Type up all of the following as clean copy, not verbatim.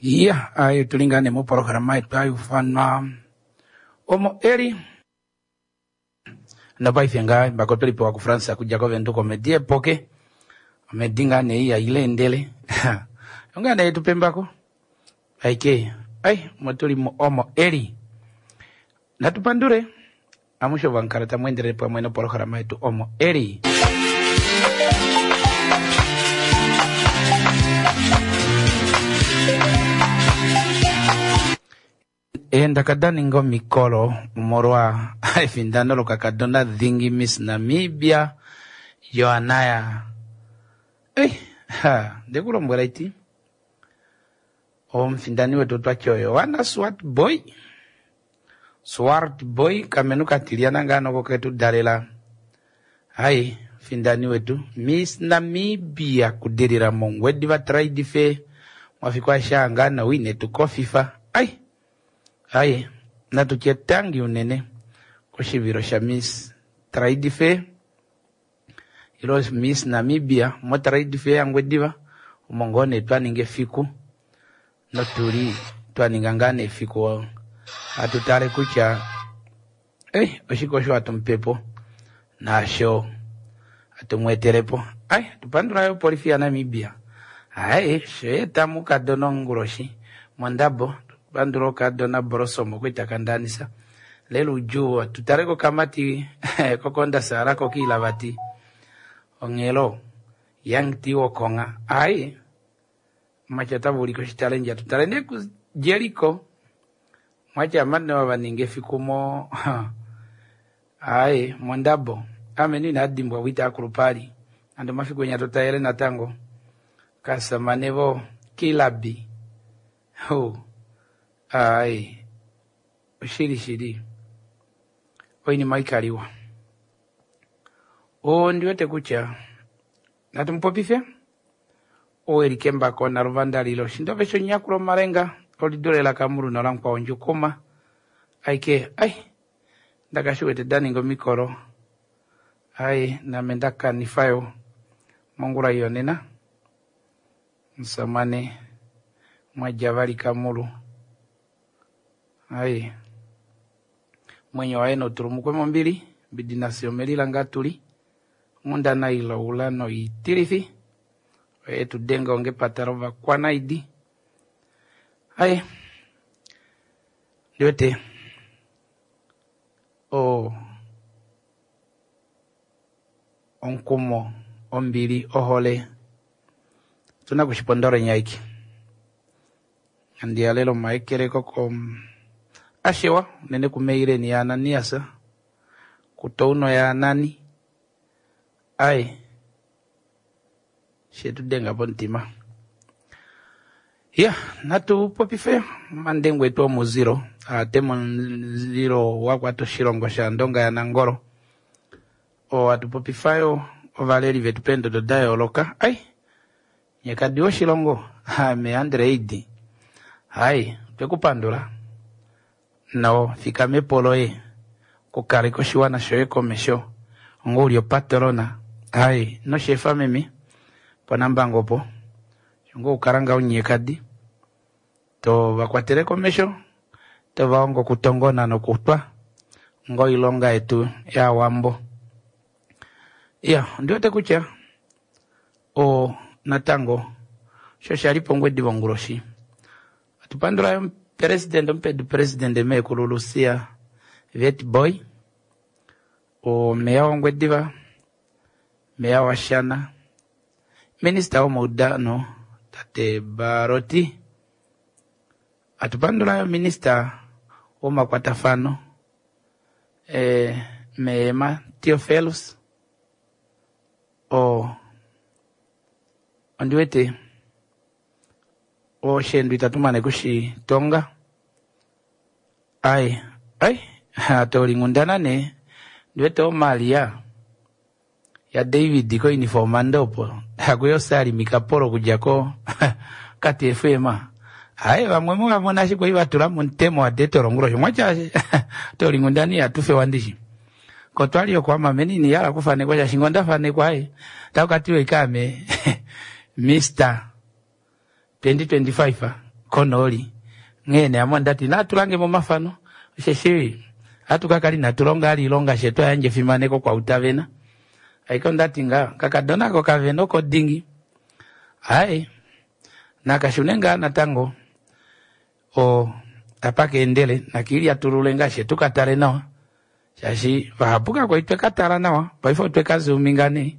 Iya, ayo tuli ngaa nee mopolohalama yetu hayufanwa omo eli nopaife ngaa mbako tweli pewa kuFrance okudja koVenduka omedi epoke omedi ngaa nee iya ileendele ongaa nee tupe mbako aike ai motuli omo eli natu pandule amushe vankala tamu endelele pamwe nopolohalama yetu omo eli. Eendaka da ninga omikolo omolwa efindano lokakadona dhingi Miss Namibia Johanna. Ei, ha, ndekulombwela iti omufindani wetu otwati oyo Johanna Swartbooi. Swartbooi kamenu katilyana ngaa noko ketu dalela. Hai, mufindani wetu Miss Namibia kudilila mOngwediva Trade Fair mwafiku aeshe ngaa nowine tukofifa. Ai, ai, natutye tangi unene koshivilo sha Miss Trade Fair ilo Miss Namibia mo Trade Fair yaNgwediva omo ngoo nee twaninga efiku notuli twaninga ngaa nee efiku hatu tale kutya oshike osho hatu mupepo naasho hatu mweetelepo. Ai, tupandula yo polifi yaNamibia. Ai, sho eta mukadona onguloshi mondabo tupandula okadona Blossom okwita kandanisa lelo udjuu tutale kokamati kokonda sala kokiilavati onghelo Young T wokonga. Ai, mwacha tavulika oshitalendja tutale nee ku Jericho mwacha amane vaninga efiku mo ai mondabo ame ni inadimbwa wita akulupali ando mafiku enya totayele natango kasamane vo kilabi ho ai oshili shili oinima ikaliwa ondiwete kutya natumupopife ou eli kembako naluvandalilo shindove shonyakulo malenga olidule lakamulu nolamukwawo ndjukuma aike ai ndakashiwete daninga omikolo ai name ndakanifayo mongula yonena musamane mwadja vali kamulu ai mwenyo waye notulumukwe mombili mbidi nafye omelila ngaa tuli onghundana iloula noitilifi oye tudenga onge epata lovakwanaidi. Ai ndiwete omukumo ombili ohole tuna kushipondola nyaiki andiyalela omaekeleko ko ashewa unene kumeileni yaAnanias kutouno yaAnani ai shetudenga pomutima. Ya natu popife mandengu etu omuzilo ate muzilo wakwata oshilongo shaNdonga yaNangolo oo atupopifayo ovaleli vetu peendodo da yooloka. Ai nyekadi woshilongo ame Andreidi hai twekupandula no fikamepo loye kukaleka oshiwana shoye komesho onga uli opatrona. Hai noshefa meme ponambango opo onga ukala nga unyekadi to vakwatele komesho to vaongo okutongona nokutwa onga oilonga yetu yaawambo. Ya ondiwete kutya o natango sho shali pOngwediva onguloshi atupandula president omupedu president meekulu Lucia Witbooi omeya wOngwediva meya waShana minista womaudano tate Baroti atupandula minista womakwatafano meema Theophilus ondiwete oshendu itatumane kushitonga ai ai atolingundana ne ndiwete omalia ya David ko uniform ndopo akuyo sali mikapolo kudja ko kati FM. Ai vamwe mukavona ashike ivatula muntemo wadetolongulosho mwacha tolingundani atufe wandishi kotwali okwama menini yala kufanekwa shashingo ndafanekwa ai takatiwe ikame Mr 2025. konooli. Nghee nee ame ondati natu lange momafano osheshi ohatu ka kala inatu longa ali ilonga she twa yandja efimaneko kwautavena. Aike ondati nga kakadona ko kavena oko dingi. Ai nakashune ngaa natango o apa keendele nakiilyatulule ngaa she tuka tale nawa shaashi vahapu kakwali tweka tala nawa paife otweka zuminga nee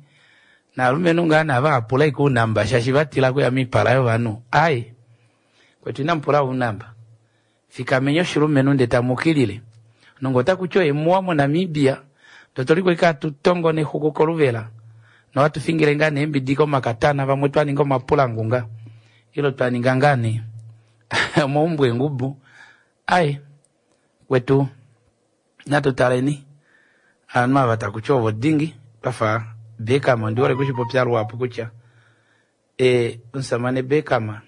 naalumenhu ngaa nava hapula ike ounamba shaashi vatila kuya miipala yovanhu ai kwetu inamupula ounamba fikameni oshilumenhu nde tamukilile nongo otakuti oye muwa moNamibia ndotoliko ike atutongo nexuku koluvela nohatu fingile ngaa neembidi komakatana vamwe twa ninga omapulangunga ilo twa ninga ngaa nee omaumbo eengubu ai kwetu natu taleni ovanhu ava takuti ovo dingi twafa Beckham ondi hole kushipopya luhapu kutya e omusamane Beckham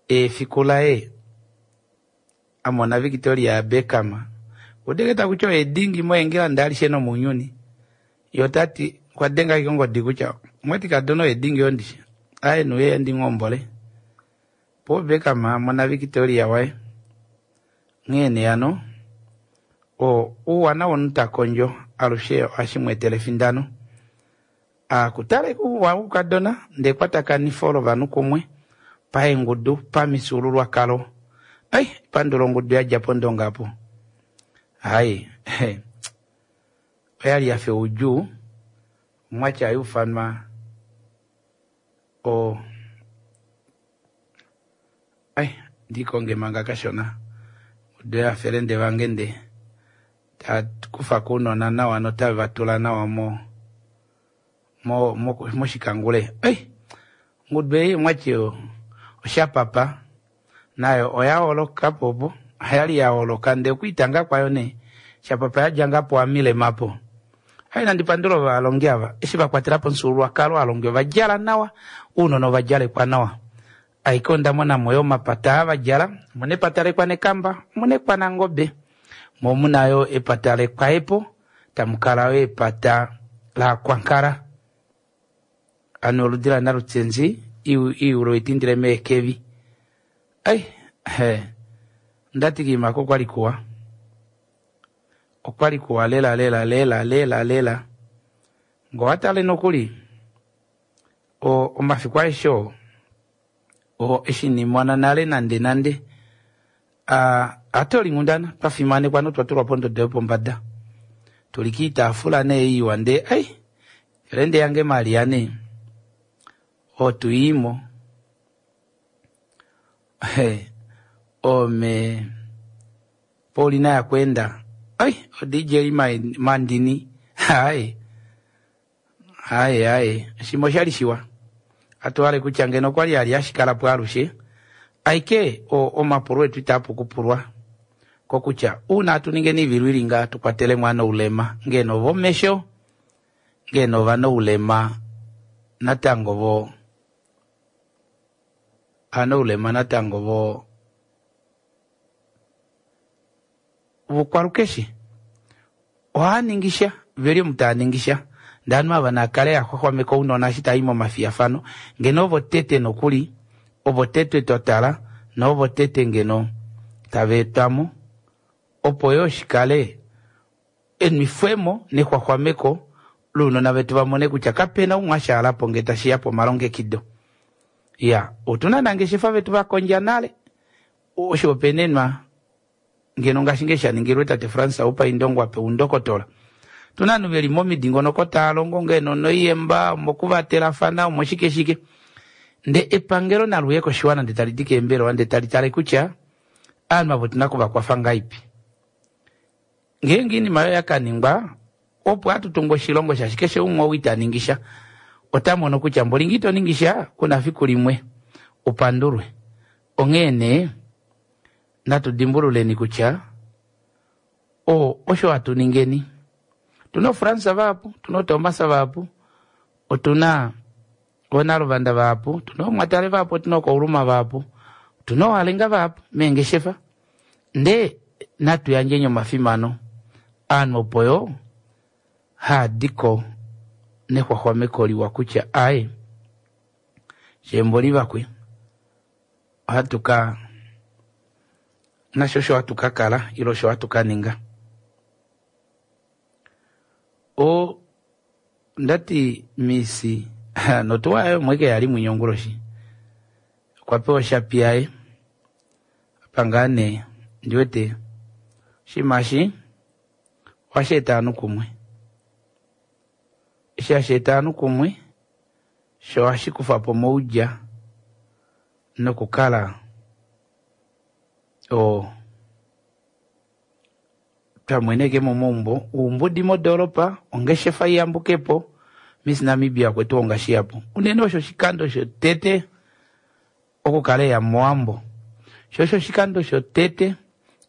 efiku laye amona Victoria Beckham udeke takuti oye dingi moEngland alishe nomounyuni ye otati okwa denga ashike ongodi kutya mwati kadona oye dingi ondishi aye nuye ndinghombole po Beckham amona Victoria waye nghee nee hano o ouwana womunhu ta kondjo alushe ohashi mu etele efindano. Akutale ouwa woukadona ndee ekwatakanifo lovanhu kumwe paengudu pamifyuululwakalo. Ai pandula ongudu yadja pOndonga apo. Hai oyali yafa oudjuu omwatya hayuufanwa o ai ndikonge manga kashona ongudu yafelende vange nde takufa kounona nawa notave vatula nawa mo mo moshikangule. Ei ongudu ei omwati oshapapa nayo oya holoka po opo oyali ya holoka ndee okwiitanga kwayo nee shapapa yadja ngaa po amilema po. Ai nandi pandula ovalongi ava eshi vakwatela po omufyuululwakalo aalongi ovadjala nawa ounona ovadjalekwa nawa. Aike onda monamo yo omapata aa vadjala omuna epata lekwanekamba omuna ekwanangobe mo omuna yo epata lekwaepo tamukala yo epata laakwankala ano oludi lanalutsenzi iiulo itindile meekevi. Ai ondati kiimako okwali kuwa okwali kuwa lela lela lela lela lela ngee owatale nokuli omafiku aeshe oo o eshi nimona nale nande nande atolinghundana twafimanekwa notwa tulwa pondodo yopombada tuli kiitaafula nee iwa ndee ai felende yange Maria nee otuyiimo ome Paulina yakweenda ai oDJ Mandini ai ai ai shimwe oshali shiwa atuhale kutya ngeno okwali ali ashikalapo alushe aike omapulo etu itaapu kupulwa kokutya uuna atu ningeni ivilwilinga tukwatelemo ovanawulema ngeno vomesho ngeno ovanawulema natango vo ovanawulema natango vo vokwalukeshe ohaaningi sha veli omu taaningi sha ndee ovanhu ava nakale yaxwaxwameka ounona eshi taayi momafiyafano ngeno ovo tete nokuli ovo tete twa tala noovo tete ngeno tava etwamo opo yoo shikale enwifwemo nexwaxwameko lounona vetu vamone kutya kapena umwe ashaalapo ngee tashiya pomalongekido. Ya otuna nangeshefa vetu vakondja nale oshihopaenenwa ngeno ngaashi ngee shaningilwe tate Frans Aupa Indongo apewa oundokotola. Otuna ovanhu veli momidingonoko tava longo ngeno noiyemba omokuvatelafana omoshike shike ndee epangelo naluye koshiwana ndee tali di keembelewa ndee tali tale kutya ovanhu avo otuna okuvakwafa ngahelipi. Ngeenge oinima oyo yakaningwa opo hatu tungu oshilongo shaashi keshe umwe ou ita ningi sha ota mono kutya mboli ngee ito ningi sha kuna fiku limwe upandulwe. Onghee nee natu dimbululeni kutya osho hatu ningeni. Otuna oFrans vahapu, otuna oThomas vahapu, otuna oonaluvanda vahapu, otuna oomwatale vahapu, otuna ookauluma vahapu, otuna oohalenga vahapu meengeshefa. Ndee natu yandjeni omafimano aanhu opo yo haadiko nexwaxwameko liwa kutya aye sheemboli vakwe. Ohatu ka nasho osho hatu ka kala ile osho hatu ka ninga. O ndati Miss notuwa yaye omo ike yali mwinya onguloshi. Okwa pewa oshapi yaye. Apa ngaa nee ndi wete oshinima eshi ohashi eta ovanhu kumwe. Eshi hashi eta ovanhu kumwe sho ohashi kufa po omaudja nokukala o twa mweneke momaumbo oumbudi modoolopa ongeshefa iyambuke po Miss Namibia okwe tu honga shihapu unene osho oshikando shotete okukala eya mOwambo sho osho oshikando shotete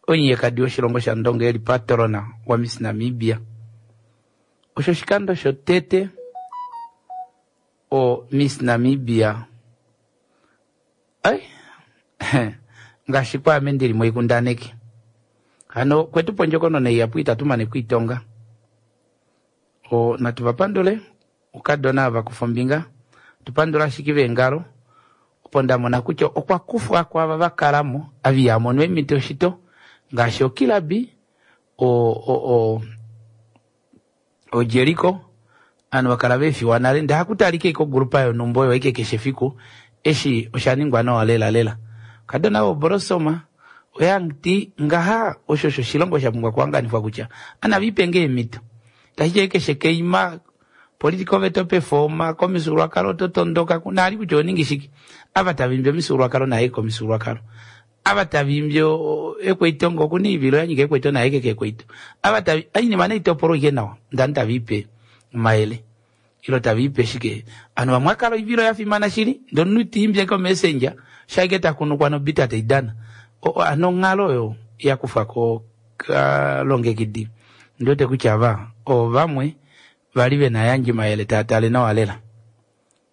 omunyekadi woshilongo shaNdonga eli patrona waMiss Namibia osho oshikando shotete o Miss Namibia ai ngaashi kwaame ndili moikundaneki hano kwetu pondjokonona ihapu itatu mane kwiitonga o natu va pandule ukadona ava kufa ombinga tu pandula ashike veengalo opo nda mona kutya okwa kufwa kwaava va kalamo ava iha mono eemhito shito ngaashi okilabi o, o, o, oJeriko ovanhu va kala veefiwa nale ndee hakutalika ike ogrupa yonhumba oyo ike keshe efiku eshi osha ningwa nawa lela lela kadona voborosoma oyangti ngaha osho osho oshilongo sha pumbwa kuhanganifwa kutya ana vipe eemhito tashi keshe keima political veto performa komifyuululwakalo oto tondoka naali kutya oningi shike ava tava imbi omifyuululwakalo naye komifyuululwakalo ava tava imbi ekweito okuna oivilo ya nyika ekweito naye ke kekweito ava tava oinima naitopolwa ike nawa ndani tava ipe omayele ilo tava ipe shike ovanhu vamwe akala oivilo ya fimana shili ndee omunhu tiimbi eke omessenger shaike takunukwa nobita taidana ano onghalo oyo yakufwa ko kalongekidi ndiwete kutya ava ovamwe vali vena yandje mayele taa tale nawa lela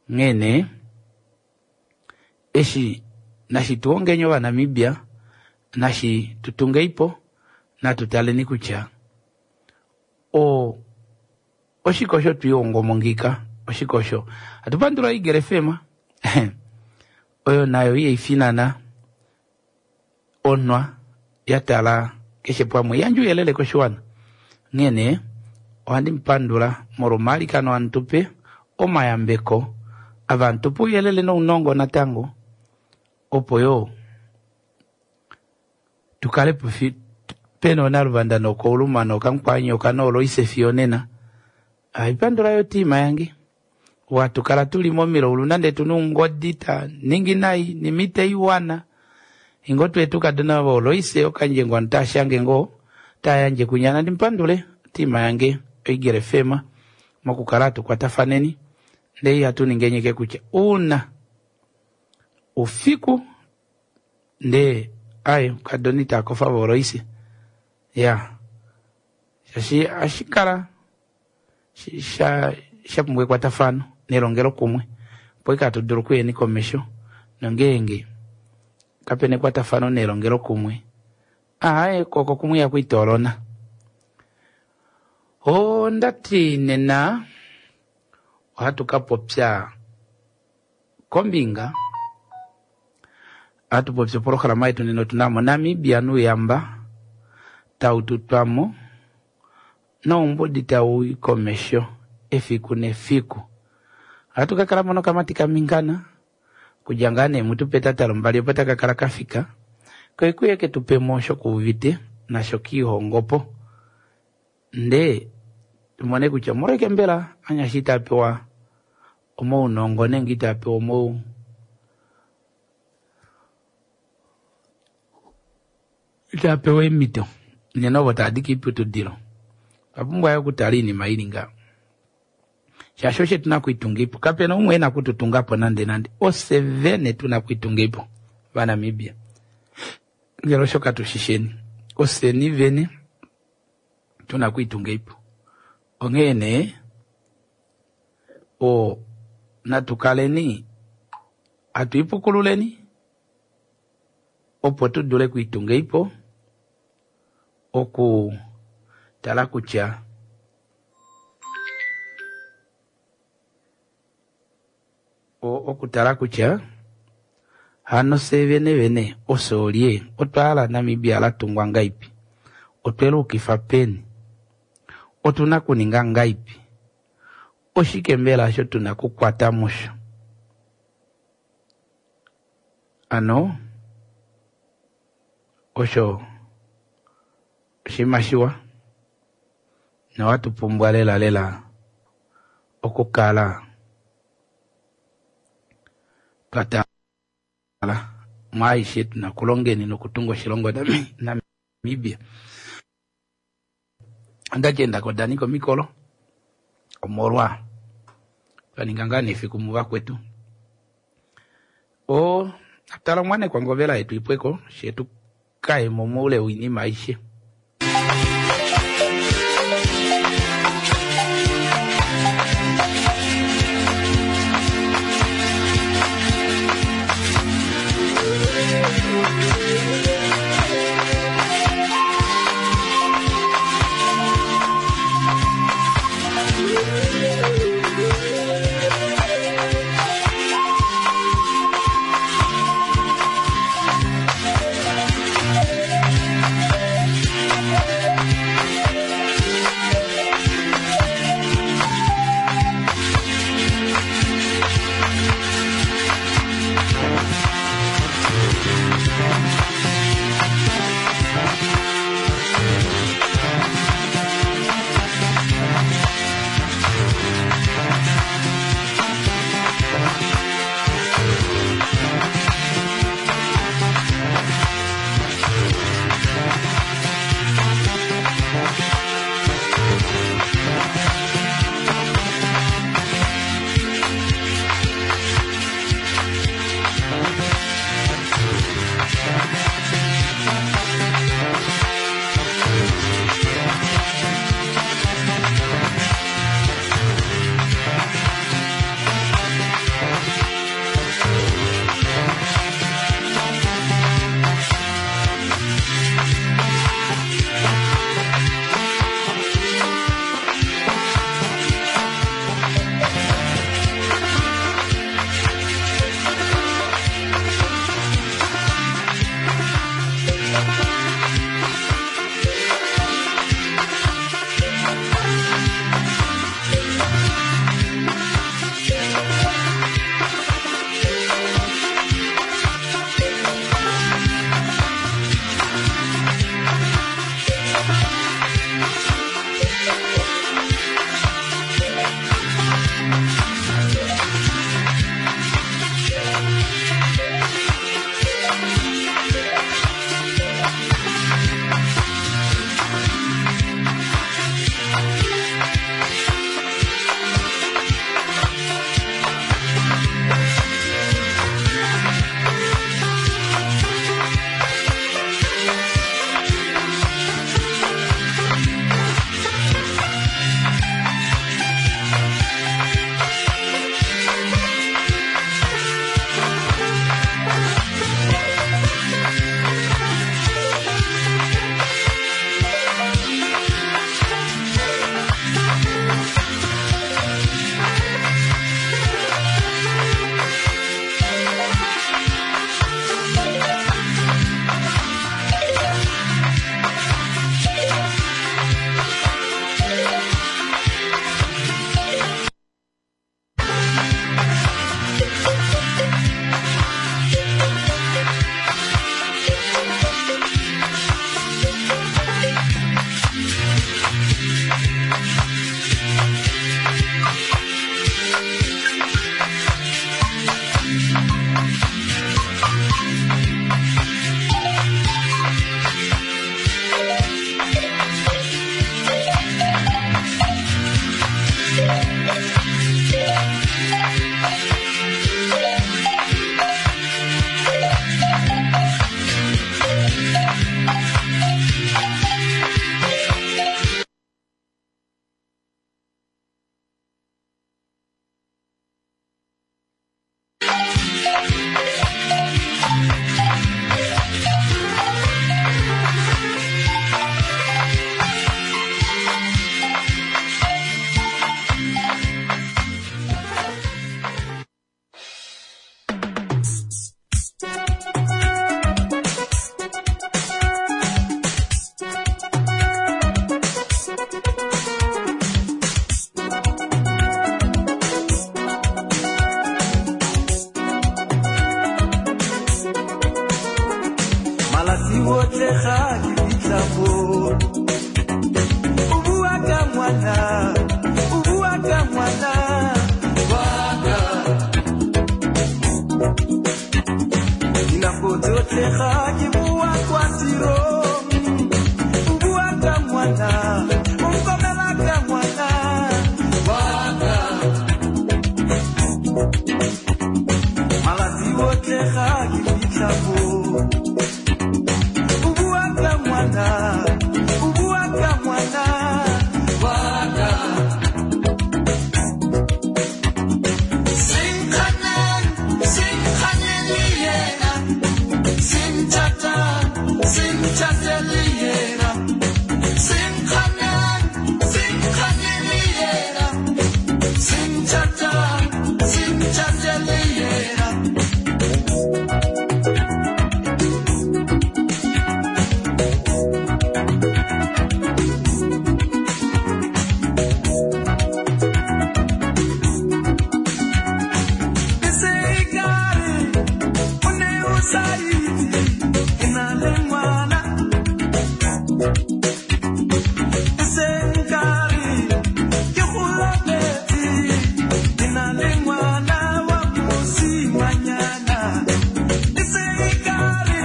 onghee nee eshi nashi tuhongeni ovanamibia nashi tutungeipo natu taleni kutya o oshike osho twiihongomo ngika oshike osho hatu pandula Eagle FM oyo nayo ihaifinana onwa ya tala keshe pamwe yandje ouyelele koshiwana onghee nee ohandi mupandula molwa omailikano amutupe omayambeko ava amutupe ouyelele nounongo natango opo yoo tukale pena onaluvanda nokouluma nokamukwanyoka nooloise fiyo nena haipandula yo tiima yange watukala tuli momilaulu nande tuna oungodi ta ningi nai nimite iwana ingo twetu kadona vooloise okandjengwa tashange ngoo tayandje kunya nandi mpandule tiima yange oEagle FM mokukala hatukwatafaneni ndee ihatu ningenyeke kutya uuna ufiku ndee ai kadona itakofa vooloise ya shaashi ashikala sha pumbwa ekwatafano nelongelo kumwe opo ike hatu dulu okuyeni komesho nongeenge kapena ekwatafano nelongelo kumwe aaye koko kumwe ihaku itoolona. Ondati nena ohatu ka popya kombinga ohatu popi opolohalama yetu nena otuna mo Namibia nuuyamba tau tutwamo noumbudi tau i komesho efiku nefiku. Ohatu ka kala mo nokamati kamingana kudja ngaa nee mutu petata lombali opo taka kala kafika koikuye ke tupemo osho kuuvite nasho kiihongopo ndee tumone kutya omolwashike mbela anyasha ita pewa omaunongo nenge ita pewa omau ita pewa eemhito unene ovo tava di koiputudilo otwa pumbwa yo okutala oinima ili ngaho shaashi osho tuna okwiitunga kapena umwe ena okututungapo nande nande ofye vene tuna okwiitunga vaNamibia ngele osho katushisheni ofyeni vene tuna okwiitunga onghee nee o natu kaleni hatu ipukululeni opo tu dule okwiitunga oku tala kutya okutala kutya Hano fye vene vene ofye olye? Otwa hala Namibia la tungwa ngaipi? Otwe luukifa peni? Otu na kuninga ngaipi? Oshike mbela osho tu na kukwata musho? Ano osho oshinima shiwa nohatu pumbwa lela lela okukala twa tala mwaaishe tuna kulongeni nokutunga oshilongo Namibia. Onda enda ko danika omikolo omolwa twa ninga ngaa nefiku muvakwetu. O tala omwanekwa ngovela yetu ipweko shetu kaye mo moule woinima aishe. Malatsi otlhe ga ke fitlha mo. O bua ka ngwana, o bua ka ngwana wa ka. Dinako tsotlhe ga ke boa kwa tirong, o bua ka ngwana, o nkomela ka ngwana wa ka. Malatsi otlhe ga ke fitlha mo. O bua ka ngwana, o bua ka ngwana wa ka. Senkganeng, senkganeng le yena. Senthata, senthate le yena. Senkganeng, senkganeng le yena. Senthata, senthate le yena. E se ekare o ne o sa itse ke na le ngwana. E se nkare ke go lapetse, ke na le ngwana wa mosimanyana. E se ekare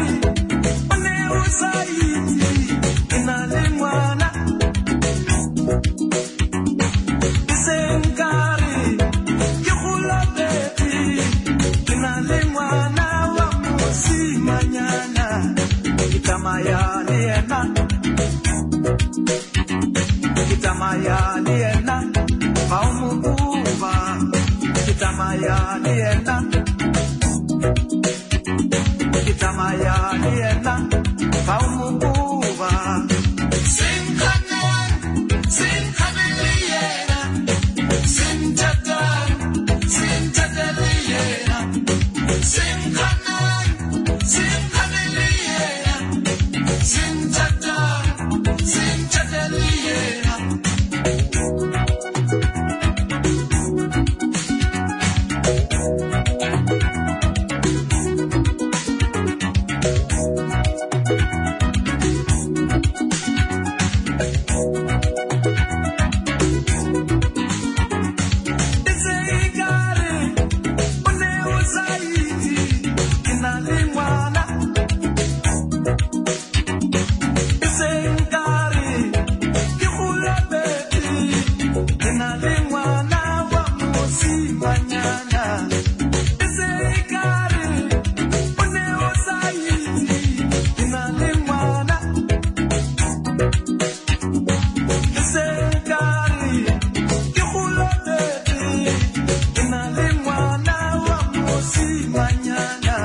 o ne o sa itse ke na le ngwana. E se nkare ke go lapetse, ke na le ngwana wa mosimanyana. Ke tsamaya le yena, ke tsamaya le yena, fa o mo koba. Ke tsamaya le yena, ke tsamaya le yena, fa o mo koba. Senkganeng, senkganeng le yena. Senthata, senthate le yena. Senkganeng, senkganeng le yena. Senthata, senthate le yena. E se ekare o ne o sa itse ke na le ngwana. E se nkare ke go lapetse, ke na le ngwana wa mosimanyana. E se ekare o ne o sa itse ke na le ngwana. E se nkare ke go lapetse, ke na le ngwana wa mosimanyana.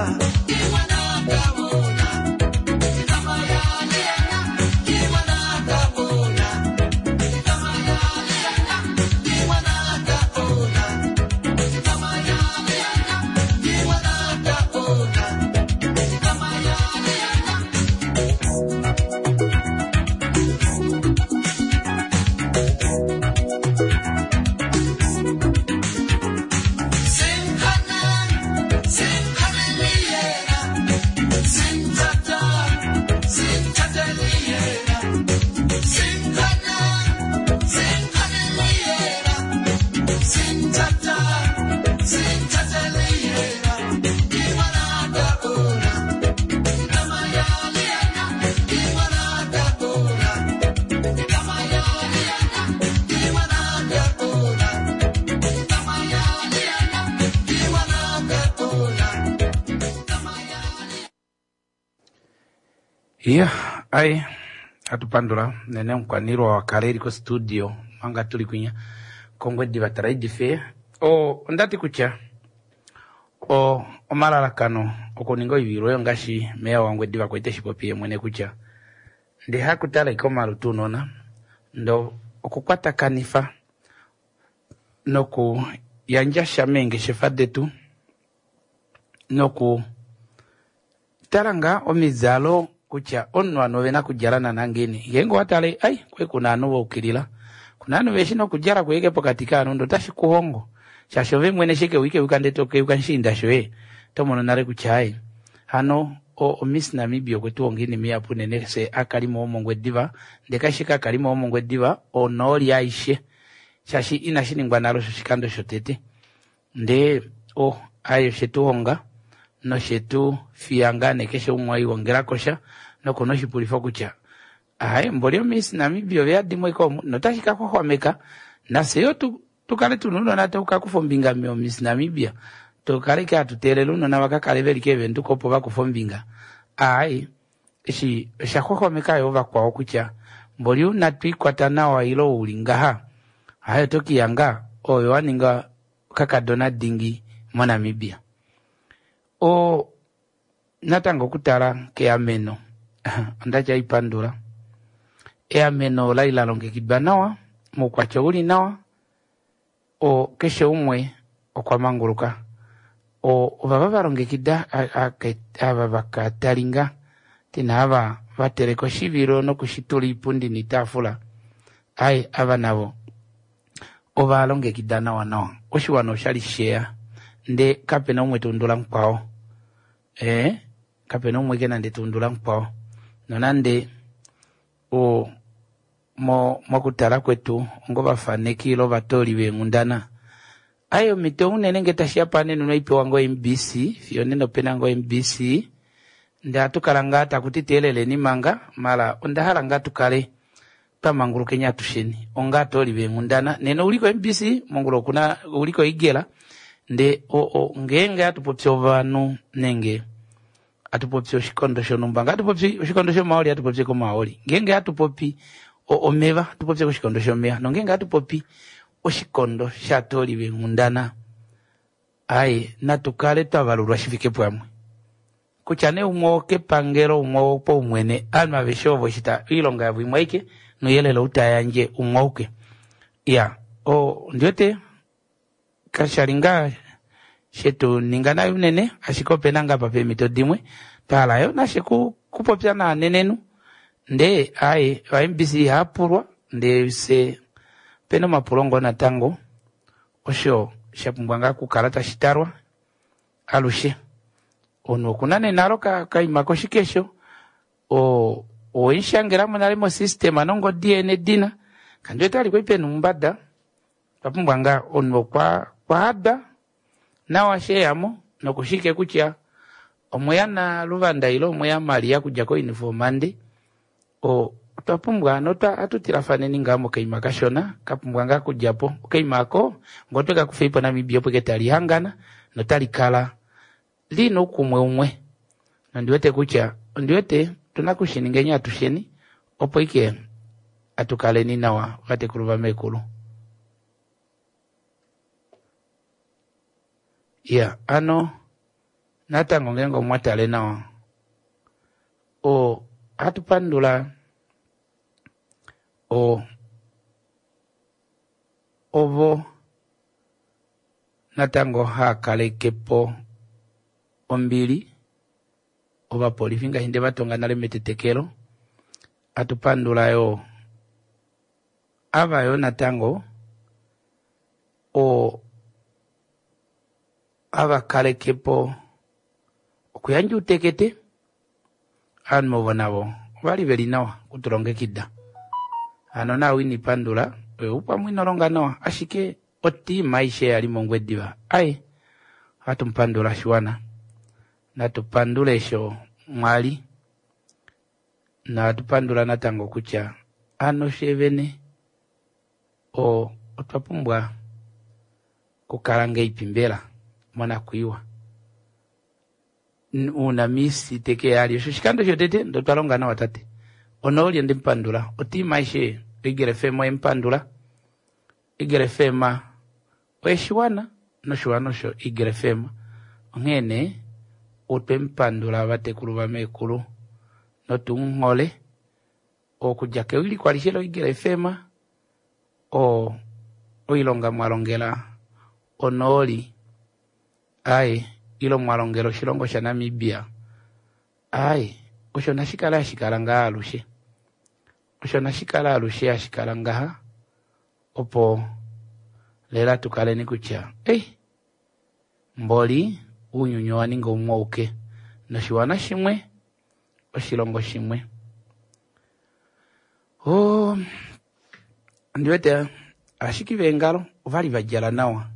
Ke ngwana ka bona, ke tsamaya le yena. Ke ngwana ka bona, ke tsamaya le yena. Ke ngwana ka bona, ke tsamaya le yena. Ke ngwana ka bona, ke tsamaya le yena. Senkganeng, senkganeng le yena. Senthata, senthate le yena. Senkganeng, senkganeng le yena. Senthata, senthate le yena. Ke ngwana ka bona, ke tsamaya le yena. Ke ngwana ka bona, ke tsamaya le yena. Ke ngwana ka bona, ke tsamaya le yena. Ke ngwana ka bona, tsamaya le Iya, ai atupandula nene omukwaniilwa wakale eli kostudio manga tuli kwinya kOngwediva Trade Fair. O ondati kutya o omalalakano okuninga oivilo oyo ngaashi meya waNgwediva kwete shi popi ye mwene kutya ndee hakutala ike omalutu unona ndo okukwatakanifa nokuyandja sha meengeshefa detu noku tala ngaa omidjalo kutya omunhu ovanhu ovena okudjala naana ngeini. Ngeenge owatale ai kwai kuna ovanhu vaukilila, kuna ovanhu veshi nokudjala kuye pokati kovanhu ndee otashi kuhongo shaashi ove mwene eshi keuyi keuka ndee tokeuka mushiinda shoye oto mono nale kutya ai hano oMiss Namibia okwe tu honga oinima ihapu unene fye akalimo womOngwediva, ndee kaishi ashike akalimo womOngwediva, onooli aishe, shaashi inashi ningwa nale osho oshikando shotete. Ndee o aye oshe tu honga noshe tu fiya ngaa nee keshe umwe e sha nokuna oshipulifo kutya aye mboli oMiss Namibia ove yadimo ike omu notashi ka xwaxwameka nafye yo tu tukale tuna ounona tau ka kufa ombinga moMiss Namibia, tukale ike hatu teelele ounona va ka kale veli keevenduka opo va kufe ombinga. Aai, eshi osha xwaxwameka yo vakwao kutya mboli una twiikwata nawa ile uli ngaha, aye oto kiyanga oyo wa ninga kakadona dingi moNamibia. O natango okutala keameno, ondatya ipandula. Eameno olali la longekidwa nawa, moukwatya uli nawa, o keshe umwe okwa manguluka. O ovava va longekida ava vakatalinga tina ava vateleka oshivilo nokushitula iipundi niitaafula, aye ava navo ova longekida nawa nawa. Oshiwana oshali sheya ndee kapena umwe taundula mukwao. Kapena umwe ke nande taundula mukwao. Nonande o mokutala kwetu ongovafaneki ile ovatooli veenghundana, aye omhito unene nge tashiya panene unaipewa ngo MBC, fiyo nena opena ngo MBC, ndee ohatu kala ngaa taku ti teeleleni manga, mala onda hala ngaa tukale twamangulukeni atusheni onga atooli veenghundana. Nena ouli ko MBC, mongula okuna ouli ko Igela, ndee ngeenge hatu popi ovanhu nenge hatu popi oshikondo shonhumba, nge hatu popi oshikondo shomaoli hatu popi komaoli, ngeenge hatu popi omeva hatu popi koshikondo shomeva, nongeenge hatu popi oshikondo shatooli veenghundana, aye natu kale twavalulwa shi fike pamwe. Kutya nee umwe wokepangelo, umwe wopaumwene, ovanhu aveshe ovo eshi oilonga yavo imwe aike nouyelele ou tayandje umwe auke. Ya, ondiwete kashali ngaa shetu ninga nayo unene, ashike opena ngaa pa peemhito dimwe twahala yo nashe kupopya naanenenhu, ndee aye va MBC ihaapulwa, ndee se pena omapulo ngoo natango osho sha pumbwa ngaa okukala tashi talwa alushe. Omunhu okuna nee nalo kaima koshikesho, owemushangelamo nale mosystem nongodi ye nedina, kandi wete vali kwali pena omumbada, otwa pumbwa ngaa omunhu okwa hada nawa sheyamo nokushike kutya omweya na Luvanda ile omweya Maria kudja kouniform nde otwa pumbwa ohatu tilafaneni ngaa mokaima kashona kapumbwa ngaa kudja po. Okaima ako ngoo tweka kufeipo Namibia opo ike tali hangana notali kala lina oukumwe umwe. Nondiwete kutya ondiwete tuna kushiningeni atusheni opo ike atukaleni nawa vatekulu vamekulu. Ya, ano natango ngeenge omwatale nawa ohatu pandula ovo natango haakalekepo ombili ovapolifi ngaashi nde vatonga nale metetekelo. Hatu pandula yo ava yo natango ava kalekepo okuyandja uutekete. Ovanhu ovo navo ovali veli nawa okutulongekida. Hano nawe ini pandula oyo upamwe ino longa nawa, ashike otiima aishe yali mOngwediva aye ohatu mupandula shiwana. Natu pandule sho mwali, natu pandula natango kutya ano shevene otwa pumbwa kukala ngeipi mbela monakwiiwa. Una misi teke yali osho oshikando shotete ndo twalonga nawa tate. Onooli ondimupandula, otiima aishe Eagle FM oyemupandula. Eagle FM oyeshiwana noshiwana osho Eagle FM. Onghee nee otwemupandula vatekulu vamekulu notumuhole okudja kewiliko alishe loEagle FM oilonga mwalongela onooli aye ilo mwalongela oshilongo shaNamibia aye osho nashikale hashikala ngaa alushe, osho nashikale alushe hashikala ngaha opo lela tukaleni kutya mboli uunyuni owa ninga umwe auke. Noshiwana shimwe, oshilongo shimwe. Oh, ondi wete ashiki veengalo ovali va djala nawa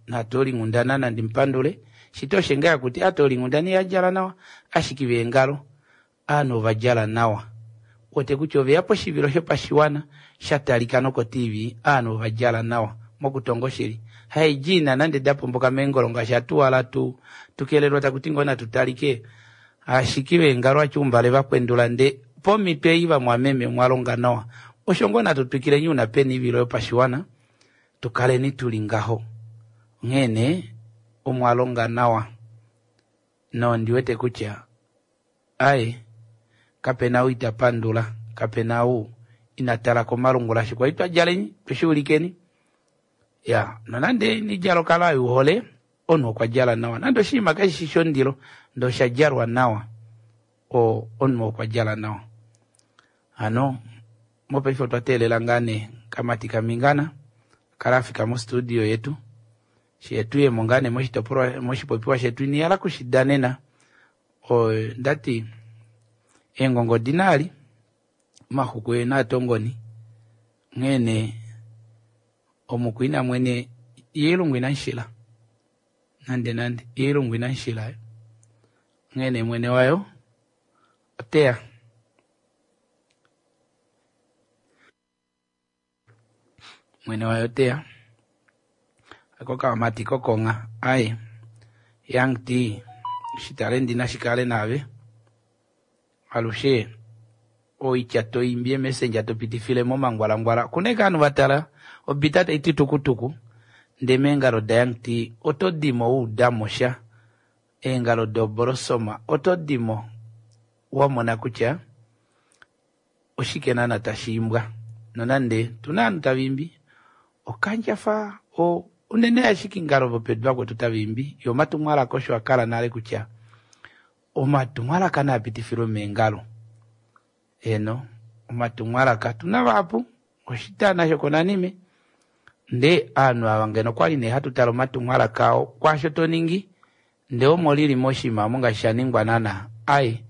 naatoolinghundana nandi mupandule shito oshe ngaa kuti aatoolinghundana iha djala nawa ashiki veengalo aanhu ova djala nawa wete kutya oveya poshivilo shopashiwana sha talika noko-tv aanhu ova djala nawa mokutonga oshili haidjiina nande da pomboka meengolo ngaashi atuwala tu tukelelwa taku ti ngoo natu talike ashiki veengalo atyuumbale vakwendula nde pomhito ei vamwameme mwa longa nawa osho ngoo natu twikileni una pena oivilo yopashiwana tu kaleni tuli ngaho onghee nee omwa longa nawa nondi wete kutya aye kapena ou ita pandula kapena ou ina tala komalungula shi kwali twa djaleni tweshi ulikeni ya nonande nidjalo kala yuhole omunhu okwa djala nawa nande oshinima kashi shi shondilo ndee osha djalwa nawa omunhu okwa djala nawa hano mopaife otwa teelela ngaa nee kamati kamingana kala afika mostudio yetu she tuyemo ngaa nee moshitopolwa moshipopiwa shetu inihala kushidanena ndati eengongo odina ali omaxuku ena atongoni onghee nee omukwina mwene iilungu inamushila nande nande iilungu inamushila onghee nee mwene wayo oteya mwene wayo oteya akokamati kokongha aye Young T shitalendi nashikale naave alushe oitya toimbi emessenger topitifile momangwalangwala okuna ashike ovanhu vatala obita taiti tukutuku ndee meengalo da Young T oto dimo wa udamo sha eengalo dobolosoma oto dimo wamona kutya oshike naana tashi imbwa nonande tuna ovanhu tava imbi okandjafa unene ashike ngalo vopedu vakwetu tava imbi yo omatumwalaka osho akala nale kutya omatumwalaka naa pitifilwe meengalo eno omatumwalaka tuna vahapu oshitana shokonanime ndee aanhu ava ngeno okwali nee hatu tale omatumwalaka ao kwaasho toningi ndee omo lili moshinima omo ngaashi shaningwa naana ai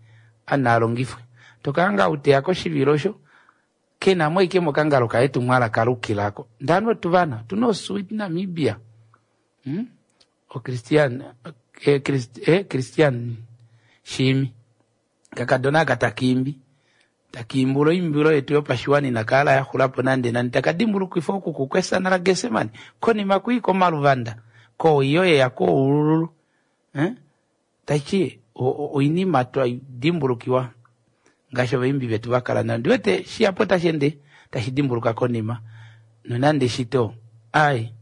ana alongifwe tokala ngaa uteya koshivilo osho kenamo ashike mokangalo kaye etumwalaka lukilako ndee ovanhu otuvana otuna osweet Namibia oChristian Christian Shiimi kakadona aka takiimbi takiimbula oimbilo yetu yopashiwana inakala yaxulapo nande nande takadimbulukifa okuku kwesana laGesemane konima kwii komaluvanda koiyo yeya koululu tachi oinima twadimbulukiwa ngaashi ovaimbi vetu vakala nayo ndiwete shihapu tashi ende tashi dimbuluka konima nonande shito ai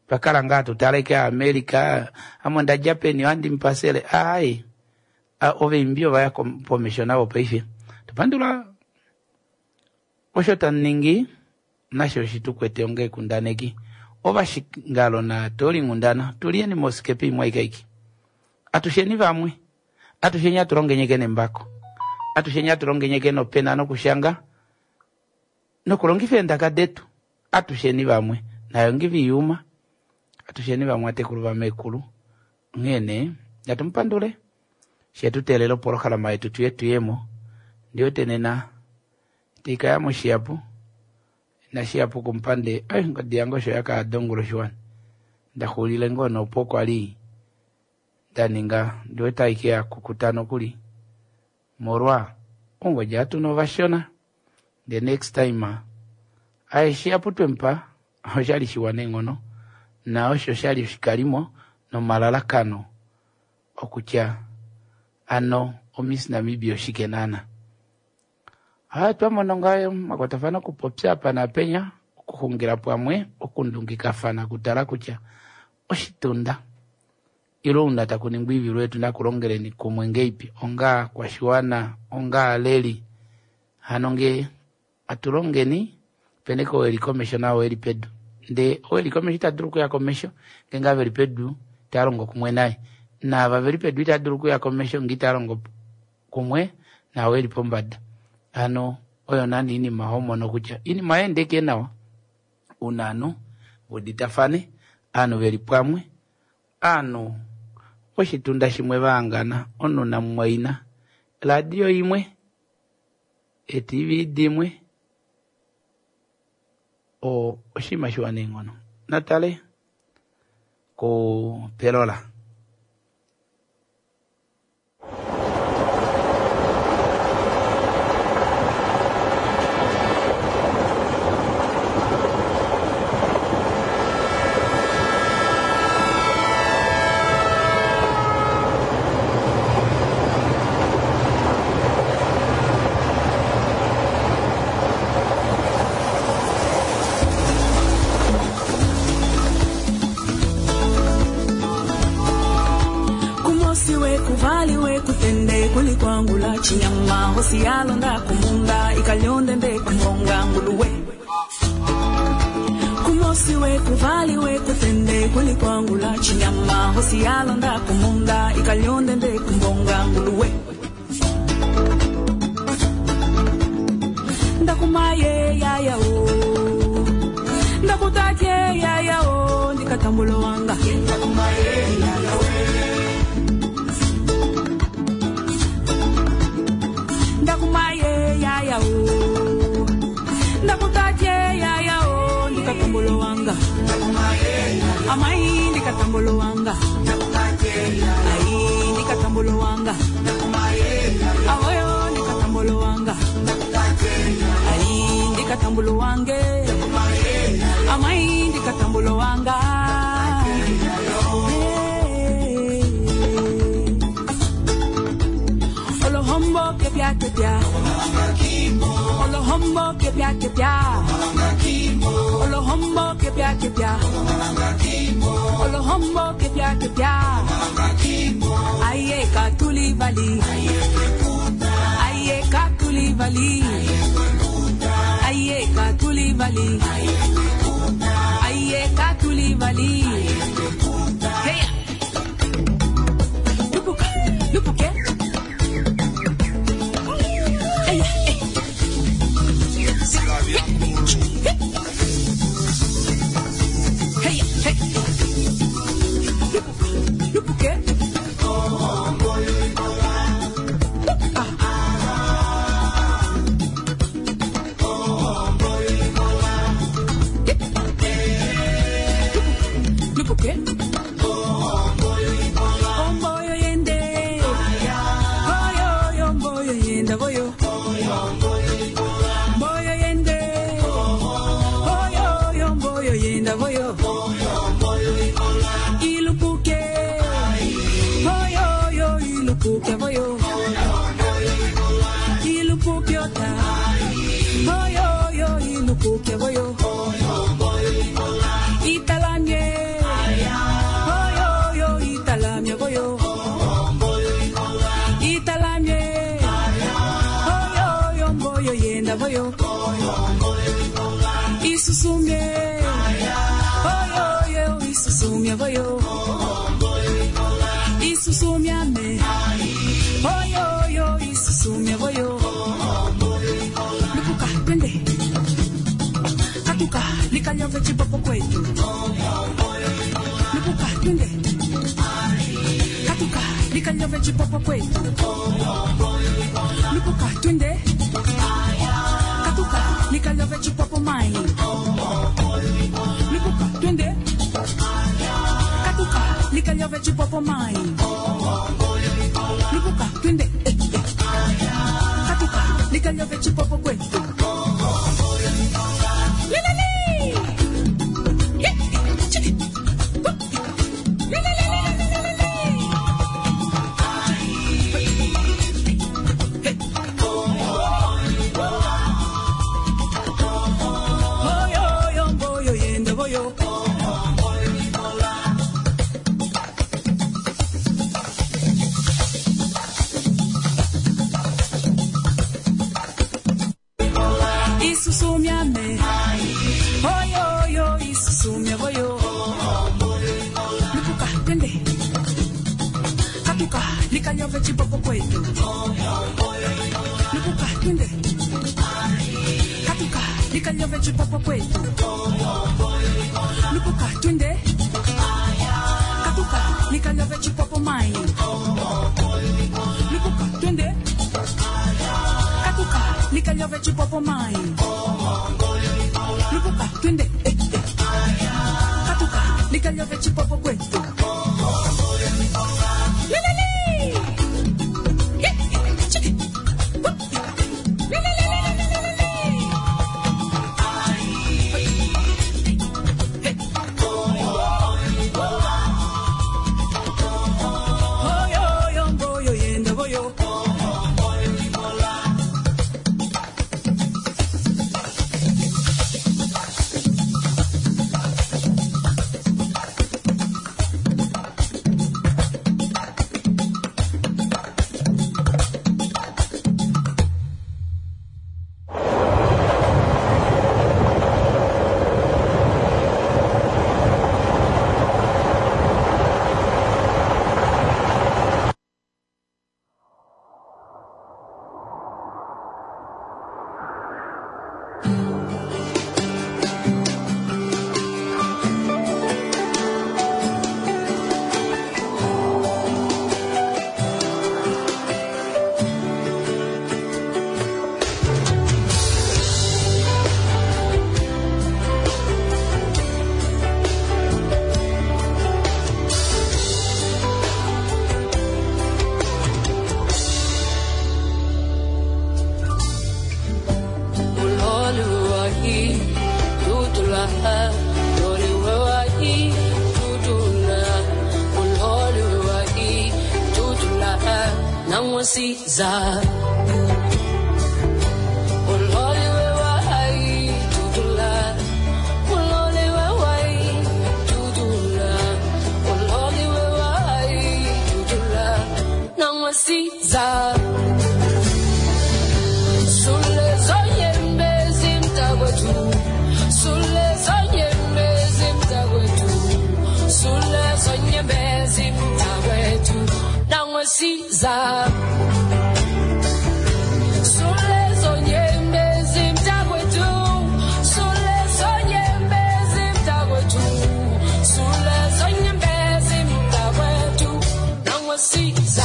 twakala ngaa tutaleke America ame ondadja peni ohandi mupasele ai ovaimbi ovaya pomesho navo paife topandula osho tamuningi nasho oshitukwete onga ekundaneki ovashingalo naatoolinghundana tuliyeni mosikepa imwe aike atusheni vamwe atusheni atulongenyeke nembako atusheni atulongenyeke nopena nokushanga nokulongifa eendaka detu atusheni vamwe nayo ngiviyuma atusheni vamwe atekulu vamekulu onghee nee natumupandule shetuteelela opolohalama yetu tuye tuyemo ndiwete nena itaikaya moshihapu nashihapu kumupande ai ngodi yange osho yakaada ongula oshiwana ndaxuulile ngoo nopo kwali ndaninga ndiwete aike yakukuta nokuli molwa ongodi atuna ovashona the next time aye shihapu twemupa oshali shiwa neenghono na osho shali oshikalimo nomalalakano okutya ano oMiss Namibia oshike naana twamona ngaa omakwatafano okupopya apa naapenya okuxungila pamwe okundungikafana okutala kutya oshitunda ile ouna takuningwa oivilo yetu nakulongeleni kumwe ngeipi onga kwashiwana onga aleli hano ngee atulongeni pene ko eli komesho nao eli pedu ndee ou eli komesho ita dulu okuya komesho ngeenge ava veli pedu itava longo kumwe naye naava veli pedu itava dulu okuya komesho ngee itava longo kumwe naao eli pombada hano oyo naana oinima homono kutya oinima oyaendeke nawa una ovanhu veuditafane ovanhu veli pamwe ovanhu Poshitunda shimwe vahangana, omunhu namumwaina. Radio imwe, eTV dimwe, oshinima shiwa neenghono. Natale kupelola. Kumosi wekuvali wekutende kulikwangula chinyama hosi yalonda kumunda ikalyonde nde kumbonga nguluwe. Kumosi wekuvali wekutende kulikwangula chinyama hosi yalonda kumunda ikalyonde nde kumbonga nguluwe. Ndakumaye yaya o, ndakutatye yaya o, ndikatambulo wanga. Ndakumaye yaya o, ndakutatye yaya o, ndikatambulo wanga. Amai ndikatambulo wanga. Ai ndikatambulo wanga. Awoyo ndikatambulo wanga. Ai ndikatambulo wange. Amai ndikatambulo wanga. Olohombo kepya kepya. Olohombo kepya kepya. Olohombo kepya kepya. Olohombo kepya kepya. Aye katuli vali. Aye katuli vali. Aye katuli vali. Aye katuli vali. Hey. Lupuka, lupuke. Hey, hey. Hey, hey. Lupuka, lupuke. Lupuke. Omboyo yende. Oyo, omboyo yenda boyo. Mboyo yende. Oyo, omboyo yenda boyo. Ilupuke. Oyo, ilupuke boyo. Ilupuke ota. Oyo, ilupuke boyo. Italamye. Oyo, italamye boyo. Italamye. Oyo, mboyo yenda boyo. Isusumye. Oyo, isusumye boyo. Isusumyame. Oyo, isusumye boyo. Lupuka, twende. Katuka, likanyove chipopo kwetu. Lupuka, twende. Katuka, likanyove chipopo kwetu. Lupuka, twende. Katuka, likanyove chipopo mai. Lupuka, twende. Katuka, likanyove chipopo mai. Lupuka, twende. Eh, eh. Katuka, likanyove chipopo kwetu. Lelele! Eh, chiki. Lelelelelelele. Oyo, oyo, mboyo, yenda, boyo. Isusumyame. Oyo, oyo, isusumya, boyo. Lupuka, twende. Katuka, likanyove chipopo kwetu. Lupuka, twende. Katuka, likanyove chipopo kwetu. Lupuka, twende. Katuka, likanyove chipopo mai. Likalyove chipopo mai. Lupuka, twende. Eh, eh. Katuka, likalyove chipopo kwetu. Lelele. Eh, chiki. Hup. Lelelelelelele. Oyo, oyo, mboyo, yenda, boyo. Nangwasiza. Nangwasiza. Sule zonyembezi mtakwethu, Sule zonyembezi mtakwethu, Sule zonyembezi mtakwethu, Nangwasiza. Sule zonyembezi mtakwethu, Sule zonyembezi mtakwethu, Sule zonyembezi mtakwethu, Nangwasiza.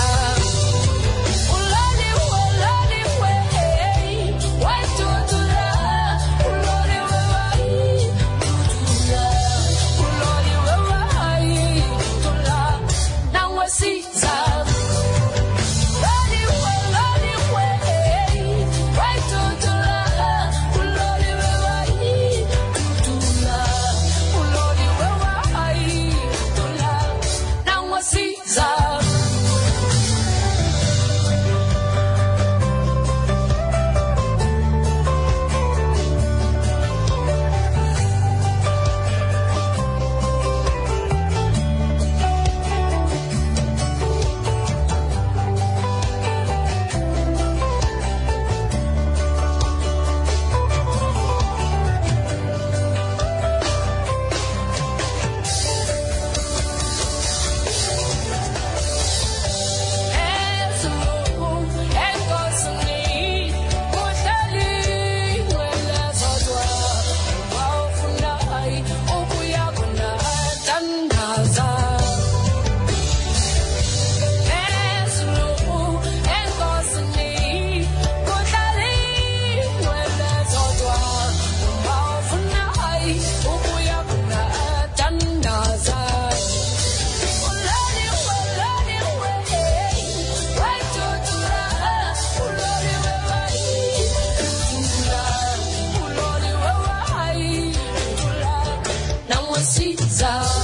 Caesar.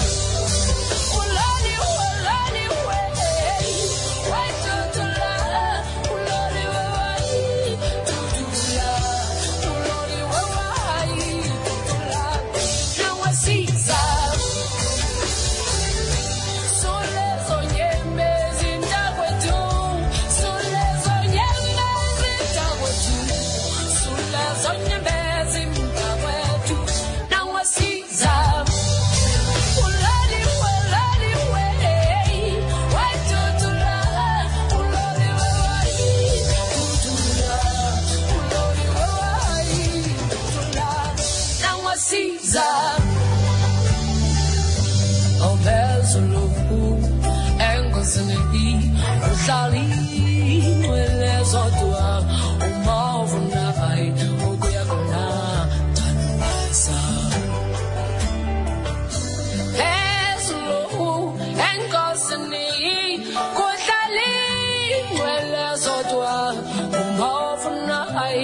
Uhlali inwele zodwa uma ufuna.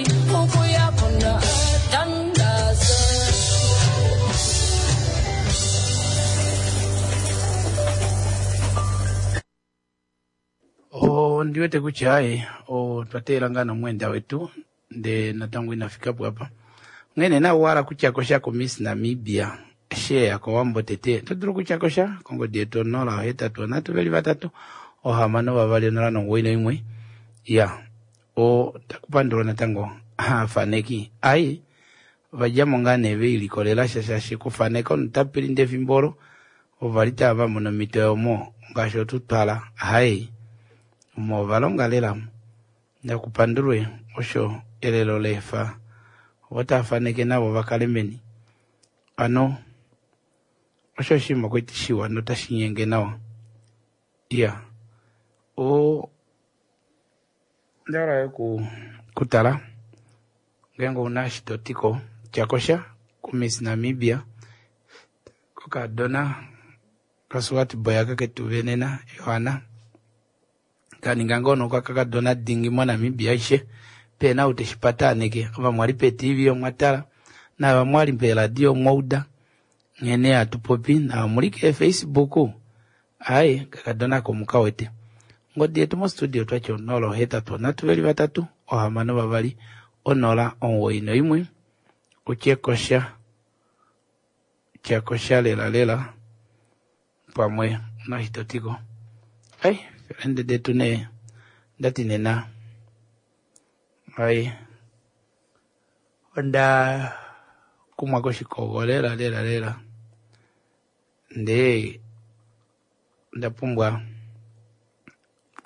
Ukuya khona thandaze. Ondi wete kutya aye otwa teela ngaa nomweenda wetu ndee natango ina fika po apa. Onghee nee owa hala kutya ko sha koMiss Namibia sheya kOwambo tete, oto dulu okutya ko sha kongodi yetu 083 362 091. Ya, otaku pandulwa natango aafaneki. Ai, ova dja mo ngaa nee ve ilikolela sha shaashi okufaneka omunhu ta pilinda efimbo olo ova li tava va mono omhito yomo ngaashi otutwala. Hai, omo ova longa lela nakupandulwe osho elelo leefa ovo tava faneke navo va kale meni. Ano osho oshinima kwati shiwa notashi nyenge nawa. Iya, o onda hala yo kutala ngeenge ouna eshi to ti ko tya ko sha kuMiss Namibia kokadona kaSwartbooi aka ketu venena Johanna kaninga ngoo nokakakadona dingi moNamibia aishe pena ou teshi pataneke. Ova mwali peTV omwa tala nava mwali peeradio omwa uda nghene hatu popi nava muli keeFacebook. Aye kakadona ko mukawete. Ongodi yetu mostudio twati 083 3 6 2 091 utye kosha tya kosha lela lela pamwe nashitotiko. Ai felende detu nee ndati nena ai onda kumwa koshikogo lela lela lela ndee onda pumbwa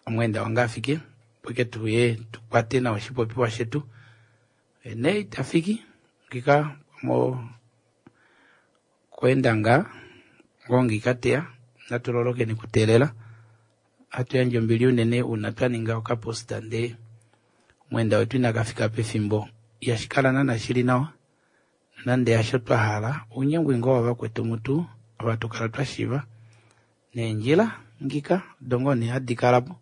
omweenda wange afike opo ke tuye tukwate nawa oshipopiwa shetu. Nee itafiki ngika mo kweenda ngaa ngoo ngika teya natu lolokeni kuteelela hatu yandje ombili unene uuna twa ninga okaposta ndee omweenda wetu inaka fika pefimbo. Ihashi kala naana shili nawa nande hasho twa hala ounyengwi ngoo wavakwetu mutu ava tukala twa shiva neendjila ngika odo ngoo nee hadi kala po.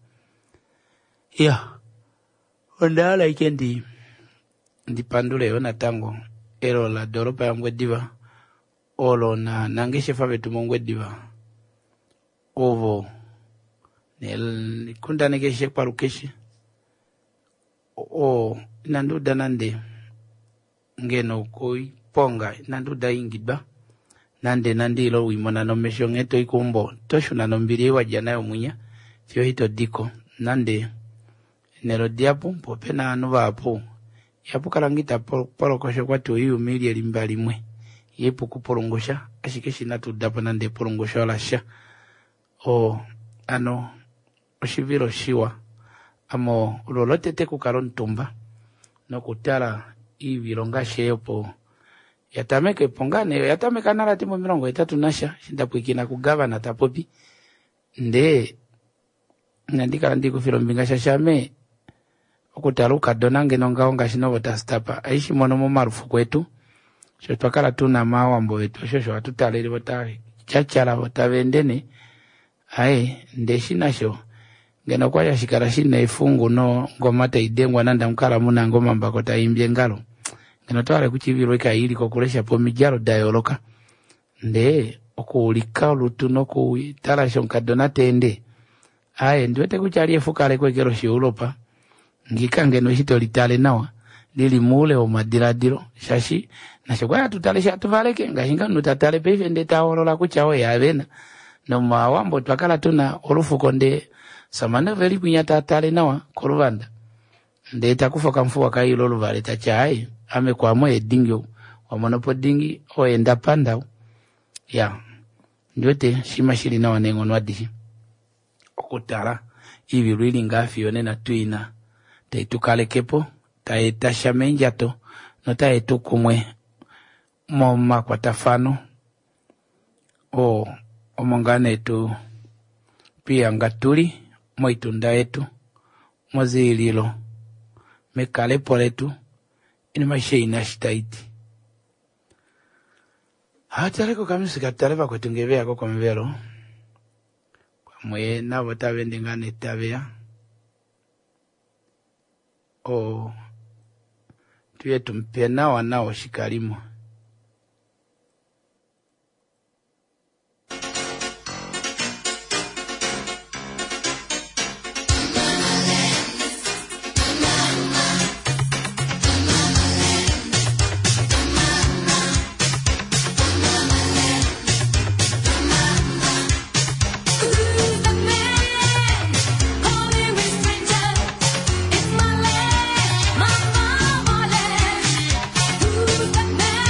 Iya, onda hala ike ndi pandule yo natango elo ladoolopa yaNgwediva olo nangeshefa vetu mOngwediva ovo nekundaneke keshe kwalukeshe o inandi uda nande ngeno koiponga inandi uda ingidwa nande nande ilo uimona nomesho nghee toi keumbo toshuna nombili ei wadja nayo mwinya fiyo ito diko nande nelo dihapu po opena ovanhu vahapu ihapu kala ngoo ita polokosha okwati oiyuma ili elimba limwe ihapu kupulungusha ashike shi inatu udapo nande epulungusho lasha. O ano oshivilo shiwa amo olo lotete kukala omutumba nokutala iivilo ngaashi ei opo yatameke po ngaa nee oyatameka nale ati momilongo hetatu nasha eshi ndapwiikina kugavana ta popi ndee inandi kala ndikufila ombinga shaashi ame okutala oukadona ngeno ngaho ngaashi novo tastapa aishi mono momalufuko etu sho twa kala tuna maawambo vetu osho osho hatu talele vo tava vo tava ende nee. Aye ndeshi nasho ngeno okwali hashi kala shina efungu nongoma taidengwa nande amukala muna ngoo omambako taiimbi engalo ngeno otwahala kutya ivilwa ikaili kokulesha po omidjalo da yooloka ndee okuulika olutu nokutala eshi omukadona teende aye ndiwete kutya ali efukaleko eke loshieuropa ngika ngeno eshi tolitale nawa lili moule womadiladilo shaashi nasho kwali hatu tale eshi hatu valeke ngaashi nga omunhu tatale paife ndee tahoolola kutya oye avena nomawambo twakala tuna olufuko ndee samane veli kwinya tatale nawa koluvanda ndee takufa okamufuwa kaile oluvale tati aye ame kwamo edingi ou wamonopo dingi oye ndapanda ou. Ya ndiwete shima shili nawa neenghono adishe okutala iivilo ili ngaa fiyo nena tuina tai tukalekepo tai eta sha meendjato notai etu kumwe momakwatafano oo omo ngaa nee tu twihanga tuli moitunda yetu moziililo mekalepo letu inima aishe ina shi taiti. Hatale kokamusika tutale vakwetu ngee veyako komuvelo pamwe navo tava ende ngaa nee taveya o. Tuye tumupe nawa nawa oshikalimo. Who's the man calling me stranger? It's my land, my mama land. Who's the man?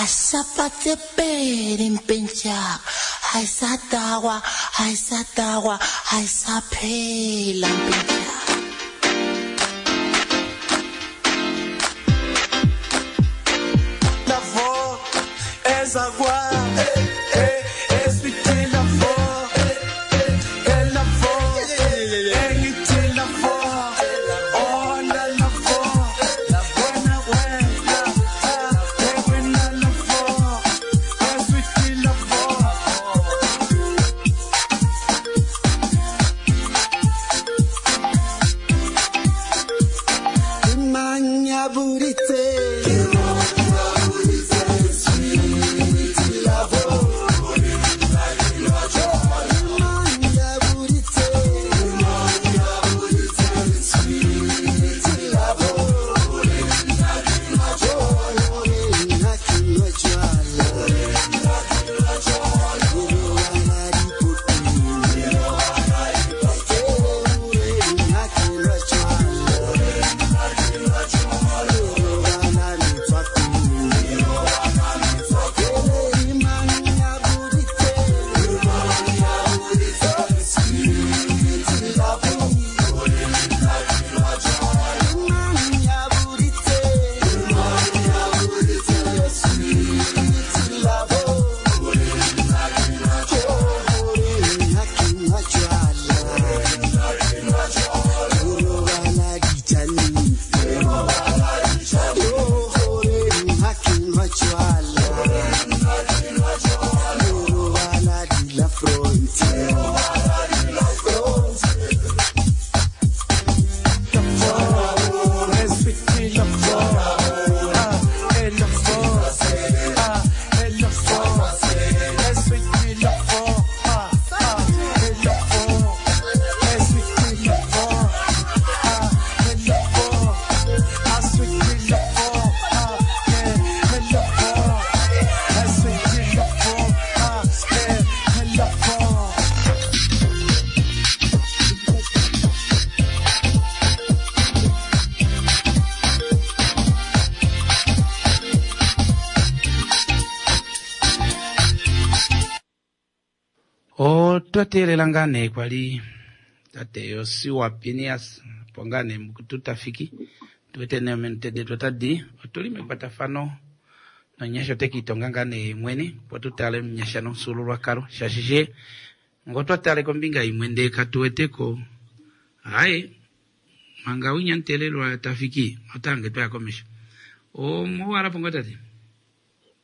Asapatse pedi mpentjaka ayisadakwa ayisadakwa ayisaphela mpentjaka. Lavo, ezakwa, eswiti lavo, elavo, engithi lavo, oh la lavo, wena wena, wena lavo, eswiti lavo. Manyaburitse Otwa teelela ngaa nee kwali tate Josiwa Pinias opo ngaa nee mukutu tafiki tuwete nee ominute detu otadi otuli mekwatafano nonyasha ote kiitonga ngaa nee ye mwene opo tu tale omunyasha nomufyuululwakalo shaashi she ngo twa tale kombinga imwe ndee katuweteko aye manga winya muteelelwa tafiki otange twaya komesho omuwalapo ngo tate?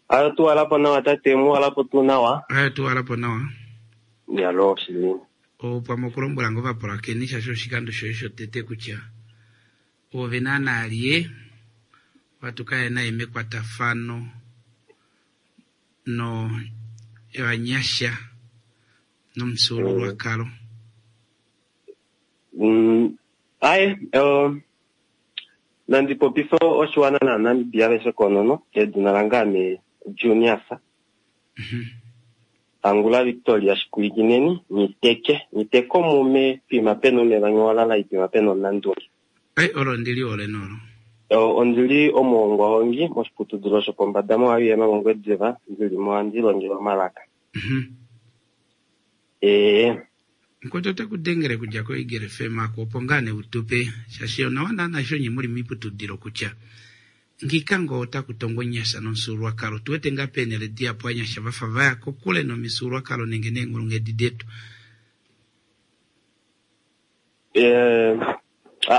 Ayo tuwalapo nawa tate, muwalapo tuu nawa. Ayo tuwalapo nawa. Yalo shili. Opwamwe okulombwela ngo ovapulakeni shaashi oshikando shoye shotete kutya ove naana lye watu kaye naye mekwatafano no vanyasha nomufyuululwakalo. Aye, nandi popifa oshiwana naNamibia aveshe konono, edina lange ame Junias. Angula Victoria Shikuikineni, niteke, niteke omume pima pena omeva ngewalala ipima pena omunandunge. Ai, olo ndili ole nolo. Ondili omuhongwahongi moshiputudilo shopombada moIUM mOngwediva, ndili mo handi longelwa omalaka. Mkwetu ote kudengele kudja koEagle FM ako opo ngaa nee utupe shaashi onawa naana eshi onye muli moiputudilo kutya ngika ngo otaku tongwa onyasha nomufyuululwakalo tuwete ngaa peenhele dihapu anyasha vafa vaya kokule nomifyuululwakalo nenge neenghulunghedi detu.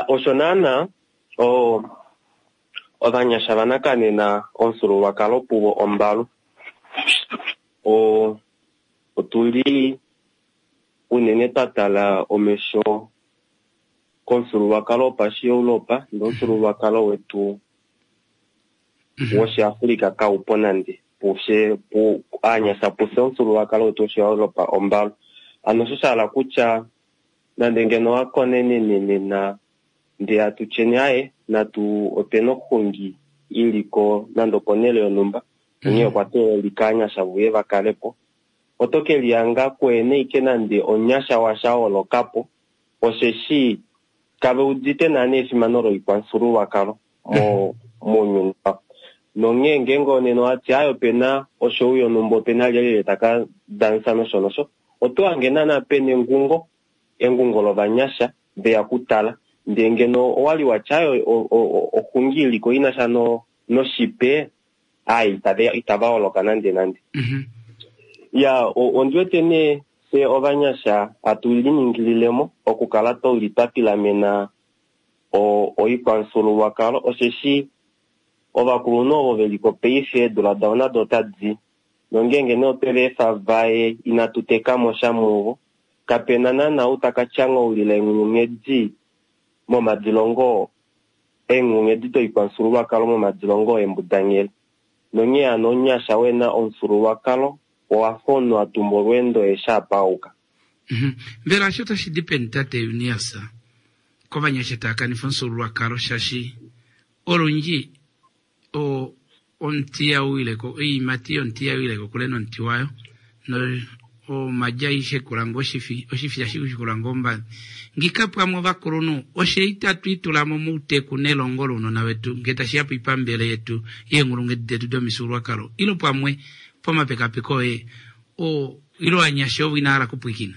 Osho naana ovanyasha vanakanena omufyuululwakalo puvo ombalu. Otuli unene twa tala omesho komufyuululwakalo wopashi-Europa nomufyuululwakalo wetu woshiAfrika kaupo nande. Pufye, pu, aanyasha pufye omufyuululwakalo wetu woshiEuropa ombalu. Ano osho sha hala kutya nande ngeno wa konenene nena ndee atu tyeni aye natu opena oxungi iliko nande oponhele yonhumba onghee okwa teelelika aanyasha vuye vakalepo. Oto ke lihanga kuene ike nande omunyasha washa holokapo osheshi kave udite naana efimano loikwamufyuululwakalo mounyuni wavo. Nonghee ngeenge onena owati aye opena oshowu yonhumba opena lyelye taka dansa nosho nosho, oto hange naana pena engungo, engungo lovanyasha veya kutala. Ndee ngeno owali watya aye oxungi iliko inasha noshipe, ai itava holoka nande nande. Ya ondi wete nee fye ovanyasha hatu liningililemo okukala tuli twa pilamena oikwamufyuululwakalo, osheshi ovakulunhu ovo veliko paife eedula davo nado otadi, nongeenge nee otwe va efa vaye inatu tekamo sha muvo, kapena naana ou taka tyanghaulila eenghulunghedi momadilongo, eenghulunghedi doikwamufyuululwakalo momadilongo eembudanghele. Nonghee hano omunyasha wena omufyuululwakalo owafa omunhu a tumba olweendo eshi a pauka. Mbela osho otashi di peni tate Eunias kovanyasha tava kanifa omufyuululwakalo shaashi olundji omuti ihau wile ko, oiimati yomuti ihai wile kokule nomuti wayo, no omaji aishe kula ngoo oshifi, oshifi ihashi kula ngoo ombadi. Ngika pwamwe ovakulunhu oshe itatu itula mo mouteku nelongo lounona vetu ngee tashi ya poipambele yetu yeenghulunghedi detu domifyuululwakalo, ilo pwamwe pomapekapeko oye ilo ovanyasha ovo inava hala okupwilikina?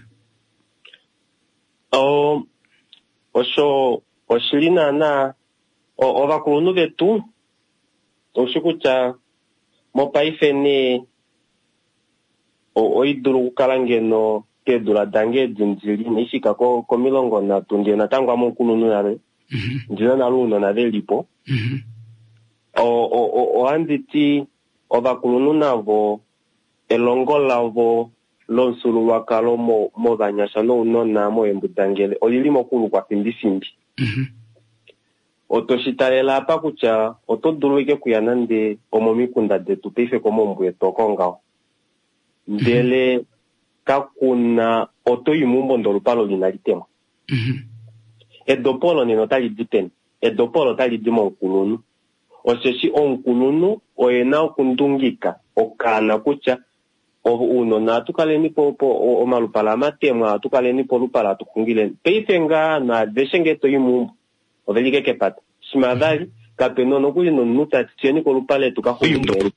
Osho oshili naana ovakulunhu vetu oushi kutya mopaife nee oidulu okukala ngeno keedula dange edi ndili inaifika ko-30 ndee natango ame omukulunhu nale, ndina nale ounona velipo. Ohandi ti ovakulunhu navo elongo lavo lomufyuululwakalo movanyasha nounona moembudangele olili mokulukwa fimbifimbi. Oto shi talela apa kutya oto dulu ike kuya nande omomikunda detu paife komaumbo etu oko ngaho, ndele kakuna oto i meumbo ndele olupalo linali temwa. Edopo olo nena otali di peni? Edopo olo otali di momukulunhu, osheshi omukulunhu oye na okundungika okaana kutya ounona ohatu kaleni po omalupala amatemwa, ohatu kaleni polupala hatu xungileni. Paife ngaa naaveshe ngee to i meumbo oveli ke kepata shima vali kapena nokuli nomunhu tati tuyeni kolupale tuka xungileni,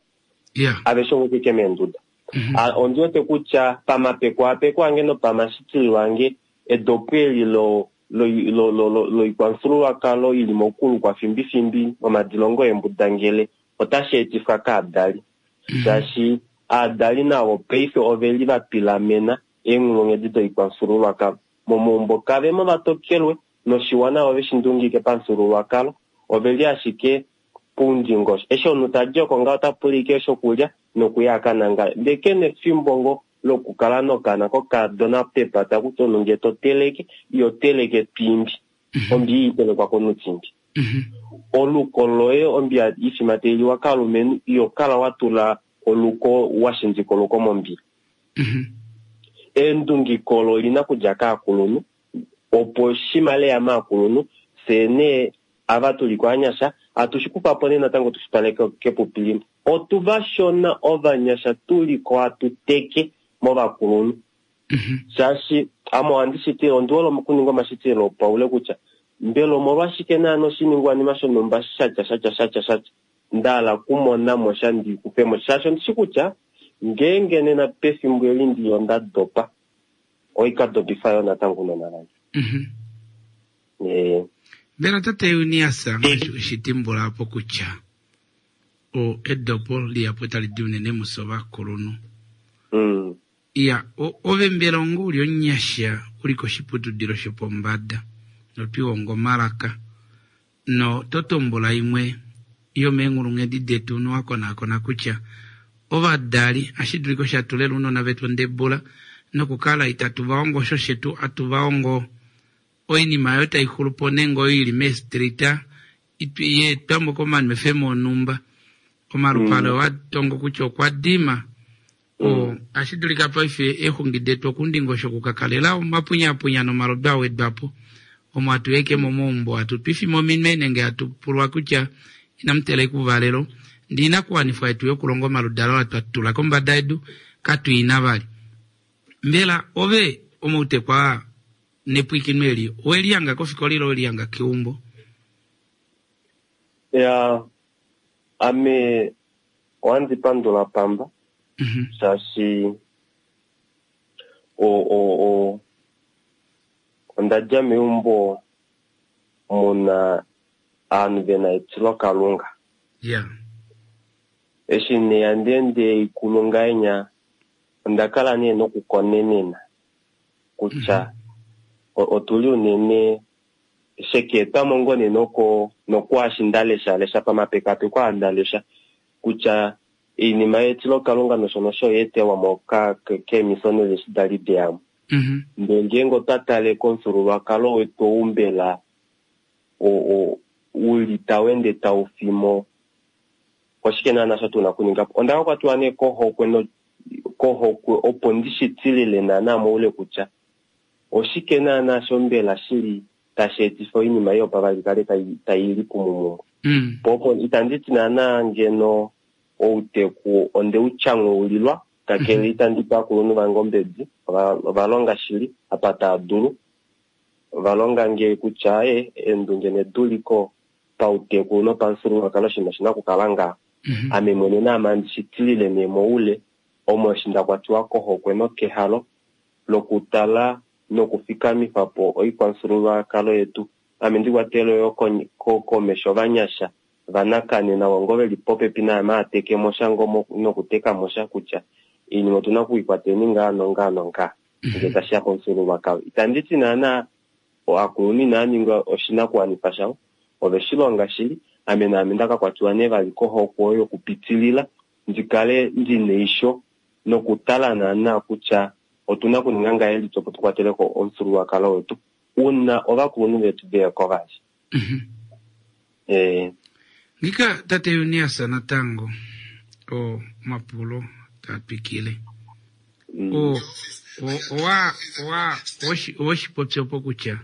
aveshe ovo ke meenduda. Ondi wete kutya pamapeko ange nopamashitilo ange edopo eli loikwamufyuululwakalo ili mokulukwa fimbifimbi momadilongo eembudangele otashi etifwa kaadali, shaashi aadali navo paife oveli va pilamena eenghulunghedi doikwamufyuululwakalo momaumbo kavemo vatokelwe noshiwana ove shi ndungike pamufyuululwakalo, oveli ashike poundingosho. Eshi omunhu tadi oko ngaho ota pula ike shokulya nokuya a ka nangale, ndee kena efimbo ngo lokukala nokana kokadona pepata kutya omunhu ngee to teleke iyo teleke twimbi, ombi itelekwa komunhu timbi. Oluko loye ombi ifima tailiwa kalumenhu iyo kala wa tula oluko wa shindika oluko mombiya. Eendungiko olo olina kudja kaakulunhu opo shima leya maakulunhu fyee nee ava tuli koanyasha atu shi kufa po nee natango tushi twale kepupi limwe. Otu vashona ovanyasha tuliko hatu teke movakulunhu, shaashi ame ohandi shitile ondi hole okuninga omashitililo opaule kutya mbela omolwashike naana oshiningwanima shonhumba shatya shatya shatya shatya nda hala okumona mo sha ndi kufe mo, shaashi ondishi kutya ngeenge nena pefimbo eli ndi onda dopa oikadopifa yo natango ounona vange. Mbela tate Eunias ngaashi weshitimbula apo kutya edopo lihapu tali di unene mufye ovakulunhu. Iya, ove mbela onga uli omunyasha uli koshiputudilo shopombada notwihongo omalaka no to tumbula imwe yomeenghulunghedi detu nowa konaakona kutya ovadali ashi dulika osho atulela ounona vetu ondebula nokukala itatu va hongo osho shetu atu va hongo oinima oyo tai xulu po nenge oyo ili meestrita yeetwamo komanwefemo onhumba. Omalupale owa tongo kutya okwa dima. Ohashi dulika paife eexungi detu okundingosho okukakalela omapunyapunya nomalodu a wedwa po omo hatu yeke momaumbo hatu twifima ominwe nenge hatu pulwa kutya inamu teleka ouvalelo. Ndee oinakuwanifwa yetu yokulonga omaludalo aa twa tula kombada yedu katu ina vali. Mbela ove omautekwa aa nepwilikino eli owe lihanga kofikola ile owe lihanga keumbo? Ya, Ame ohandi pandula Pamba shaashi onda dja meumbo muna ovanhu vena etilokalunga. Eshi nee handi ende ikulu ngahenya, onda kala nee nokukonenena kutya otuli unene shekeetwamo ngoo nee nokwaashi nda lesha lesha pamapekapeko aa nda lesha kutya oinima yetilokalunga nosho nosho oya etelwamo keemissionary eshi dali deyamo. Ndee ngeenge otwa tale komufyuululwakalo wetu ou mbela uli tau ende tau fimo, oshike naana sho tuna okuninga po? Onda kwatiwa nee kohokwe kohokwe opo ndi shi tilile naana moule kutya oshike naana sho mbela shili tashi etifa oinima ei yopavali kale tai lipumu mumwe. Po opo itandi ti naana ngeno outeku onde u tyanghuulilwa, kakele itandi pe ovakulunhu vange ombedi, ova longa shili apa tava dulu. Ova longa nge kutya eendunge neduliko pauteku nopamufyuululwakalo oshinima oshina okukala ngaha. Ame mwene naame handi shi tilile nee moule, omo eshi nda kwatiwa kohokwe nokehalo lokutala nokufikamifa po oikwamufyuululwakalo yetu. Ame ndi kwatele yo komesho ovanyasha vanakanena ngo veli popepi naame ateke mo sha ngo nokuteka mo sha kutya oinima otuna okuikwateni ngaa nongaa nongaa ngee tashiya komufyuululwakalo. Itandi ti naana ovakulunhu inava ninga oshinakuwanifa shavo, ove shi longa shili. Ame naame nda ka kwatiwa nee vali kohokwe oyo yokupitilila ndi kale ndi neisho nokutala naana kutya otuna okuninga ngahelipi opo tukwatele ko omufyuululwakalo wetu una ovakulunhu vetu veya ko vali. Ngika tate Junias natango omapulo taa twikile. Owe shi popya opo kutya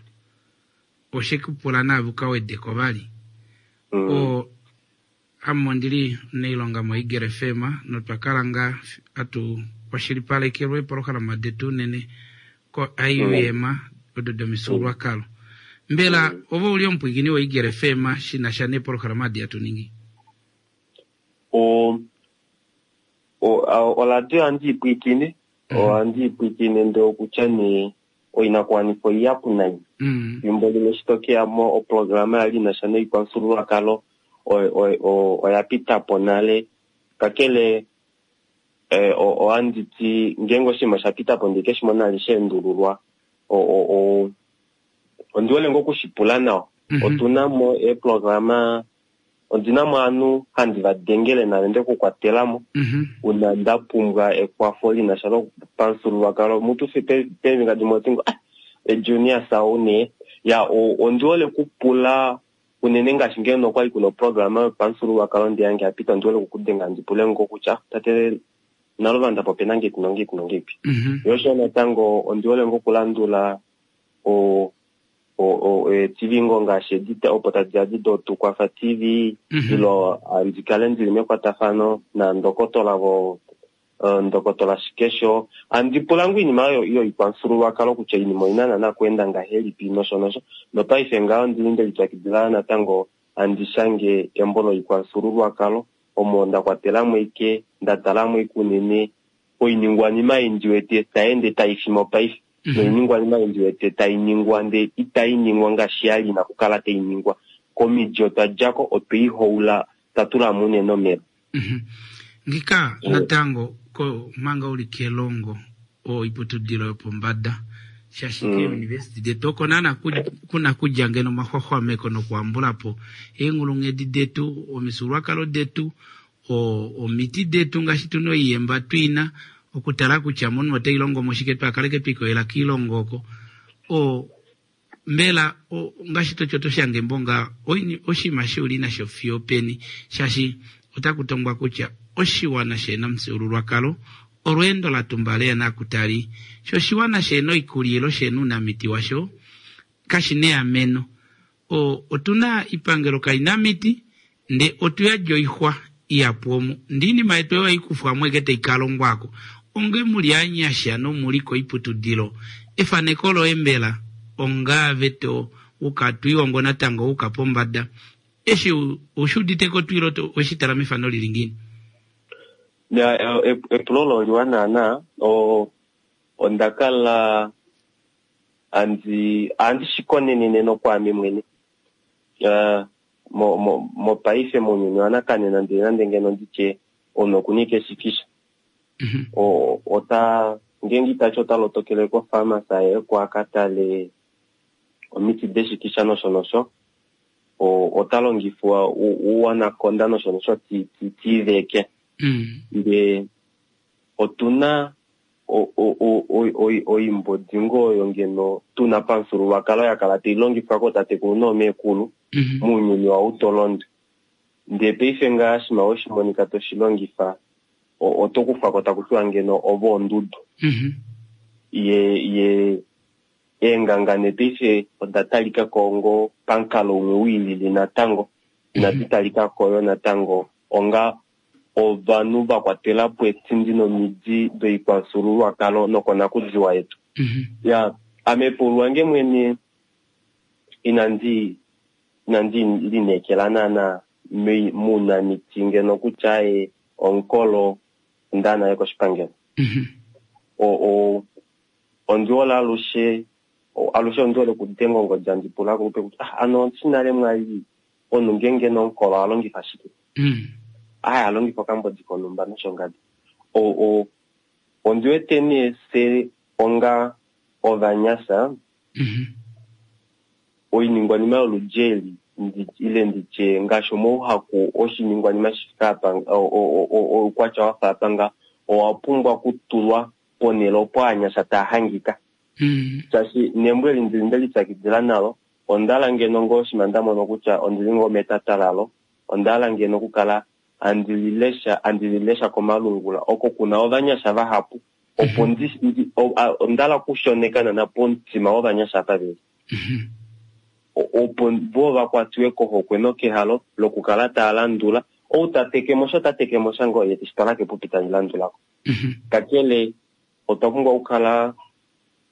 oshe ku pula naave u ka wede ko vali. Ame ondi li omunailonga moEagle FM notwa kala ngaa hatu kwashilipalekelwa eepolohalama detu unene ko-IUM odo domifyuululwakalo. Mbela ove ou li omupwiikini woEagle FM shi na sha neepolohalama adi hatu ningi? Oradio ohandi i pwiikine, ohandi i pwiikine ndee okutya nee oinakuwanifwa oihapu nai. Fimbo limwe eshi to keya mo oprograma yali ina sha noikwamufyuululwakalo oya pita po nale. Kakele ohandi ti ngeenge oshinima osha pita po ndee keshi mona nale sha endululwa, ondi hole ngoo okushipula nawa. Otuna mo eeprograma, ondina mo ovanhu handi va dengele nale nde kukwatela mo una nda pumbwa ekwafo li na sha lopamufyuululwakalo. Mutu peembinga dimwe oti ngo Junias ou nee. Ya, ondi hole okupula unene ngaashi ngeno okwali kuna oprograma yopamufyuululwakalo ndi yange ya pita, ondi hole okukudenga ndi pule ngo kutya tate Naluvanda po opena ngeipi nongeipi nongeipi. Yo osho natango ondi hole ngo okulandula eetv ngoo ngaashi edi opo tadi ya di doTukwafa TV, ilo handi kale ndili mekwatafano nandokotola vo ndokotola Shikesho. Handi pula ngoo oinima oyo yoikwamufyuululwakalo kutya oinima oina naana okuenda ngahelipi nosho nosho. Nopaife ngaho ondili nde lipyakidila natango handi shange embo loikwamufyuululwakalo omo nda kwatelamo ike nda talamo ike unene oiningwanima ei ndi wete tai ende tai fimo paife. Noiningwanima ei ndi wete tai ningwa ndee itai ningwa ngaashi ya li ina kukala tai ningwa. Komidi otwa djako otwe i houla twa tulamo unene omeva. Ngika natango manga uli kelongo oiputudilo yopombada shaashi keeuniversity detu oko naana kuna kudja ngeno omaxwaxwameko nokuhambula po eenghulunghedi detu, omifyuululwakalo detu, omiti detu ngaashi tuna oiyemba twiina okutala kutya momunhu otai longo mo shike twakaleke twikoyela kiilongo oko. Mbela ngaashi toti oto shange embo ngaa oshinima eshi uli nasho fiyo openi shaashi otaku tongwa kutya oshiwana shehena omufyuululwakalo olweendo la tumbala eya nakutali sho oshiwana shehena oikulya ilo shehena ounamiti washo kashina eameno. Otuna ipangelo kaina miti nde otu yadi oixwa ihapu omu ndee oinima yetu oyo haikufwamo ashike taikalongwako onge muli anyasha nomuli koiputudilo efaneko loye mbela ongaave to uka twiihongo natango wuuka pombada. Eshi oushi udite ko tuu ile oweshi tala mefano lili ngiini? Ya, epulo olo oliwa naana. Onda kala handi shi konenene nokwaame mwene. Mopaife mounyuni wanakanena ndele nande ngeno nditye omunhu okuna ashike eshikisha. Ota ngeenge itati ota lotokele kofarmasi aye oko a ka tale omiti deshikisha nosho nosho, ota longifwa ouanaconda nosho nosho tiveke. Ndee otuna oimbodi ngoo oyo ngeno tuna pamufyuululwakalo ya kala tai longifwa kootatekulu noomeekulu mounyuni wautolondwe. Ndee paife ngaa shima weshi monika toshi longifa oto kufwako taku tiwa ngeno ove ondudu. Ye eenganga nepaife oda talika ko ngo pamukalo umwe wiilili natango, inadi talika ko yo natango onga ovanhu va kwatela po etindi nomidi doikwamufyuululwakalo nokonakudiwa yetu. Ya, ame paulwange mwene inandi lineekela naana mounamiti ngeno kutya ye omukolo onda naye koshipangelo. Ondi hole alushe ondi hole okudenga ongodi handi pula akulupe kutya ano oshinale mwali omunhu ngeenge nomukolo oha longifa shike? Aya alongifa okambodi konhumba nosho ngadi. Ondi wete nee fye onga ovanyasha oiningwanima yoludi eli ile nditye ngaashi omauhaku oshiningwanima shifike apa oukwatya wa fa apa nga owa pumbwa okutulwa ponhele opo ovanyasha taa hangika. Shaashi nembo eli ndili nde lipyakidila nalo, onda hala ngeno ngoo shima nda mono kutya ondili ngoo metata lalo, onda hala ngeno okukala handi lilesha komalungula oko kuna ovanyasha vahapu, opo onda hala okushoneka nana pomutima wovanyasha apa veli. Opo vo vakwatiwe kohokwe nokehalo lokukala taa landula ou ta tekemo sha ota tekemo sha ngoo ye teshi twala kepupi tali landulako. Kakele otwa pumbwa okukala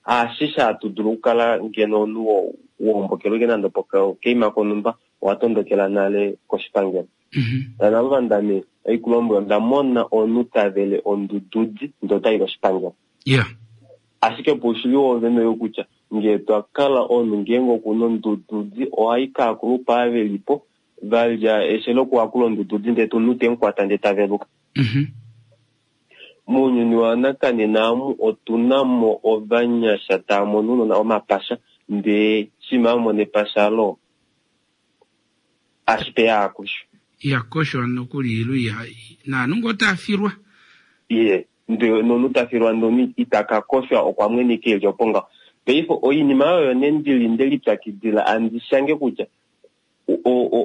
ashishe hatu dulu okukala ngeno omunhu wohombokelwa ike nande pokeima konhumba owa tondokela nale koshipangelo. Nana vandame oikulombwela onda mona omunhu ta vele ondududi ndee otayi koshipangelo. Ashike poushili woovene oyo kutya ngee twa kala omunhu ngeenge okuna ondududi ohai kaakulupa avelipo valya eshe lokuhakula ondududi ndee omunhu temukwata ndee taveluka. Mounyuni wanakanena amu otuna mo ovanyasha taa mono ounona omapasha ndee shima amona epasha lo ashike yaakusho. Iyakoshwa nokuli ilu naanhu ngoo taa filwa. Ye, ndee nomunhu ta filwa ndee itaka koshwa okwa mweneka eli opo ngaho. Paife oinima oyo nee ndili nde lipyakidila andi shange kutya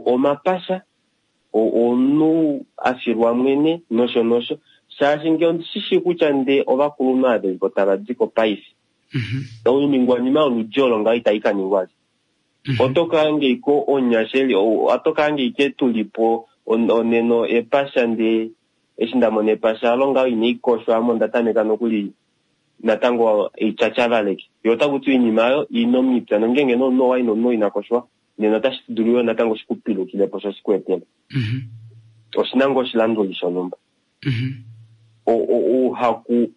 omapasha omunhu a filwa mwene nosho nosho, shaashi ngee ondi shi kutya ndee ovakulunhu ava velipo tava diko paife oiningwanima yoludi olo ngaho itai ka ningwa. Oto kaangeiko onyasha oto kaangeike tulipo oneno epasha ndee eshi nda mona epasha alo ngaho inai koshwa ame onda tameka nokuli natango eityatyavaleke. Yo otaku ti oinima oyo ina omipya nongeenge nomunhu owa ina omunhu ina koshwa nena otashi dulu yo natango shikupilukile po sho shikuetele. Oshina ngoo oshilanduli shonhumba. Ouhaku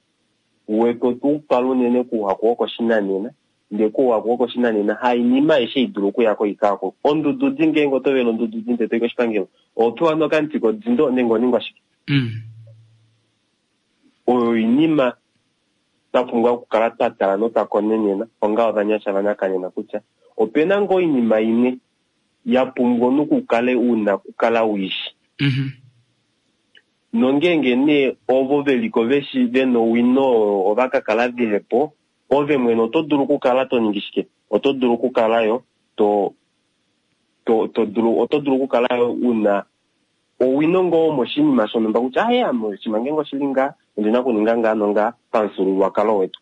wetu otuupala unene kouhaku wokoshinanena, ndee kouhaku wokoshinanena hainima aishe idulu okuya koikaako. Ondududi ngeenge oto vele ondududi ndee toyi koshipangelo, oho pewa nokamuti kodindo nenge oningwa shike? Oyo oinima twa pumbwa okukala twa tala notwa konenena onga ovanyasha vanakanena kutya opena ngoo oinima imwe ya pumbwa omunhu kukale una okukala uishi. Nongeenge nee ovo veliko veshi vena owino ova ka kala vehepo, ove mwene oto dulu okukala to ningi shike? Oto dulu okukala yo to dulu oto dulu okukala yo una owino ngoo moshinima shonhumba kutya aye ame oshinima ngeenge oshili ngaa ondina okuninga ngaa nongaa pamufyuululwakalo wetu.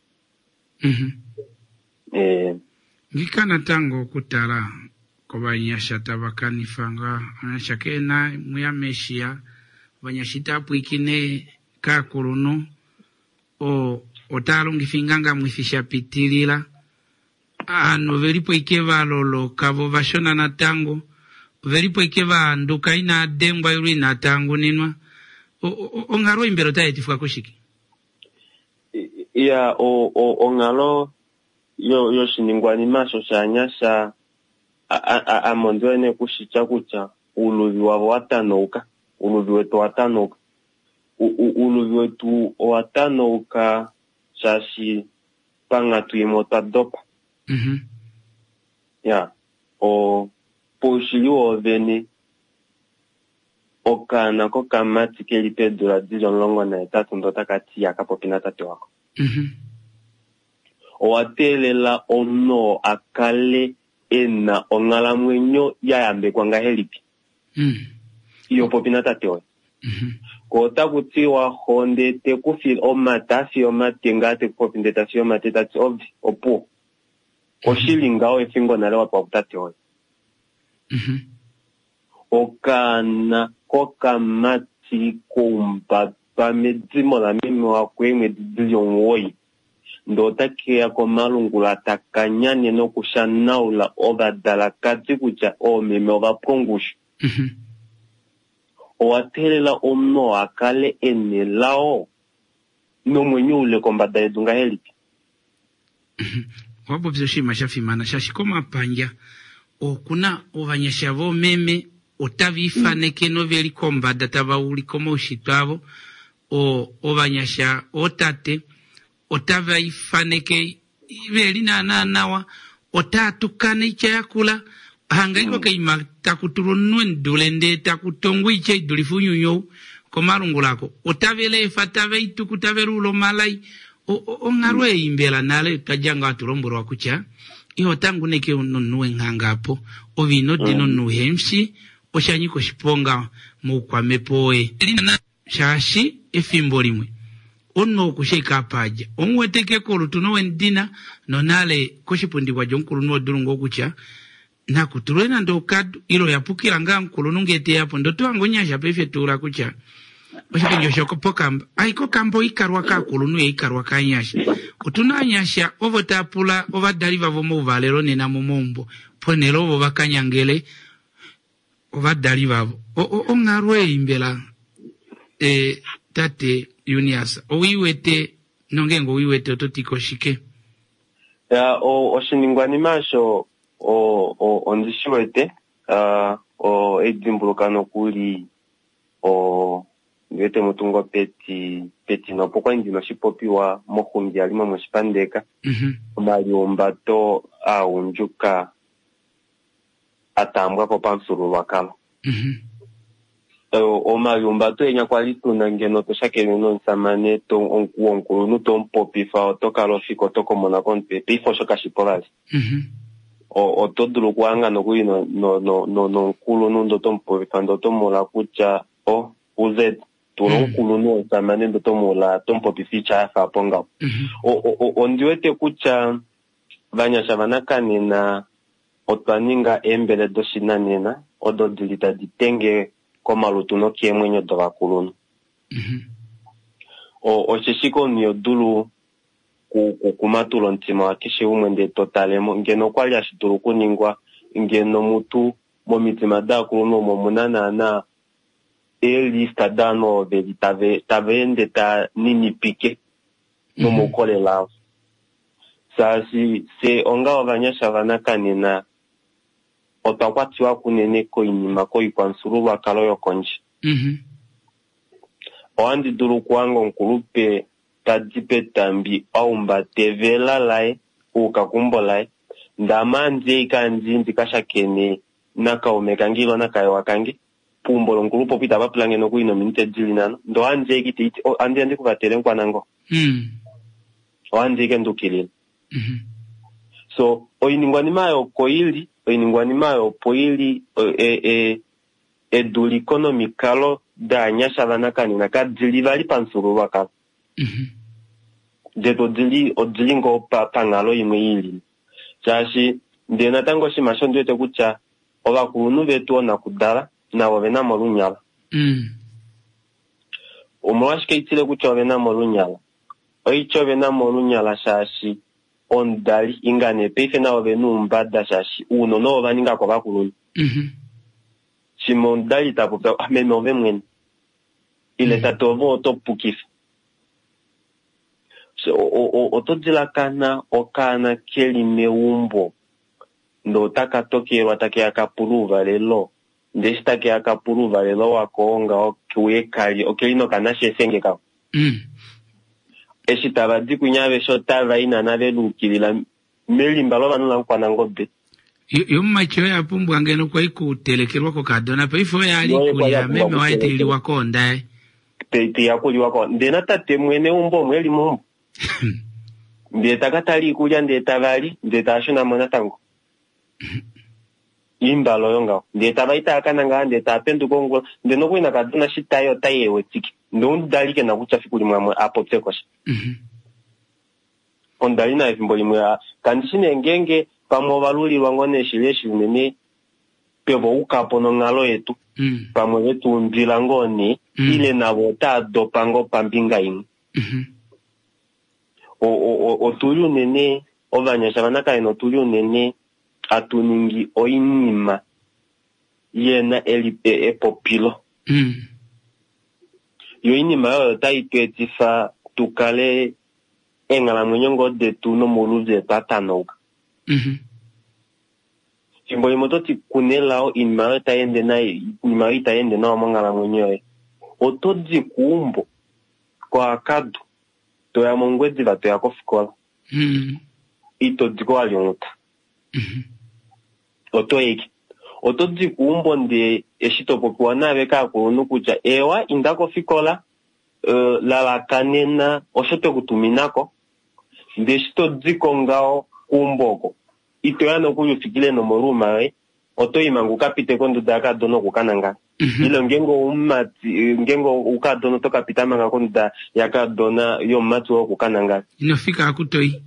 Ngika natango okutala kovanyasha tava kanifa ngaa ovanyasha keena mwiya meshiya, ovanyasha itava pwiikine kaakulunhu, otava longifa oingangamwifi sha pitilila. Ovanhu ovelipo ike va loloka vo ovashona natango. Ovelipo ike vaanduka inaa dengwa ilo inaa tanguninwa. Onghalo ei mbela otai etifwa kushike? Ya, onghalo yoshiningwanima osho shaanyasha ame ondi wete nee kushitya kutya ouluvi wavo wa tanauka, ouluvi wetu owa tanauka. Ouluvi wetu owa tanauka shaashi panghatu imwe otwa dopa. Ya, poushili woovene okaana kokamati keli peedula dili 18 ndoo otaka ti ihaka popi natate wako. Owa teelela omunhu oo a kale e na onghalamwenyo ya yambekwa ngahelipi? Iho popi natate woye. Ko otaku tiwa xo ndee te ku file omate, a fiye omate ngaa te ku popi ndee ta fiye omate ta ti ove, opuwo. Oshili ngaho efingo nale wa pewa kutate woye. Okaana kokamati koumbatwa medimo lameme wako eemwedi dili 9 ndee otake ya komalungula taka nyane nokushanaula ovadalakadi kutya oomeme ova pwa ongushu. Owa teelela omunhu oo a kale e nelao nomwenyo ule kombada yedu ngahelipi? Owa popya oshinima sha fimana shaashi komapandja okuna ovanyasha voomeme otava ifaneke noveli kombada tava ulike omaushitwe avo. Ovanyasha ootate otava ifaneke veli naanaa nawa, otaa tukana oitya yakula, hanga iko kaima taku tulwa omunhu emudule ndee taku tongwa oitya idulife ounyuni ou komalungula ako. Otave leefa, tave ituku, tave luula omalai. Onghalo ei mbela nale twa dja ngaho hatu lombwelwa kutya iho tanguneke nomunhu wenghanga apo, ove ino dina omunhu uhe mushi, osha nyika oshiponga moukwamhepo woye. Shaashi efimbo limwe omunhu oku shi ashike apa a dja, omu wete ashike kolutu nowemudina, nonale koshipundi kwa dja omukulunhu odulu ngoo kutya naku tulwe nande okadu ile oya pukila ngaa omukulunhu ngee te ya po. Ndee oto hange omunyasha paife ta ula kutya oshipundi osho pokamba. Ai kokamba oikalwa kaakulunhu ye ikalwa kaanyasha. Otu na aanyasha ovo tava pula ovadali vavo omauvalelo nena momaumbo ponhele ovo va ka nyangele ovadali vavo. Onghalo ei mbela e, tate Junias owi wete nongeenge owi wete oto ti ko shike? Ya, oshiningwanima osho ondi shi wete eidimbuluka nokuli ndi wete mutungo petino opo kwali ndina oshipopiwa moxungi yali momoshipandeka omaliumbato aagundjuka a taambwa ko pamufyuululwakalo. Omaliumbato enya kwali tuna ngeno to shakene nomusamane womukulunhu to mupopifa oto kala ofika oto komona komutwe paife osho kashipo vali. Oto dulu okuhanga nokuli nomukulunhu ndee oto mupopifa ndee oto muula kutya o uz tula omukulunhu womusamane ndee oto muula to mupopifa oitya yafa apo ngaho. Ondi wete kutya vanyasha vanakanena otwa ninga eembele doshinanena odo dili tadi tenge komalutu nokeemwenyo dovakulunhu. Osheshi komunhu iho dulu kumatula omutima wakeshe umwe ndee to talemo ngeno okwali hashi dulu okuningwa ngeno mutu momitima daakulunhu omo muna naana eelista daanhu ovo veli tava ende ta ninipike nomoukolele avo. Shaashi fye onga ovanyasha vanakanena otwa kwatiwa kunene koinima koikwamufyuululwakalo yokondje. Ohandi dulu okuhanga omukulupe tadi petambi a humbata evela laye uuka keumbo laye, ndee ame ohandi ashike handi ndi ka shakene nakaume kange ile nakahewa kange peumbo lomukulupe opo itava pula nge nokuli nominute dili nhano, ndee ohandi ashike itaiti ohandi ya ndi ku vatele mukwanango. Ohandi ashike ndukilila. So oiningwanima oyo oko ili, oiningwanima oyo opo ili eduliko nomikalo daanyasha vanakanena kadili vali pamufyuululwakalo. Detu odili ngoo panghalo imwe ili. Shaashi ndee natango oshinima osho ndi wete kutya ovakulunhu vetu oonakudala navo ovena mo olunyala. Omolwashike itile kutya ovena mo olunyala? Oitya ovena mo olunyala shaashi omudali inga nee paife navo ovena oumbada shaashi ounona ovo va ninga kovakulunhu. Shimwe omudali ta popya, ah, meme ove mwene. Ile tate ove oto pukifa. So, oto dilakana okaana keli meumbo ndee otaka tokelwa takeya ka pula ouvalelo, ndee eshi takeya ka pula ouvalelo wako ngaho keuye kalye, okeli nokanashefenge kako. Eshi tava di kwinya aveshe otava i naana ve luukilila melimba lovanhu laMukwanangobe. Yomumati oye a pumbwa ngeno kwai kutelekelwa kokadona, paife oye a li ikulya meme waye tai liwa koonda yaye. Tai yakuliwa ko ndee natate mwene weumbo omo eli meumbo. Ndee taka tala iikulya ndee tava li ndee tava shuna mo natango. Iimbala oyo ngaho. Ndee tava i tava ka nangala ndee tava penduka ongula ndee nokuli nakadona shi tai otai e wetike. Ndee omudali ke na kutya fiku limwe amwe a popye ko sha. Omudali naye efimbo limwe kandi shi nee ngeenge pamwe ova lulilwa ngoo nee shili eshi unene tweva uka po nonghalo yetu. Pamwe ve tu undwila ngoo nee, ile navo otaa dopa ngoo pambinga imwe. Otuli unene ovanyasha vanakaena otuli unene hatu ningi oinima yena epopilo. Yo oinima oyo otai tu etifa tu kale eenghalamwenyo ngoo detu nomauluvi etu a tanauka. Fimbo limwe oto ti kunelao oinima oyo tai ende nai, oinima oyo itai ende nawa monghalamwenyo yoye. Oto di keumbo koakadu toya mOngwediva toya kofikola. Ito di ko wa lyonghuta. Oto eke. Oto di keumbo ndee eshi to popiwa naave kaakulunhu kutya ewa inda kofikola, lalakanena osho twe ku tuminako. Ndee eshi to di ko ngaho keumbo oko, ito ya nokuli ufikile nomoruma yoye, oto i manga ukapite konduda yakadona oku ka nangala. Ile ngeenge oumati, ngeenge oukadona oto ka pita manga konduda yakadona yomumati woye oku ka nangala. Ino fika aku toi.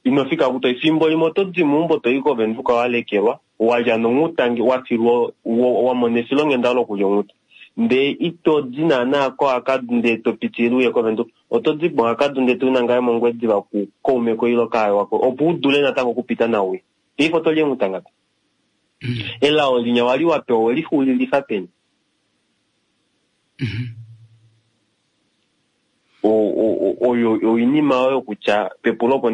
Ino fika aku toi. Fimbo limwe oto di meumbo to i kOvenduka wa lekelwa, wa lya nonghuta nge wa filwa, wa mona efilonghenda lokulya onghuta. Ndee ito di naana koAkadu ndee to pitilile uye kOvenduka. Oto di moAkadu ndee to i nangale mOngwediva ku kaume koye ile kaawa koye, opo u dule natango okupita nauye. Paife oto li eenghuta ngapi? Elao linya wali wa pewa oweli xuulilifa peni? Oyo oinima oyo kutya pepulo opo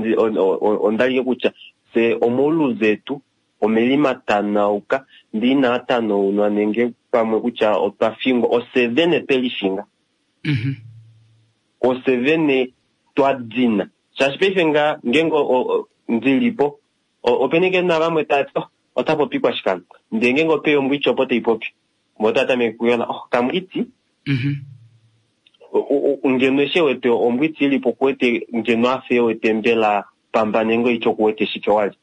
onda like kutya fye omauluvi etu omelima tanauka ndee inaa tanaunwa nenge pamwe kutya otwa fingwa, ofye vene twe lifinga. Ofye vene twa dina. Shaashi paife nga ngeenge ndilipo, opena ike navamwe tava ti, oh, ota popi kwashikano. Ndee ngeenge opeya ombwiti opo tai popi, vo otava tameke kuyola, oh, kamwiti. Ngeno eshi ewete ombwiti ilipo okuwete ngeno afa ewete mbela pamba nenge oitya okuwete shike wali.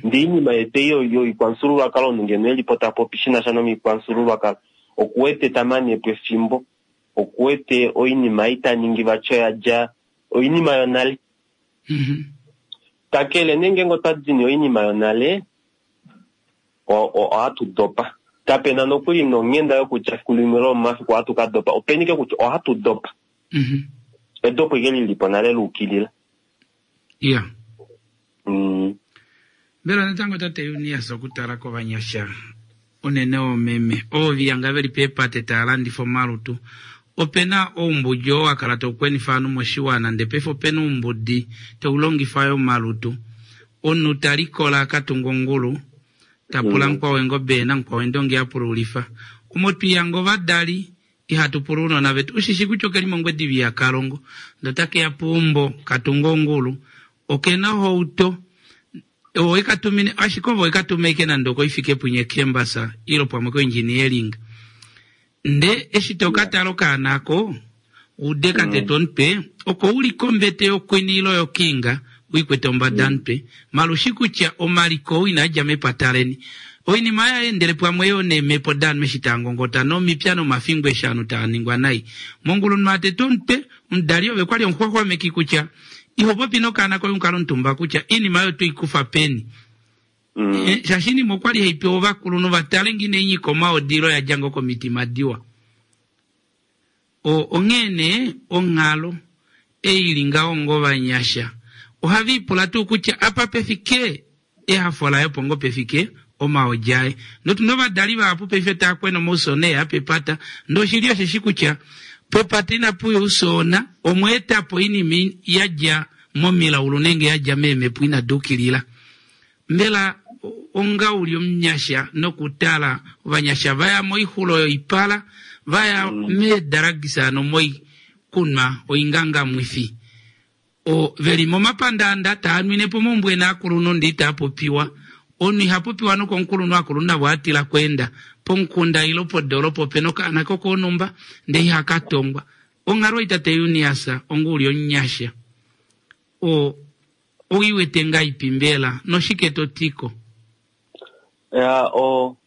Ndee oinima yetu ei yoikwamufyuululwakalo omunhu ngeno elipo ta popi shi na sha nomikwamufyuululwakalo okuwete ta mane po efimbo, okuwete oinima ei ta ningi vati oya dja oinima yonale. Kakele nee ngeenge otwa dini oinima yonale, ohatu dopa. Kapena nokuli nonghenda yokutya fiku limwe lomomafiku ohatu ka dopa. Openi ke kutya ohatu dopa. Edopo ike lilipo nale luukilila. Mbela natango tate Junias okutala kovanyasha unene oomeme ovo viyanga veli peepate tava landifa omalutu, opena oumbudi oo wa kala tau kwenifa ovanhu moshiwana ndee paife opena oumbudi tau longifa yo omalutu. Omunhu ta likola a ka tunga ongulu, ta pula mukwao eengobe namukwao eendongi a pululifa. Omo twiyanga ovadali ihatu pula ounona vetu. Ushishi kutya okeli mOngwediva ihaka longo ndee otake ya peumbo ka tunga ongulu, okena ohauto owe ka tumine ashike ove ka tume ike nande okoifikepunye campus ile pamwe koengineering. Nde eshi to ka tala okaana ako ude ka tetwa omutwe oko uli kombete yokwini ile yokinga uikwete ombada mutwe malushi kutya omaliko ou inaa dja mepata leni. Oinima ya endele pamwe yo neemhepo daanhu eshi taa ngongota nomipya nomafingo eshi aanhu taa ningwa nai. Mongulu omunhu a tetwa omutwe, omudali ove kwali omuxwaxwameki kutya iho popi nokaana koye omukalo omutumba kutya oinima oyo toi kufa peni. Shaashi oinima okwali hai pewa ovakulunhu va tale ngee inai nyika omaodi ile oya dja ngoo komitima diwa. Onghee nee onghalo ei ili ngaho ngovanyasha ohava ipula tuu kutya apa pefike ehafo laye opo ngoo pefike omaodi aye. Notuna ovadali vahapu paife taa kwena omausoona eya pepata, ndee oshili osheshi kutya pepata inapuya ousoona, omwa eta po oinima ya dja momilaulu nenge ya dja meemhepo inadi ukilila. Mbela onga uli omunyasha nokutala ovanyasha vaya moixulo yoipala, vaya meedaragisa hano moikunwa oingangamwifi, o veli momapandaanda taa nwine po omaumbo ena aakulunhu ndee itaa popiwa. Omunhu iha popiwa nokomukulunhu aakulunhu navo atila kweenda pomukunda ile podoolopa opena okaana kokoonhumba ndee ihaka tongwa. Onghalo ei tate Eunias onga uli omunyasha o oiwete ngaipi mbela noshike to tiko? Ya o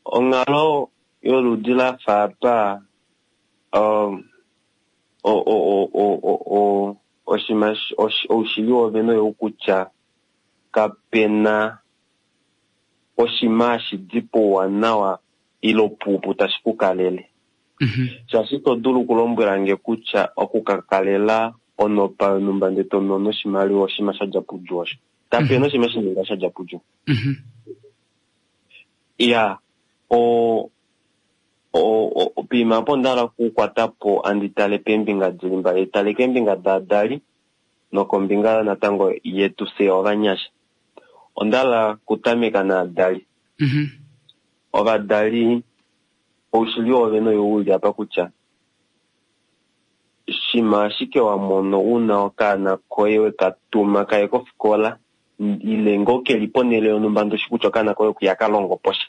onghalo yoludi lafa apa o o o o o o oshima oushili wovene oyou kutya kapena oshima hashi di pouwanawa ile puupu tashi ku kalele. Shaashi ito dulu okulombwela nge kutya okukakalela onopa yonhumba ndee to mono oshimaliwa oshima sha dja pudju osho. Kapena oshima shininga sha dja pudju. Ya o poima apo onda hala okukwata po andi tale peembinga dili mbali, tale keembinga daadali nokombinga natango yetu fye ovanyasha. Onda hala okutameka naadali. Ovadali oushili wovene oyou uli apa kutya shima ashike wa mono una okaana koye weka tuma kaye kofikola ile ngoo keli ponhele yonhumba ndoshi kutya okaana koye okuya ka longo posha.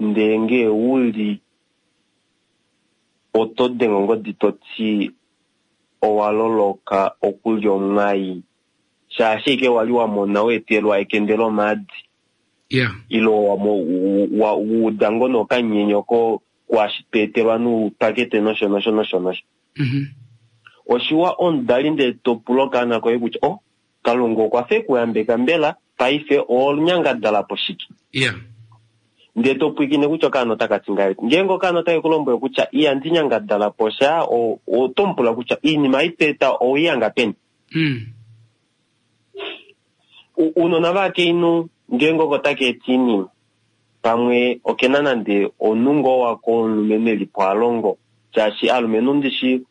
Ndee ngee uli oto denge ongodi toti owa loloka okulya omwai shaashi ashike wali wa mona weetelwa ekende lomaadi ile wa uda ngoo nokanyenyo ko kwaashi tweetelwa noupakete nosho nosho nosho nosho. Oshiwa omudali ndee to pula okaana koye kutya o Kalunga okwa fa ekuyambeka mbela paife oonyangadala po shike? Ndee to pwiikine kutya okaana otaka ti ngahelipi. Ngeenge okaana otake ku lombwele kutya ihandi nyangadala po sha, oto mu pula kutya oinima ei to eta oweihanga peni? Ounona vaakainhu ngeenge oko taka eta oinima, pamwe okena nande omunhu ngoo wako womulumenhu eli po a longo, shaashi aalumenhu ndishi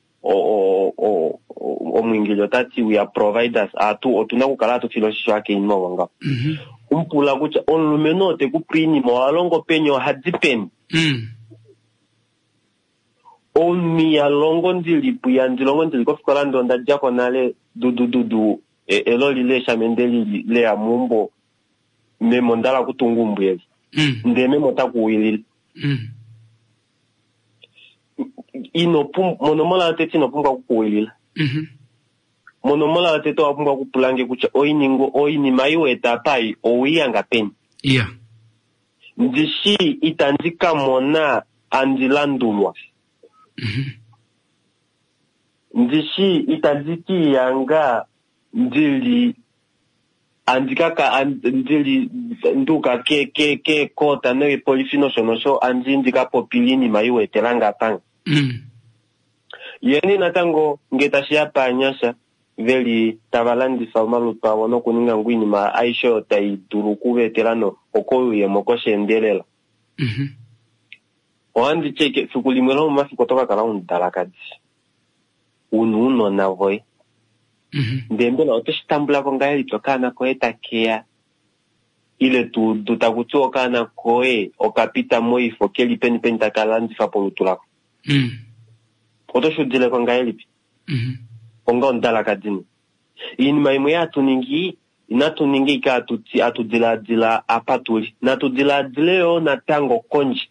omwiingili ota ti we are providers, atu otuna okukala hatu file oshisho aakainhu ovo ngaho. Umupula kutya omulumenhu oo te ku pe oinima oha longo peni, oha di peni? Omunhu iha longo ndili po, ihandi longo ndili kofikola ndee onda dja ko nale dudududu eloli leeshamende lili leya meumbo, meme onda hala okutunga eumbo eli. Ndee meme ota kuwilile. Ino pumbwa, monomola yotete ino pumbwa okukuwilila. Monomola yotete owa pumbwa okupula nge kutya oiningo oinima ei wa eta apa ei oweihanga peni? Ndishi itandi ka mona andi landulwa. Ndishi itandi ka iyanga ndili andi kaka ndili nduuka ke ke ke koota nokepolifi nosho nosho andi ndi ka popile iinima ei wa etela nge apa. Yeni natango nge tashi ya paanyasha veli tava landifa omalutu avo nokuninga ngoo oinima aishe oyo tai dulu okuva etela no okoyuuyemo kosheendelela. Ohandi ti ashike efiku limwe lomomafiku oto ka kala omudalakadi una ounona voye. Ndee mbela oto shi tambula ko ngahelipi okaana koye takeya ile to udu taku tiwa okaana koye okapita moifo keli peni peni taka landifa polutu lako? Oto shi udile ko ngahelipi? Onga omudalakadi nee. Oinima imwe hatu ningi inatu ninga ashike hatu ti hatu dilaadila apa tuli. Natu dilaadile yoo natango kondje.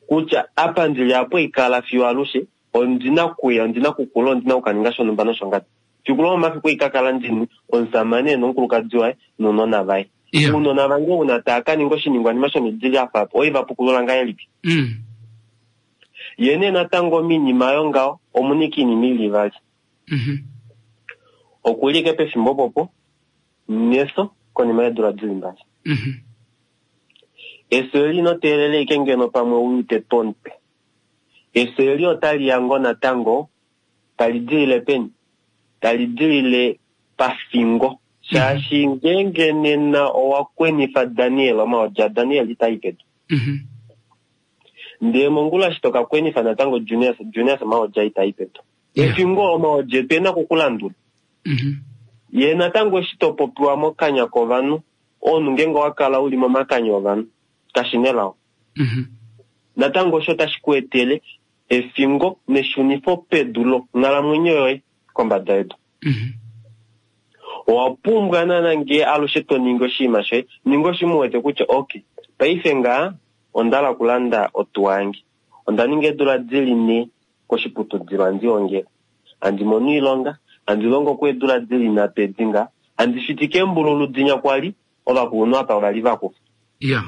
Kutya apa ndili apo ikala fiyo alushe, ondina okuya, ondina okukula, ondina okukaninga shonhumba noshongadi. Fiku lomomafiku ei ka kala ndini omusamane nomukulukadi waye nounona vaye. Ounona vange ouna taa ka ninga oshiningwanima shomidi ya fa apa, oi va pukulula ngahelipi? Ye nee natango minima yongaho omuna ike iinima ili ivali. Okuli ike pefimbo opopo nefyo konima yeedula dili mbali. Efyo eli ino teelela ike ngeno pamwe u tetwe omutwe. Efyo eli otali ya ngoo natango tali dilile peni? Tali dilile pafingo. Shaashi ngeenge nena owa kwenifa Daniel, omaodi aDaniel itai pedu. Ndee mongula eshi toka kwenifa natango Junias, Junias omaodi aye itai pedu. Efingo omaodi etu ena okukulandula. Ye natango eshi to popiwa mokanya kovanhu, omunhu ngeenge owa kala uli momakanya ovanhu, kashi nelao. Natango osho otashi ku etele efingo neshunifo pedu longhalamwenyo yoye kombada yedu. Owa pumbwa naana ngee alushe to ningi oshinima shoye, ninga oshinima u wete kutya okay, paife ngaa onda hala okulanda otuwa yange. Onda ninga eedula dili 4 koshiputudilo handi ongele. Handi mono oilonga, handi longo ko eedula dili 3 edi ngaa. Handi fitike eembululu dinya kwali, ovakulunhu apa ovali vakufa.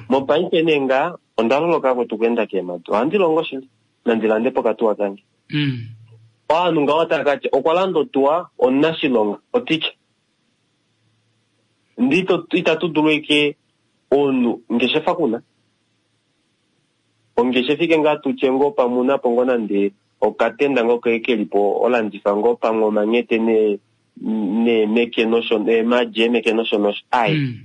Mopaife nee ngaa, onda loloka kwetu okweenda keemhadi. Ohandi longo shili, nandi lande po okatuwa kange. Ovanhu ngaho otava ka tya, okwa landa otuwa, omunashilonga, oticha. Ndi itatu dulu eke omunhu ngeshefa kuna. Ongeshefa ike ngaa tutye ngoo pamwe una po ngoo nande okatenda ngoo ke kelipo olandifa ngoo pamwe omanyete ne neemeke nosho eemaadi eemeke nosho nosho. Ai.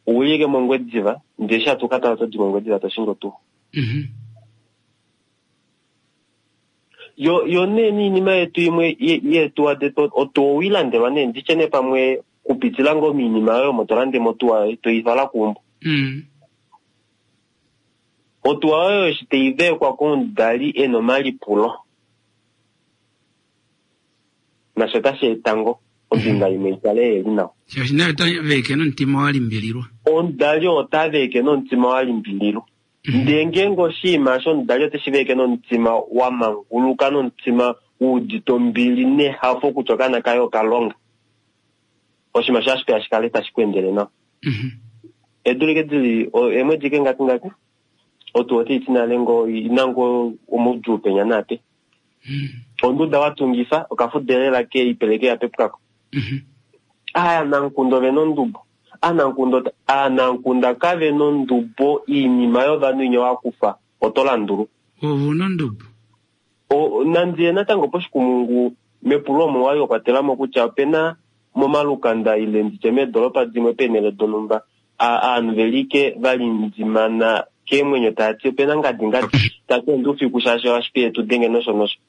Ouli ike mOngwediva, ndee eshi hatu ka tala oto di mOngwediva to shingi otuwa. Yo yo nee niinima yetu imwe yeetuwa detu otuwa owiilandelwa nee nditye nee pamwe kupitila ngoo miinima yoye omo to lande mo otuwa yoye toifala keumbo. Otuwa oyo eshi tai veekwa komudali ena omalipulo nasho otashi eta ngoo ombinga imwe ikale yeli nawa. Shaashi naye ota veeke nomutima wa limbililwa. Omudali oo ota veeke nomutima wa limbililwa. Ndee ngeenge oshinima osho omudali oteshi veeke nomutima wa manguluka nomutima wuudite ombili nehafo kutya okaana kaye okalonga, oshinima osho ohashi peya shikale tashi ku endele nawa. Eedula ike dili eemwedi ike ngapi ngapi, otuwa otai ti nale ngoo ina ngoo omaudjuu penya naape. Onduda wa tungifa okafuda elela ke ipeleke ya pepukako. Aanamukunda ove na ondubo. Aanamukunda kave na ondubo iinima yovanhu inya wa kufa oto landulwa. Ove una ondubo. Nandi ye natango poshikumungu mepulo omo wali wa kwatela mo kutya opena momalukanda ile nditye meedolopa dimwe peenhele donhumba aanhu veli ike va lindimana keemwenyo tava ti opena ngadi ngadi tati ondi ufiku shaashi ohashi tu denge nosho nosho.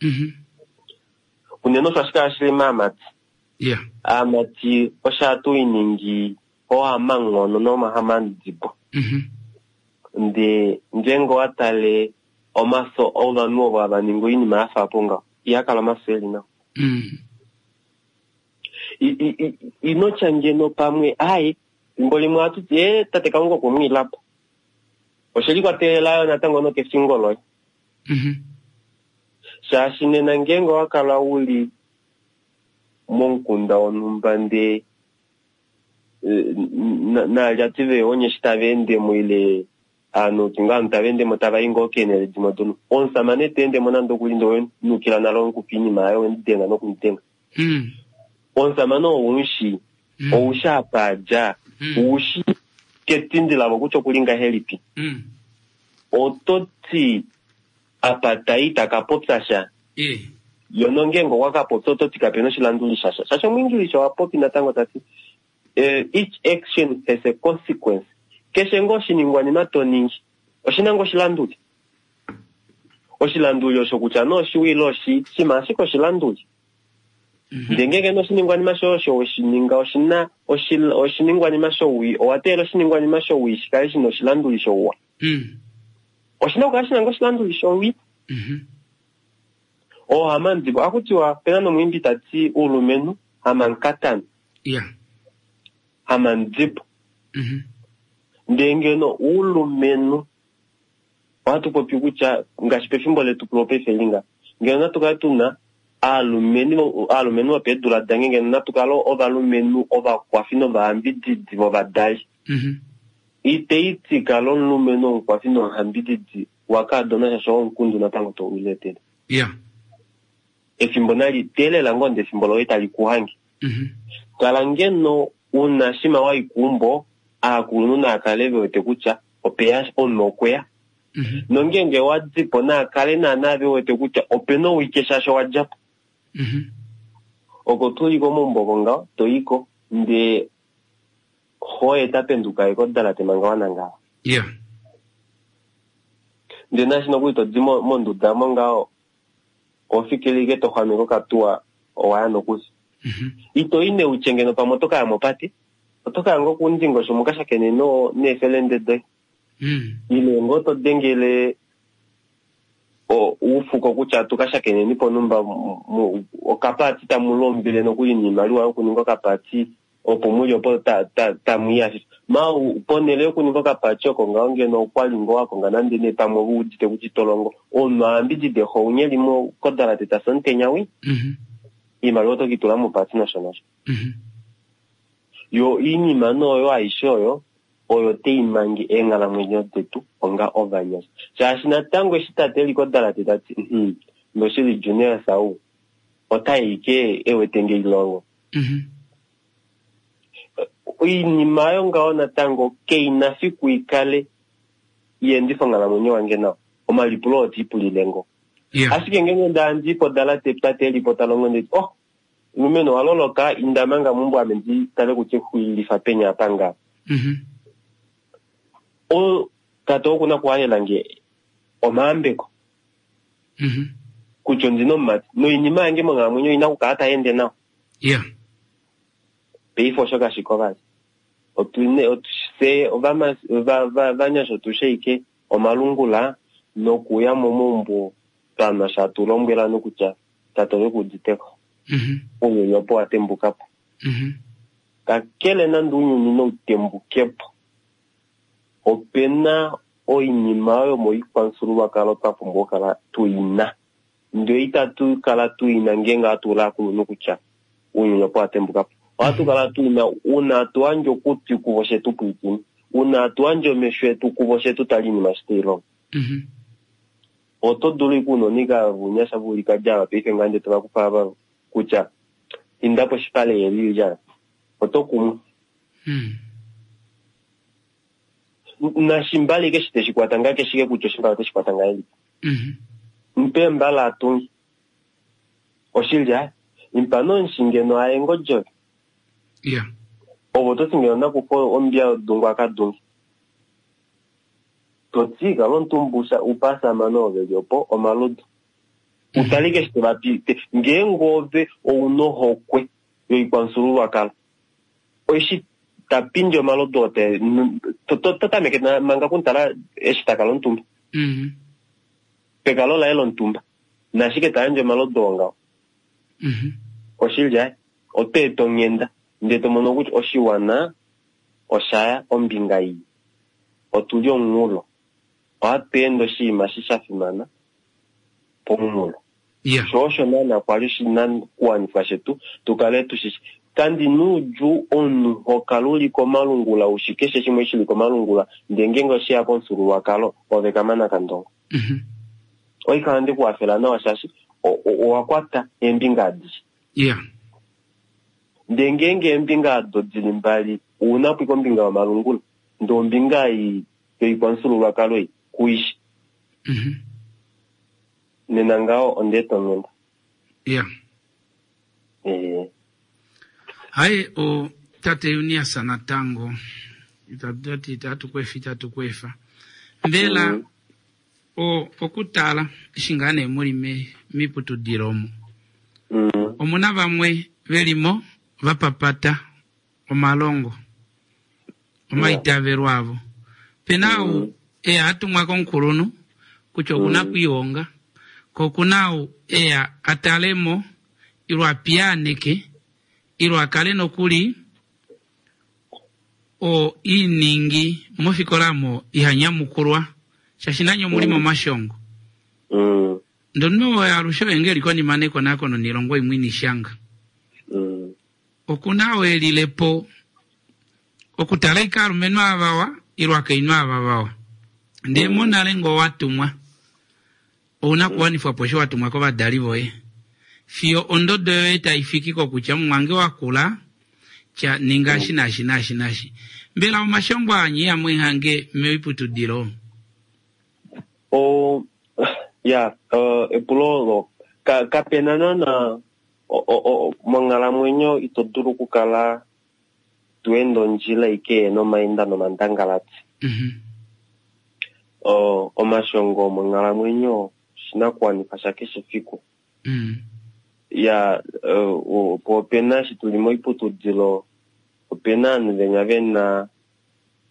Unene osho hashi kala shili maamati. Aamati osho hatu iningi oohamanghono nomahamandibo. Ndee ngeenge owa tale omafyo ovanhu ovo hava ningi oinima ya fa po ngaho, iha kala omafyo eli nawa. Ino tya ngeno pamwe ai fimbo limwe ohatu ti ee tate Kalunga okwe mu ila po. Oshe likwatelela yo natango nokefingo loye. Shaashi nena ngeenge owa kala uli momukunda wonhumba ndee naalyati veeonye eshi tava endemo ile aanhu ti ngoo ovanhu tava endemo tava i ngoo keenhele dimwe donhumba, omusamane ta endemo nande okuli ndee owenukila nale omukufa oinima yaye owemudenga nokumudenga. Omusamane oo oumushi, oushi apa a dja, oushi ketindi lavo kutya okuli ngahelipi. Oto ti apa tai ita ka popya sha. Yo nongeenge okwa ka popya oto ti kapena oshilanduli shasha. Shaashi Omuingilisha owa popi natango ta ti each action has a consequence. Keshe ngoo oshiningwanima to ningi oshina ngoo oshilanduli. Oshilanduli osho kutya nee oshiwa ile oshii, shima ashike oshilanduli. Ndee ngeenge nee oshiningwanima shoye osho we shi ninga oshina oshiningwanima showii, owa teelela oshiningwanima showii shi kale shina oshilanduli shouwa. Oshina okukala shina ngoo oshilanduli showii. Oohamandibo, ohaku tiwa pena nomwiimbi ta ti uulumenhu hamankatana. Hamandibo. Ndee ngeno uulumenhu ohatu popi kutya ngaashi pefimbo letu lopaife linga, ngeno natu kale tuna aalumenhu aalumenhu vopeedula dange, ngeno natu kale ovalumenhu ovakwafi novayambididi vovadali. Ite i ti kala omulumenhu omukwafi nomuhambididi wakaadona shaashi oo omukundu natango to uletele. Efimbo nali teelela ngoo ndee efimbo loye tali ku hange. Kala ngeno una shima wa i keumbo, aakulunhu naa kale ve wete kutya opeya omunhu okweya. Nongeenge wa di po naa kale naana ve wete kutya opena owike shaashi owa dja po. Oko tuli komaumbo oko ngaho toyiko ndee hoye tapenduka ye kodalate manga wanangala. Yeah. Ndee naashi nokuli todi monduda mo ngaho ohofikile ashike toxwameke okatuwa owaya nokuli. Ito i neutye ngeno pamwe oto kaya mopate, oto kaya ngoo koundingosho muka shakene neefelende doye. Ile ngoo to dengele oufuko kutya tu ka shakeneni ponumba okapaati tamu lombile nokuli noimaliwa yokuninga okapaati opo muli opo tamu i ashike. Ma ponhele yokuninga okapaati oko ngaho ngeno okwali ngoo wa konga nande nee pamwe u udite kutya ito longo, omunhu a yambidide xo unye li kodalate ta fi omutenya wii, oimaliwa oto ke i tula mopaati nosho nosho. Yo oinima nee oyo aishe oyo oyo tai mange eenghalamwenyo detu onga ovanyasha. Shaashi natango eshi tate e li kodalate ta ti, noshili Junias ou ota i ke e wete nge ilongo. Oinima oyo ngaho natango kei na fiku i kale ya endifa onghalamwenyo wange nawa. Omalipulo oo te ipulile ngoo. Ashike ngeenge onda ndi podalate tate e li po ta longo ndeti, oh, Mulumenhu owa loloka, inda manga meumbo ame ndi tale kutya exuilifa peni apa nga. O, tate oku na okuhalela nge omayambeko. Kutya ondi na omumati. Noinima yange monghalamwenyo oi na okukala tai ende nawa. Paife osho kashi ko vali. Otu ne, otu, fye ovama, va, va, vanyasha otu shi ashike omalungula nokuya momaumbo twa nwa sha tu lombwela ovanhu kutya tate ove ku uditeko. Ounyuni opo wa tembuka po. Kakele nande ounyuni nau tembuke po, ope na oinima oyo moikwamufyuululwakalo twa pumbwa okukala tu i na. Ndele itatu kala tu i na ngeenge ohatu ula ovakulunhu kutya ounyuni opo wa tembuka po. Ohatu kala tu i na uuna hatu yandje okutwi kuvo she tu pwilikine, uuna hatu yandje omesho etu kuvo she tu tale oinima eshi tai longo. Oto dulu ashike unona ika vunyasha vulika dja ava paife ngaa ndee tova kufa ava kutya inda poshipale yeli dja oto kumwa. Nashimbale ike eshi teshi kwata ngaa keshike kutya oshimbale oteshi kwata ngahelipi. Mpe mbala atunge. Oshili aye. Impa nomushi ngeno aye ngodjove. Ove oto ti ngeno nakufa ombiya yodungu aka dunge. To ti, Kala omutumba upe aasamane ovo ve li opo omalodu. U tale ike eshi to va pe. Ngeenge ove ou na ohokwe yoikwamufyuululwakalo, eshi ta pindi omalodu oo te, to, to, to tameke manga okumutala eshi ta kala omutumba. Pekalo laye lomutumba. Nashike ta yandje omalodu oo ngaho. Oshili aye. Oto eta onghenda. Ndele to mono kutya oshiwana osha ya ombinga ii. Otu li omunghulo. Ohatu ende oshinima eshi sha fimana pomunghulo. Sho osho naana kwa li oshinakuwanifwa shetu tu kale tu shi shi. Kandi na oudjuu omunhu ho kala u li komalungula u shi keshe shimwe shi li komalungula, ndee ngeenge oshe ya komufyuululwakalo, ove kamana kandongo. Oikala nde ku hafela nawa shaashi owa kwata eembinga adishe. Ndee ngeenge eembinga ado di li mbali, ou na po kombinga yomalungula, ndee ombinga ei yoikwamufyuululwakalo ei ku i shi. Nena ngaho onda eta onghenda. Haye o tate Eunias natango itatu itatu ku efa itatu ku efa. Mbela o okutala eshi ngaa nee muli miputudilo omo. Omuna vamwe velimo vapapata omalongo omaitavelo avo. Pena ou eya atumwa komukulunhu kutya okuna kwiihonga, ko okuna ou eya atalemo ilo apiyaaneke ilo akale nokuli o iningi mofikola mo iha nyamukulwa shaashi nanye omuli momashongo. Ndono oyo alushe oye ngeli konima nekonakono nilongo imwe inishanga. Okuna oo elilepo okutala ike aalumenhu ava ilo akainhu ava vawa. Ndee monale ngoo watumwa ouna kuwanifwa po osho watumwa kovadali voye. Fiyo ondodo yoye tai fiki kokutya mumwange wakula tya ninga eshi naashi naashi naashi. Mbela omashongo aa nye ihamu hange moiputudilo? O, ya, epulo olo, kapena naana. Monghalamwenyo ito dulu okukala to ende ondjila ike nomainda nomandangalati. Omashongo monghalamwenyo oshinakuwanifa shakeshe fiku. Ya opo opena eshi tuli moiputudilo, opena ovanhu venya vena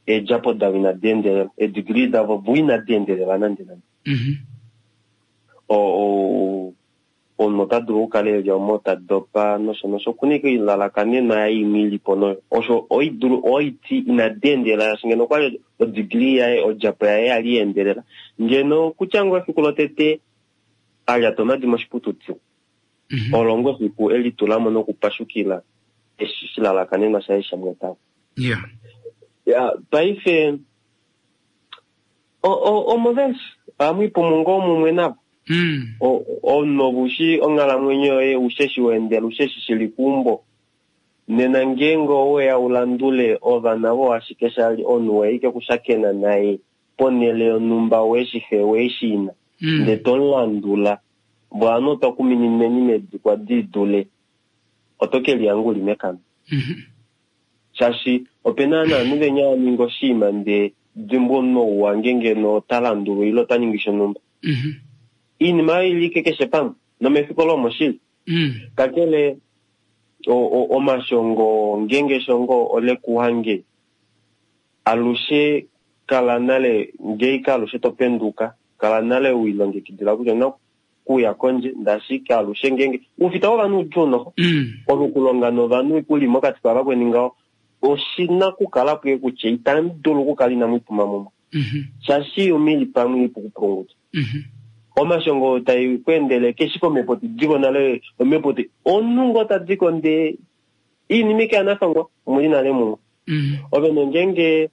eedjapo davo inadi endelela, eedegree davo vo inadi endelela nande nande. Omunhu ota dulu okukala eli omo ta dopa nosho nosho, okuna ashike oilalakanenwa yaye imwe ilipo noyo osho oidulu oiti inadi endelela, shaashi ngeno okwali odegree yaye odjapo yaye yali ya endelela ngeno kutya ngoo efiku lotete a lyata omadi moshiputudilo olo ngoo efiku elitulamo nokupashukila eshi shilalakanenwa shaye shamwetavo. Ya paife omo veshi ohamwiipumu ngoo mumwe navo. Omunhu ove ushi onghalamwenyo yoye, ushi eshi waendela, ushi eshi shili keumbo. Nena ngeenge oweya ulandule ovana vo ashike shali omunhu weya ike kushakena naye ponhele yonhumba weshi xe weshi ina, ndee tomulandula vo otwa kuminineni medikwa didule oto kelihanga uli mekano. Shaashi opena naanhu venya aninga oshinima ndee dimbwa omunhu ou wange ngeno ota landulwa ile ota ningi shonhumba. Iinima oyo ili ike keshe pamwe nomefiko lomoshili. Kakele omashongo ngeenge eshongo ole kuhange alushe kala nale ngeika alushe topenduka kala nale wilongekidila kutya owuna kuya kondje ndashike alushe ngeenge oufita wovanhu udjuu noho olukulonga novanhu uli mokati kavakweni ngaho oshina kukala puye kutya itamu dulu okukala inamu ipuma mumwe shaashi omili pamwe ipu kupulunguta. Omashongo tai kweendele keshi komhepo tidiko nale omhepo ti omunhu ngoo tadiko ndee iinima ike yanafangwa omuli nale mumwe. Ove nongeenge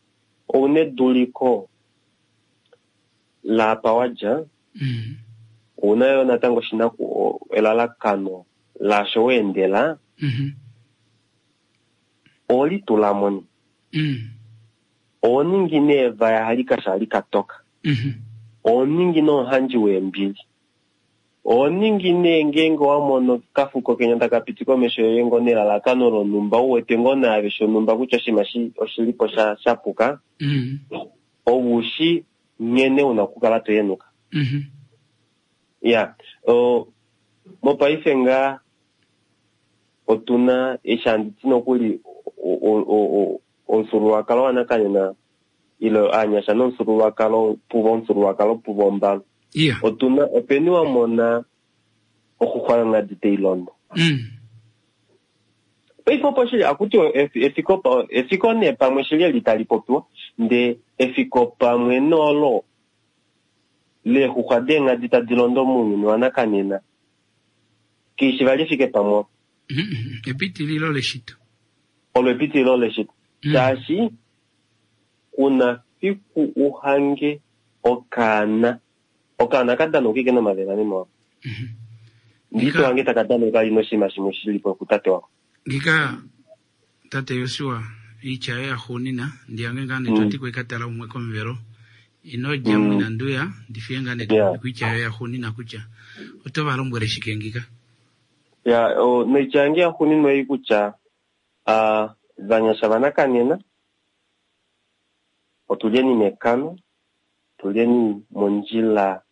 ouna eduliko laapa wadja ouna yo natango oshinaku elalakano laasho weendela owelitulamo ne. Owoningi nee evaya hali kasha hali katoka. Owoningi nomuhandji weembili. Owoningi nee ngeenge wamono kafuko kenya taka piti komesho yoye ngoo nelalakano lonhumba uwete ngoo naave shonhumba kutya oshinima oshilipo shapuka, oushi nghene una okukala toyenuka. Ya mopaife ngaa otuna eshi handiti nokuli omufyuululwakalo wanakanena ile aanyasha nomufyuululwakalo puvo omufyuululwakalo puvo ombalo. Otuna openi wamona oxuxwa yonghadi tailondo. Paife opo shili akuti efiko efiko nee pamwe shili eli tali popiwa ndee efiko pamwe noolo leexuxwa deenghadi tadi londo mounyuni wanakanena keishi vali efike pamwe. Epitililo leshito. Olo epitililo leshito. Shaashi kuna fiku uhange okaana. Okaana kadana ike nomavela meme wako. Ndito hange takadana kali noshinima shimwe shilipo kutate wako. Ngika tate Josua oitya yoye yaxuunina ndiyange ngaa netwati kwekatala umwe komuvelo ino dja mwina nduya ndifiye ngaa netwati yoye yaxuunina kutya oto va lombwele shike ngika. Ya noitya yange yaxuuninwa ei kutya vanyasha vanakanena otulyeni mekano, tulyeni mondjila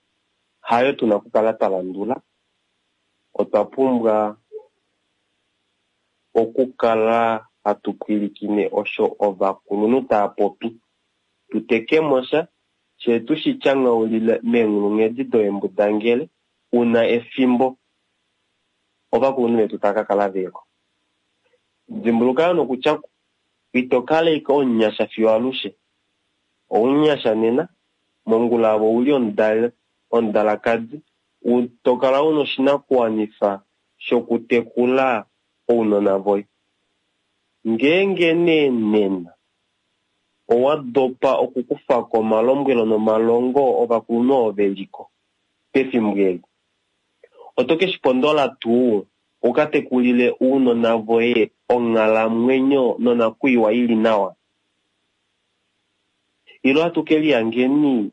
hayo tuna okukala twa landula. Otwa pumbwa okukala hatu pwilikine osho ovakulunhu tava popi, tutekemo sha shee tushi tyanghaulile meenghulunghedi doembudangele una efimbo ovakulunhu vetu tava kakala veko. Dimbuluka yo nokutya ito kala ike omunyasha fiyo alushe. Ounyasha nena mongula avo ouli omudalakadi tokala una oshinakuwanifa shokutekula ounona voye. Ngeenge nee nena owa dopa okukufako omalombwelo nomalongo ovakulunhu ovo veliko pefimbo eli, oto keshipondola tuu ukatekulile ounona voye onghalamwenyo nonakwiiwa ili nawa? Ilo atu kelihangeni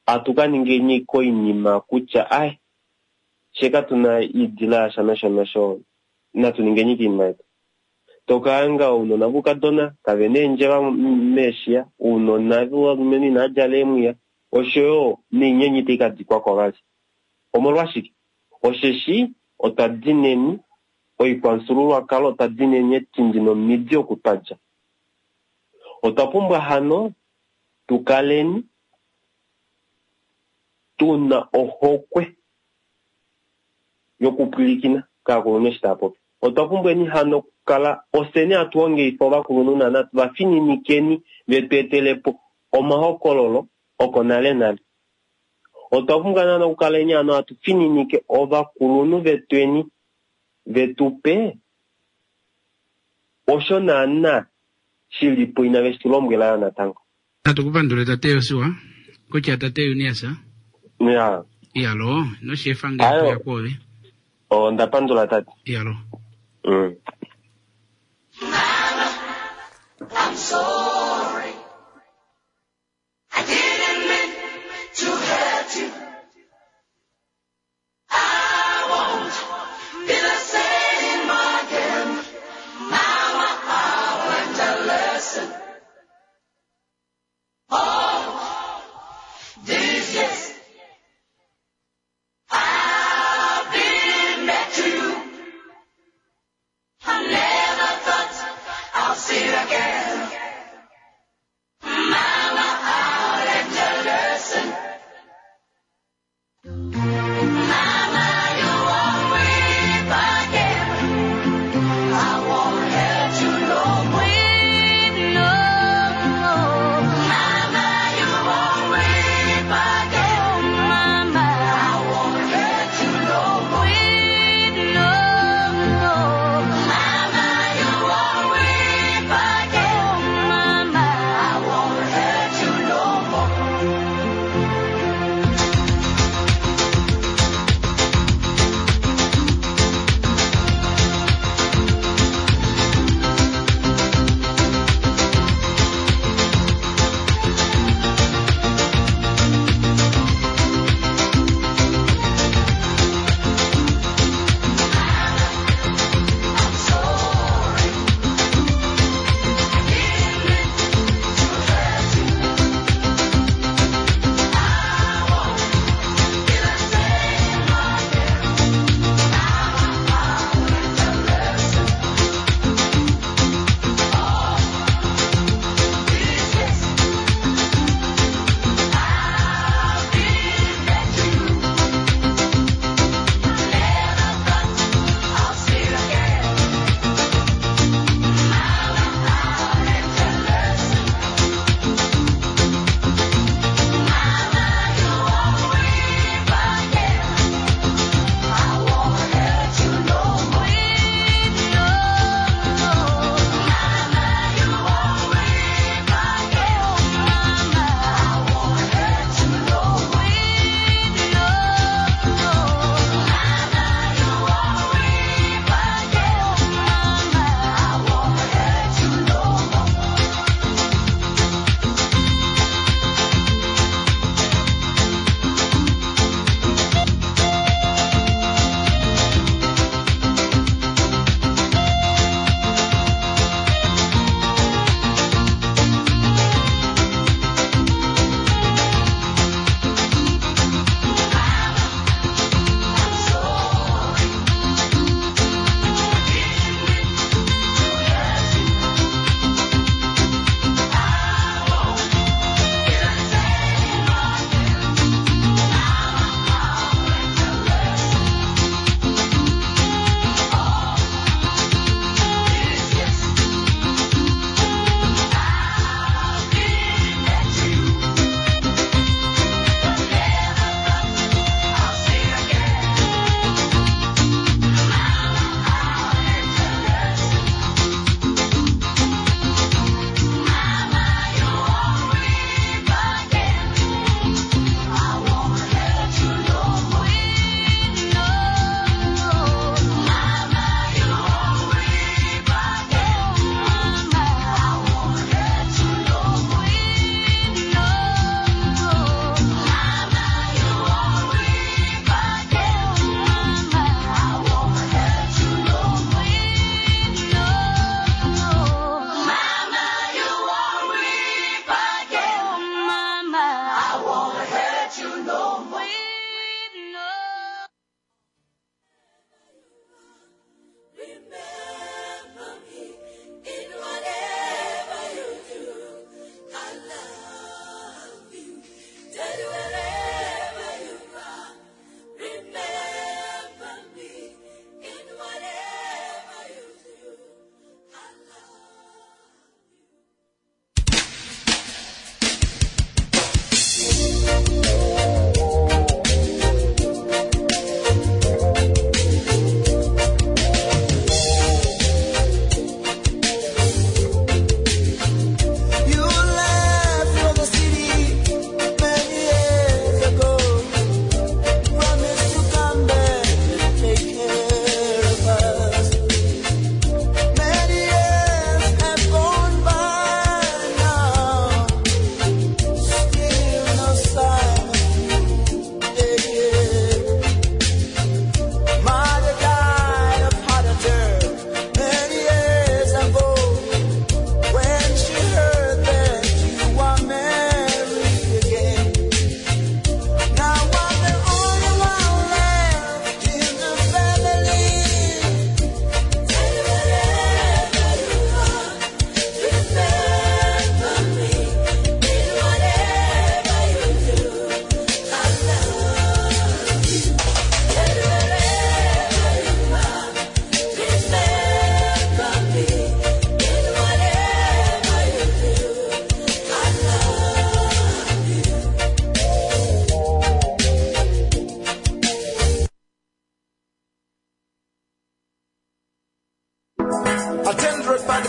atu kaningeni koinima kutya ai She katuna iidila yasha nosho nosho, natu ningeni kiinima yetu. Tokahanga ounona voukadona kavena eendjeva meeshiya, ounona vovalumenhu inava djala eemwiya, oshoyo noinyenye itai ka dikwako vali. Omolwashike? Osheshi otwa dineni oikwamufyuululwakalo, otwa dineni etindi nomidi oku twa dja. Otwa pumbwa hano tukaleni tuna ohokwe yokupwilikina kaakulunhu eshi tava popi. Otwa pumbweni hano okukala ofyeni hatu hongeifa ovakulunhu naana tuvafininikeni vetu etelepo omahokololo oko nale nale. Otwa pumbwa naana okukaleni hano hatu fininike ovakulunhu vetweni vetupe osho naana shilipo inave shi tu lombwela yo natango. Natu kupandule tate Josua, kutya tate Junias. Ya. Iyalo, noshefa ngee toya kwoove. Onda pandula tate. Iyalo. Mama, I'm sorry. I didn't mean to hurt you. I won't be the same again. Mama, I learned a lesson. Oh, these years I've been back to you. I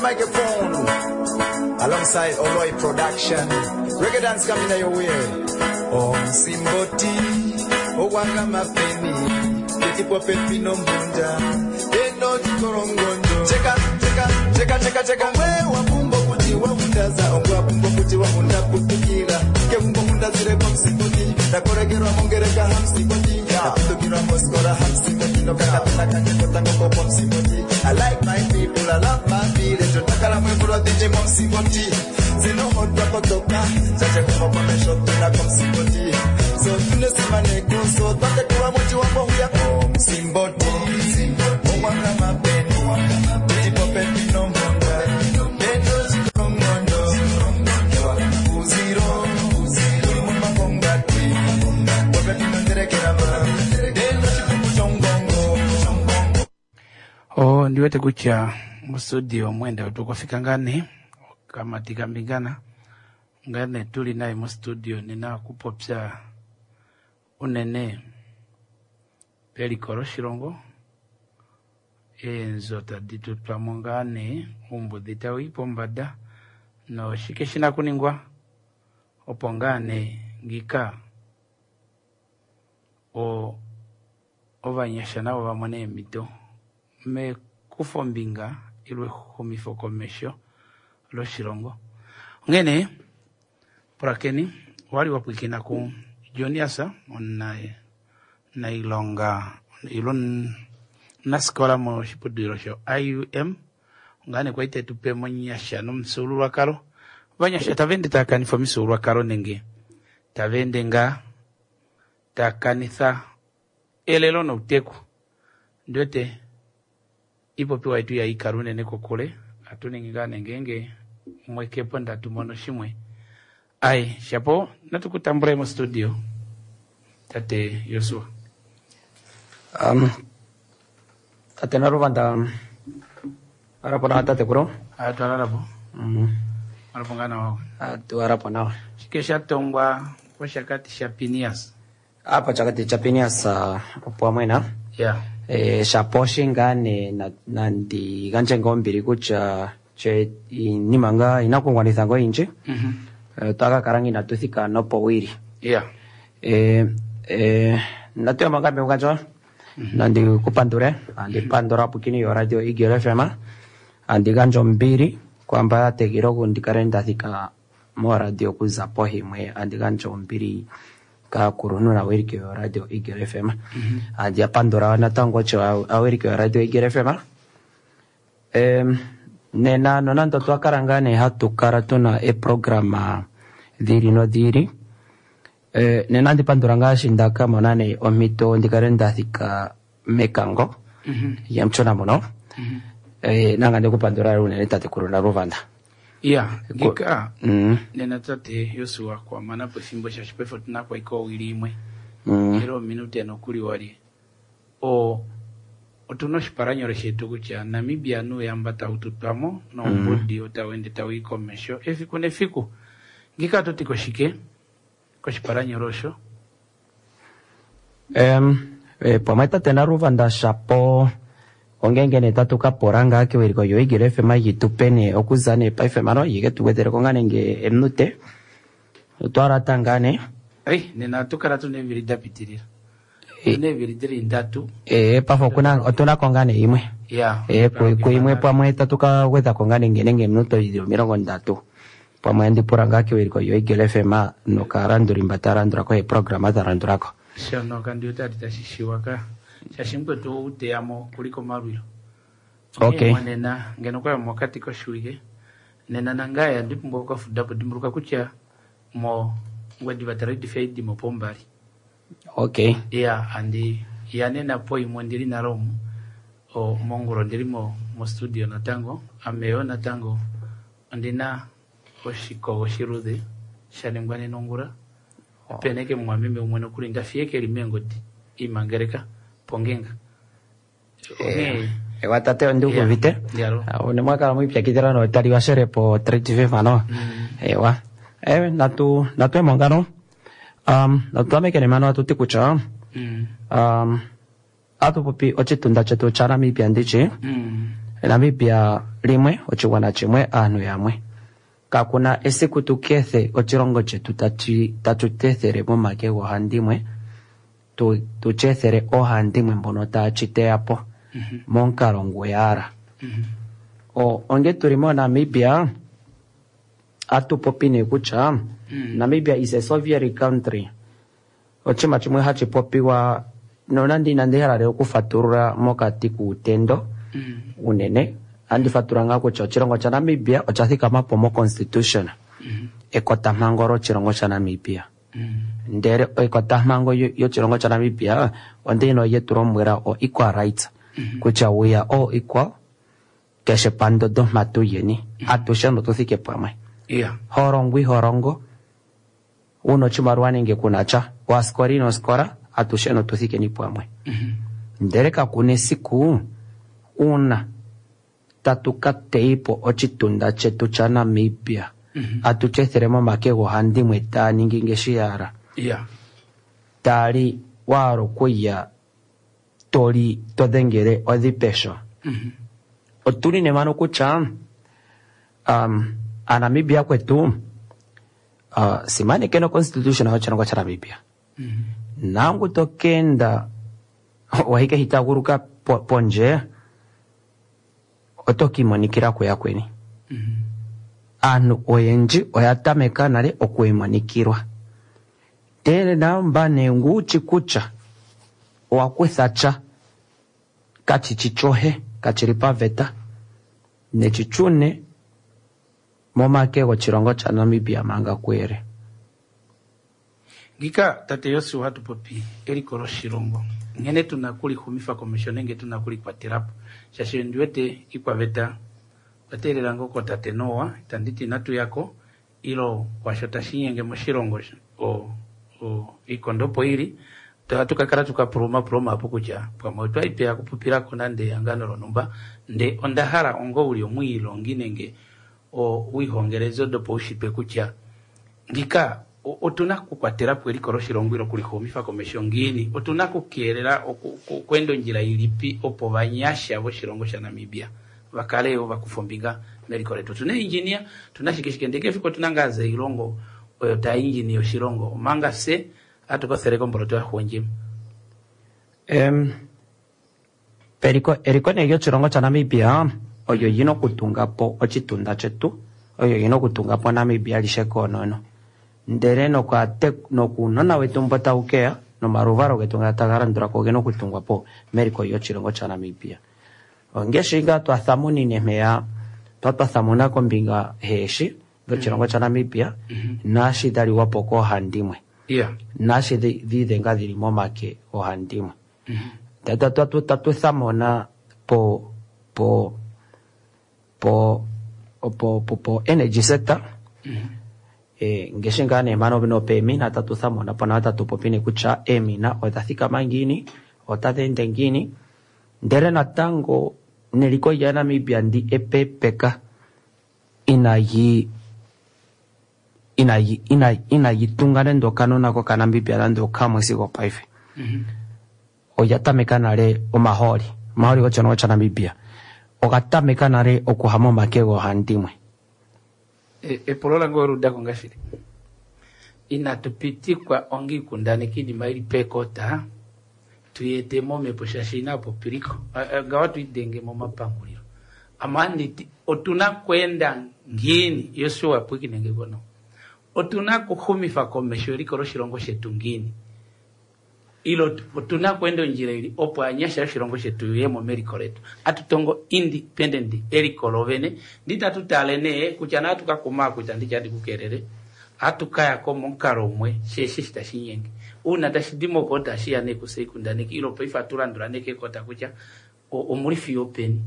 microphone alongside Oloi Production. Reggae dance coming your way. Oh, Simboti, Owanga Mapeni, Petipo Pepino Mbunja, Eno Chikorongondo. Cheka, cheka, cheka, cheka, cheka. Wewa kumbo kuti waundaza, ongwa kumbo kuti waunda kutukira. Ke kumbo kunda zire kwa msimboti, takoregerwa mongereka hamsimboti, takutukirwa moskora hamsimboti, nokakatana kanyekota ngoko kwa msimboti. I like my people, I love my village, otakala mwevula DJ mwa msimboti. Zinohodwa kotoka, chache kumbo kwa mesho tuna kwa msimboti. So tunesimane kuso, twatekula muji wambo huya. Oh, msimboti, owanga mapeni, petipo pepino mbunda, endo chikongondo, uziro, uli mumabongati, popepino nderekerama, endo chipungu chongongo. Oh, ndiwete kutya mustudio mwenda tukufika ngane kama tikambingana ngane tuli naye mustudio nina kupopya unene peliko loshilongo eenzo tadi tutwamo ngane umbudi tawi pombada noshike shina kuningwa opo ngane ngika o ovanyasha navo vamone eemhito mekufombinga ile exumifo komesho loshilongo. Onghene pulakeni owali wa pwilikina ku Jonias omunailonga ile omunasikola moshiputudhilo sho IUM ongane kwali tetupe monyasha nomufyuululwakalo. Ovanyasha tava ende tava kanifa omifyuululwakalo nenge tava ende ngaa tava kanitha elelo nouteku. Ndiwete ipopiwa yetu ihaikala unene kokule atu ningi ngaa nengenge mwekepo ndatu mono shimwe. Ai, shapo natukutambule mo studio tate Yosua. Tate Naruvanda arapo na tate kuro. Atwalalapo. Arapo ngana wako. Atu arapo nawa. Shike shatongwa poshakati sha Pinias. Apa chakati cha Pinias opo amwena. Yeah. Shaposhi ngane nandi gandje ngo ombili kutya che iinima nga inakugwanitha ngo oyindji. Otwaka kala nga inatu thika nopowili. Yeah. Natu yama ngambe mukandjo. Nandi kupandule, andi pandula pukini yo radio Eagle FM. Andi gandja ombili kwamba ya tegele oku ndikale nda thika moradio okuza pohimwe. Andi gandja ombili kaakuluntu naawiliki yo radio Eagle FM. Andi ya pandula natango osho aawiliki yo radio Eagle FM. Nena nonando twakala ngaa nee hatu kala tuna eprograma dhili nodhili. Nena andi pandula ngaa shi ndaka mona nee ompito ndikale nda thika mekango yamchona muno. Nanga ndikupandula unene tatekulu Naluvanda. Yeah, ngika nena tate Yosua kwa mana po efimbo shaashi paife otuna kwaika owili imwe. Era ominute nokuli wali. O otuna oshipalanyole shetu kutya Namibia nuuyamba tau tutwamo noumbudi otau ende tau i komesho efiku nefiku. Ngika ototi koshike koshipalanyole osho? Pamwe tate Naluvanda shapo ongenge nee tatu ka pula ngaa kewiliko lyo Eagle FM yi tupe nee okuza nee paife mano yike tu gwedheleko ngaa nenge eminute. Otwalata ngaa nee. Ei, nena ohatu kala tuna eevili da pitilila. Tuna eevili dili ndatu. Pafa otuna ko ngaa nee imwe. Yeah. Kuimwe pamwe tatu ka gwedhako ngaa nenge nenge eminute dhili 30. Pamwe andi pula ngaa kewiliko lyo Eagle FM nokalanduli mba ta landulako eeprograma dha landulako. Shono kandi otali tashi shiwa ka. Shaashi mukwetu ou teyamo kuli komalwilo. Okay. Nena ngeno kwaya mokati koshiwike. Nena nangaye andi pumbwa okukafudapo dimbuluka kutya mo ngwediva taredifa idimo pombali. Okay. Yeah, andi ya nena po imwe ndili nalo omu. O mongulo ndili mo studio natango, ameyo natango ondina oshikogo shiludhe sha ningwa nena ongula. Pene ke mumwameme umwe nokuli ndafiye keli meengodi imangeleka pongenga. Ewa tate ondi uvite. One mwakala mwipyakidhila notali washele po 35 ano. Ewa. Natu natu ngano. Natu tamekele mano atuti kutya. Atupopi ochitunda chetu cha Namibia ndichi. Namibia limwe, oshigwana shimwe, aantu yamwe. Kakuna esiku tu kethe oshilongo chetu tatu tethele momake goohandimwe, tu chethele oohandimwe mbono taya chiteya po momukalo nguyala. Onge tuli mo Namibia, atu popi nee kutya Namibia is a sovereign country. Oshinima shimwe hashi popiwa nonande inandi hala lela okufatulula mokati kuutendo unene, andi fatulula ngaa kutya oshilongo shaNamibia osha thikama po mo constitution, ekotampango loshilongo shaNamibia. Ndele ekotampango yoshilongo shaNamibia ondino yetu lombwela o equal rights, kutya we are all equal, keshe pandodo mhatu yeni, atushe notuthike pamwe. Holongo iholongo, una oshimaliwa nenge kuna sha, waskola ino skola, atushe notuthikeni pamwe. Ndele kakuna esiku una tatu ka teipo oshitunda chetu chaNamibia, atu chethele momake goohandimwe taa ningi ngeshi yala. Tali wahala okuya toli todhengele odhipesho. Otuli nemano kutya aNamibia kwetu simanekeni constitution yoshilongo shaNamibia. Nangu tokenda wahike hitaguluka pondje, oto kiimonikila kuyakweni. Aantu oyendji oya tameka nale okwiimonikilwa. Ndele namba nenguchi kutya owa kutha tya kachichi chohe kachili paveta nechichune momake goshilongo shaNamibia manga kuyele. Ngika tate Josua hatu popi eliko loshilongo nkene tuna kulixumifa komesho nenge tuna kulikwatelapo, shaashi ndi wete ikwaveta oteelela ngoo kotate Noa, itandi ti inatu yako ilo kwasho tashi nyenge moshilongo iikondo opo ili ohatu ka kala tuka puluma puluma apo kutya pamwe otwa ipeya kupupilako nande ehangano lonhumba, nde onda hala ongo uli omwiilongi nenge wiihongelezo dopaushitwe kutya ngika otuna kukwatela po eliko loshilongo ilo kulixumifa komesho ngiini, otuna kukeelela okweenda ondjila ilipi opo vanyasha voshilongo shaNamibia vakale yo vakufa ombinga meliko letu. Otuna engineer, tuna shike shike, ndele kefiku otuna ngaa zeilongo oyo taa engineer oshilongo, omanga fye hatu kofele komboloto ya xundjima. Eliko nee lyoshilongo shaNamibia oyo yina okutunga po oshitunda shetu, oyo yina okutunga po Namibia alishe koonono. Ndele nokuunona wetu mbo tau keya nomaluvalo getu nga taga landula ko ogena okutungwa po meliko lyoshilongo shaNamibia. Ongeshi ngaa twa thamunine mpeya, twa thamuna kombinga heeshi dhoshilongo shaNamibia, naashi dha liwa po koohandimwe. Naashi dhiidhenga dhili momake oohandimwe. Tatu thamuna po po po po po po energy sector. Ngeshi ngaa nee mano nopeemina tatu thamuna po nawa tatu popi nee kutya eemina odha thikama ngiini, otadhi ende ngiini. Ndele natango neliko lyaNamibia ndi epepeka inayi tunga nande okanona kokaNamibia nande okamwe sigo paife. Olya tameka nale omahooli, omahooli goshilongo shaNamibia oga tameka nale okuha momake goohandimwe. Epulo lange oludako ngashili inatu pitikwa onga iikundaneki iinima ili pekota tuyete momhepo shaashi ina popiliko ngawa tuidenge momapangulilo. Amanditi otuna kwenda ngiini Josua pwikinenge kono, otuna kuxumifa komesho eliko loshilongo shetu ngiini, ilo otuna kwenda ondjila ili opo anyasha yoshilongo shetu yemo meliko letu. Atutongo independent eliko lovene, nditatu tale nee kutya na tukakuma kutya nditya ndikukelele atukayako momukalo umwe sheshe shitashinyenge. Uuna tashi di mokota shiya nee kuseikundaneki ilo paife atulandula nee kekota kutya omuli fiyo peni.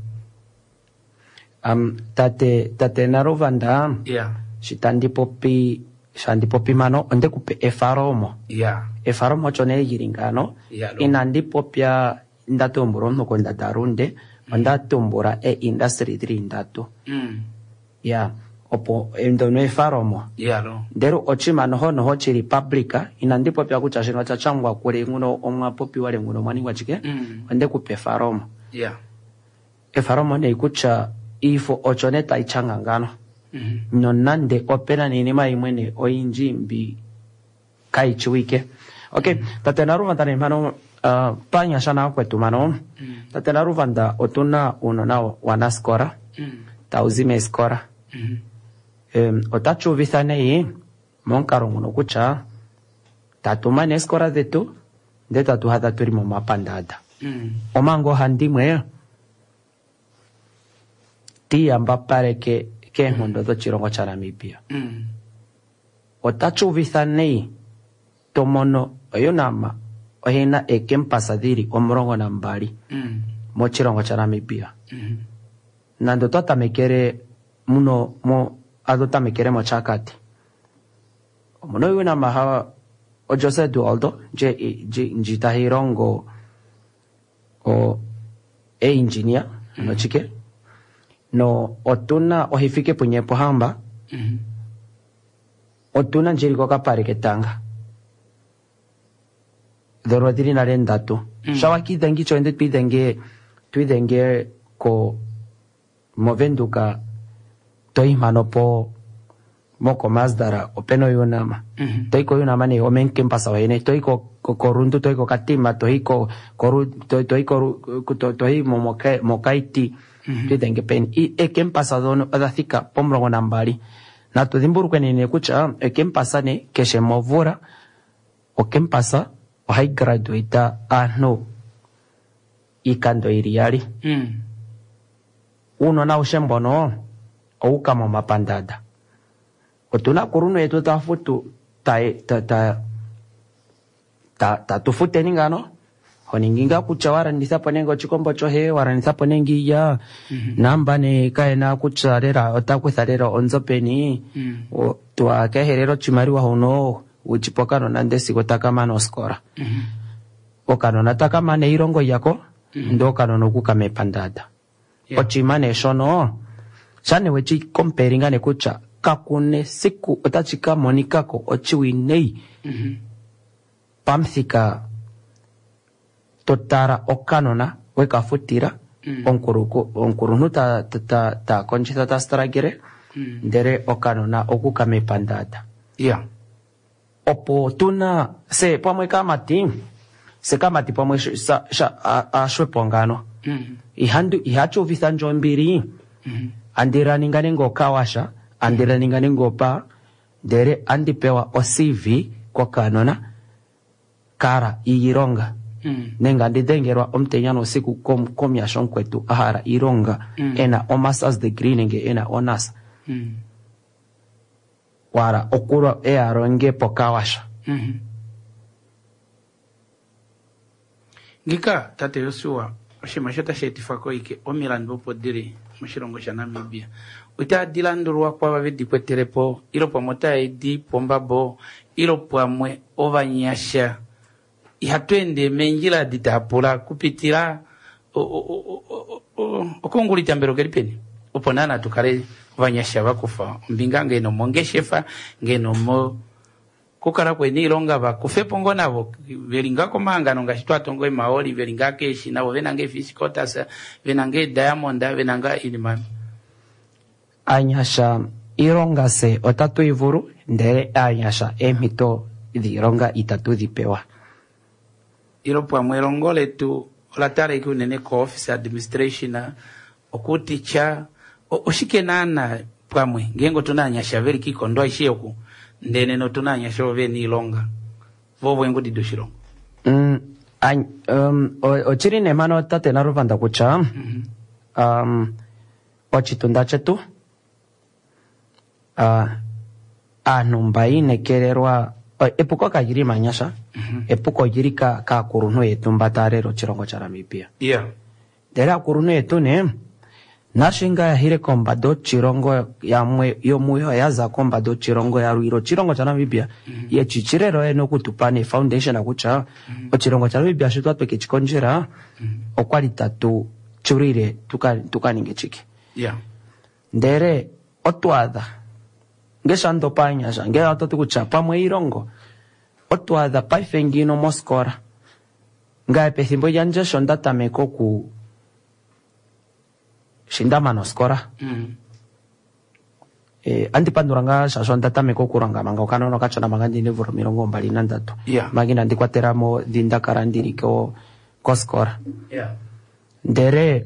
Tate Narovanda, shandi popi mano onde kupe efaromo. Efaromo osho nee lili ngano. Inandi popya nda tumbula omunhu kondadalunde, onda tumbula e-industry dhili ndatu. Opo ndono efaromo. Ndele oshinima noho noho chili public, inandi popya kutya shino osha shangwa kule nguno omwa popiwa le nguno omwa ningwa shike, onde kupe efaromo. Efalomo nee kutya iifo osho nee tai shanga ngano. Nonande opena niinima imwe nee oyindji mbi kai shiwike. Okay, tate Naluvanda nee mpano panyasha nakwetu mano. Tate Naluvanda otuna uunona wanaskola tau zi meeskola. Otachi uvitha nei momukalo nguno kutya tatu mana eeskola dhetu ndele tatu hadha tuli momapandaanda. Omanga ohandimwe tiiyambapaleke keenkondo dhoshilongo shaNamibia. Otachi uvitha nei tomono oUNAM oyina eekempasa dhili 12 moshilongo shaNamibia. Nande otwa tamekele muno mo adho tamekele moshakati. Omuno UNAM ha oJose Eduardo ndji tahi longo o engineer nochike no otuna oHifikepunye Pohamba. Otuna ndjili kokapale ketanga dhono dhili nale ndatu. Shawa kiidhengi cho ende twidhenge ko movenduka toyi mpano po mokomasdara opena oUNAM. Toyi ko UNAM nee omain campus wene toyi ko Rundu toyi ko Katima toyi ko toyi ko toyi mokaiti twidhenge peni. Eekempasa dhono odha thika pomulongo nambali. Natu dhimbulukweni nee kutya ekempasa ne keshe movula okempasa ohayi graduate aantu iikando yili yali. Uunona aushe mbono owuka momapandanda. Otuna aakuluntu yetu taya futu tatu futeni ngano. Honingi ngaa kutya walanditha po nenge oshikombo shoye, walanditha po nenge iilya. Namba nee kayena kutya lela ota kutha lela onzo peni. Twakehelela oshimaliwa hono wuchipa okanona ndele sigo taka mana oskola. Okanona taka mana eilongo lyako ndele okanona okuka mepandanda. Oshinima nee shono shane wechi comparinga nee kutya kakuna esiku otashi ka monikako oshiwinayi pamuthika totala okanona weka futila omukuluntu ta kondjitha ta struggle ndele okanona okuka mepandanda. Opo tuna se pamwe kamati se kamati pamwe ashwepo ngano. Ihachi uvitha ndje ombili. Andira ninga nenge okawasha, andira ninga nenge opa, ndele andi pewa o CV kokanona kara iilonga. Nenge andi dhengelwa omutenya nousiku komuyasha omukwetu a hala iilonga ena o masters degree nenge ena honors. Wala okulwa eya longe pokawasha. Ngika tate Josua oshinima sho tashi etifwa koike omilandu opo dili moshilongo shaNamibia. Otadi landulwa kwava vedi kwetelepo ilo pamwe otadi pombabo ilo pamwe ovanyasha ihatu ende meendjila adi tapula kupitila okongulitambelo keli peni opo naana tukale ovanyasha vakufa ombinga ngeno mongeshefa ngeno mo kukala kweni iilonga vakufepo ngo navo veli nga komahangano ngaashi twatongo emaoli veli nga keeshi navo vena nga eefish quotas vena nga diamond vena nga iinima. Anyasha iilonga se otatu ivulu ndele anyasha eemhito dhiilonga itatu dhi pewa. Ilo pamwe elongo letu ola talika unene ko office administration okuticha oshike naana pamwe ngeenge otuna anyasha veli kiikondo aishe oku ndele notuna anyasha ovo vena iilonga vovo eengudi doshilongo. Ochili nee mano tate Naluvanda kutya ochitunda chetu aantu mba yiinekelelwa epuko kalili manyasha. Epuko olili kaakuluntu yetu mba taya lele oshilongo shaNamibia. Ndele aakuluntu yetu nee nashi nga yahile kombanda yoshilongo yamwe yomuyo yaza kombanda yoshilongo yalwile oshilongo shaNamibia yechi chilelo yene okutupa ne foundation kutya oshilongo shaNamibia sho twatweke chikondjela okwali tatu chulile tukaninge chike. Ndele otwaadha ngesha ndopa anyasha ngele ototi kutya pamwe iilongo otwaadha paife ngino moskola ngaye pethimbo lyandje sho nda tameka oku Shi nda mana oskola andi pandula ngaa shaashi onda tameka okulonga manga okanona okashona manga ndina eemvula 23. Manga inandi kwatela mo dhi nda kala ndili koskola. Ndele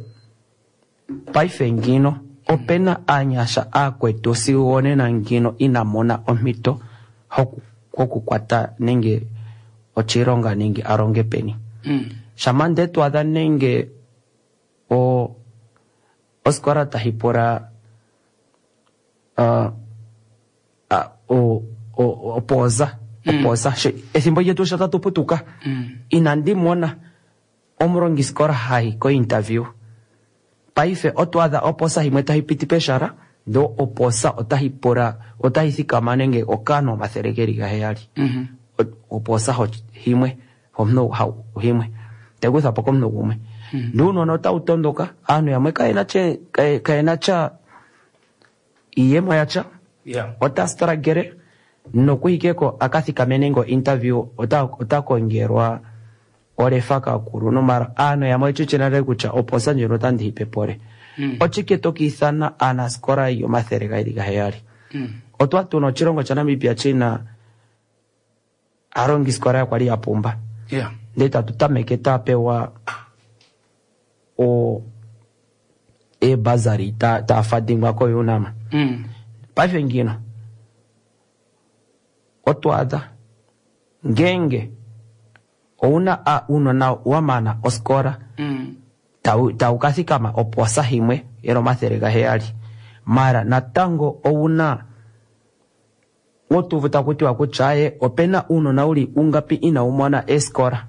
paife ngino opena aanyasha aakwetu sigo onena ngino ina mona omhito hokukwata nenge oshilonga nenge a longe peni. Shampa nde to adha nenge oskola tahi pula opooza opooza ethimbo lyetu sho tatu putuka inandi mona omulongiskola hayi ko interview. Paife oto adha oposa yimwe tayi piti peshala ndo oposa otayi pula otayi thikama nenge okanhu 700. Oposa himwe omunhu himwe tayi po komunhu gumwe. Ndee uunona otawu tondoka aanhu yamwe kayena tya iiyemo yatya ota struggle nokuhikeko aka thikame nenge interview ota kongelwa olefa kakulunhu mara aanhu yamwe ochichi nale kutya oposa ndjino otandi hipe pole. Ochike tokiithana aanasikola yo 207. Otwa tuna oshilongo shaNamibia china aalongisikola ya kwali ya pumba. Ndee tatu tameke tapewa eebasari tafadingwa koUNAM. Paife ngino otwa adha ngenge ouna uunona wa mana oskola tawu ka thikama oposa himwe yeli 700 mara natango ouna otuvu taku tiwa kutya aye opena uunona uli ungapi inawu mona eskola.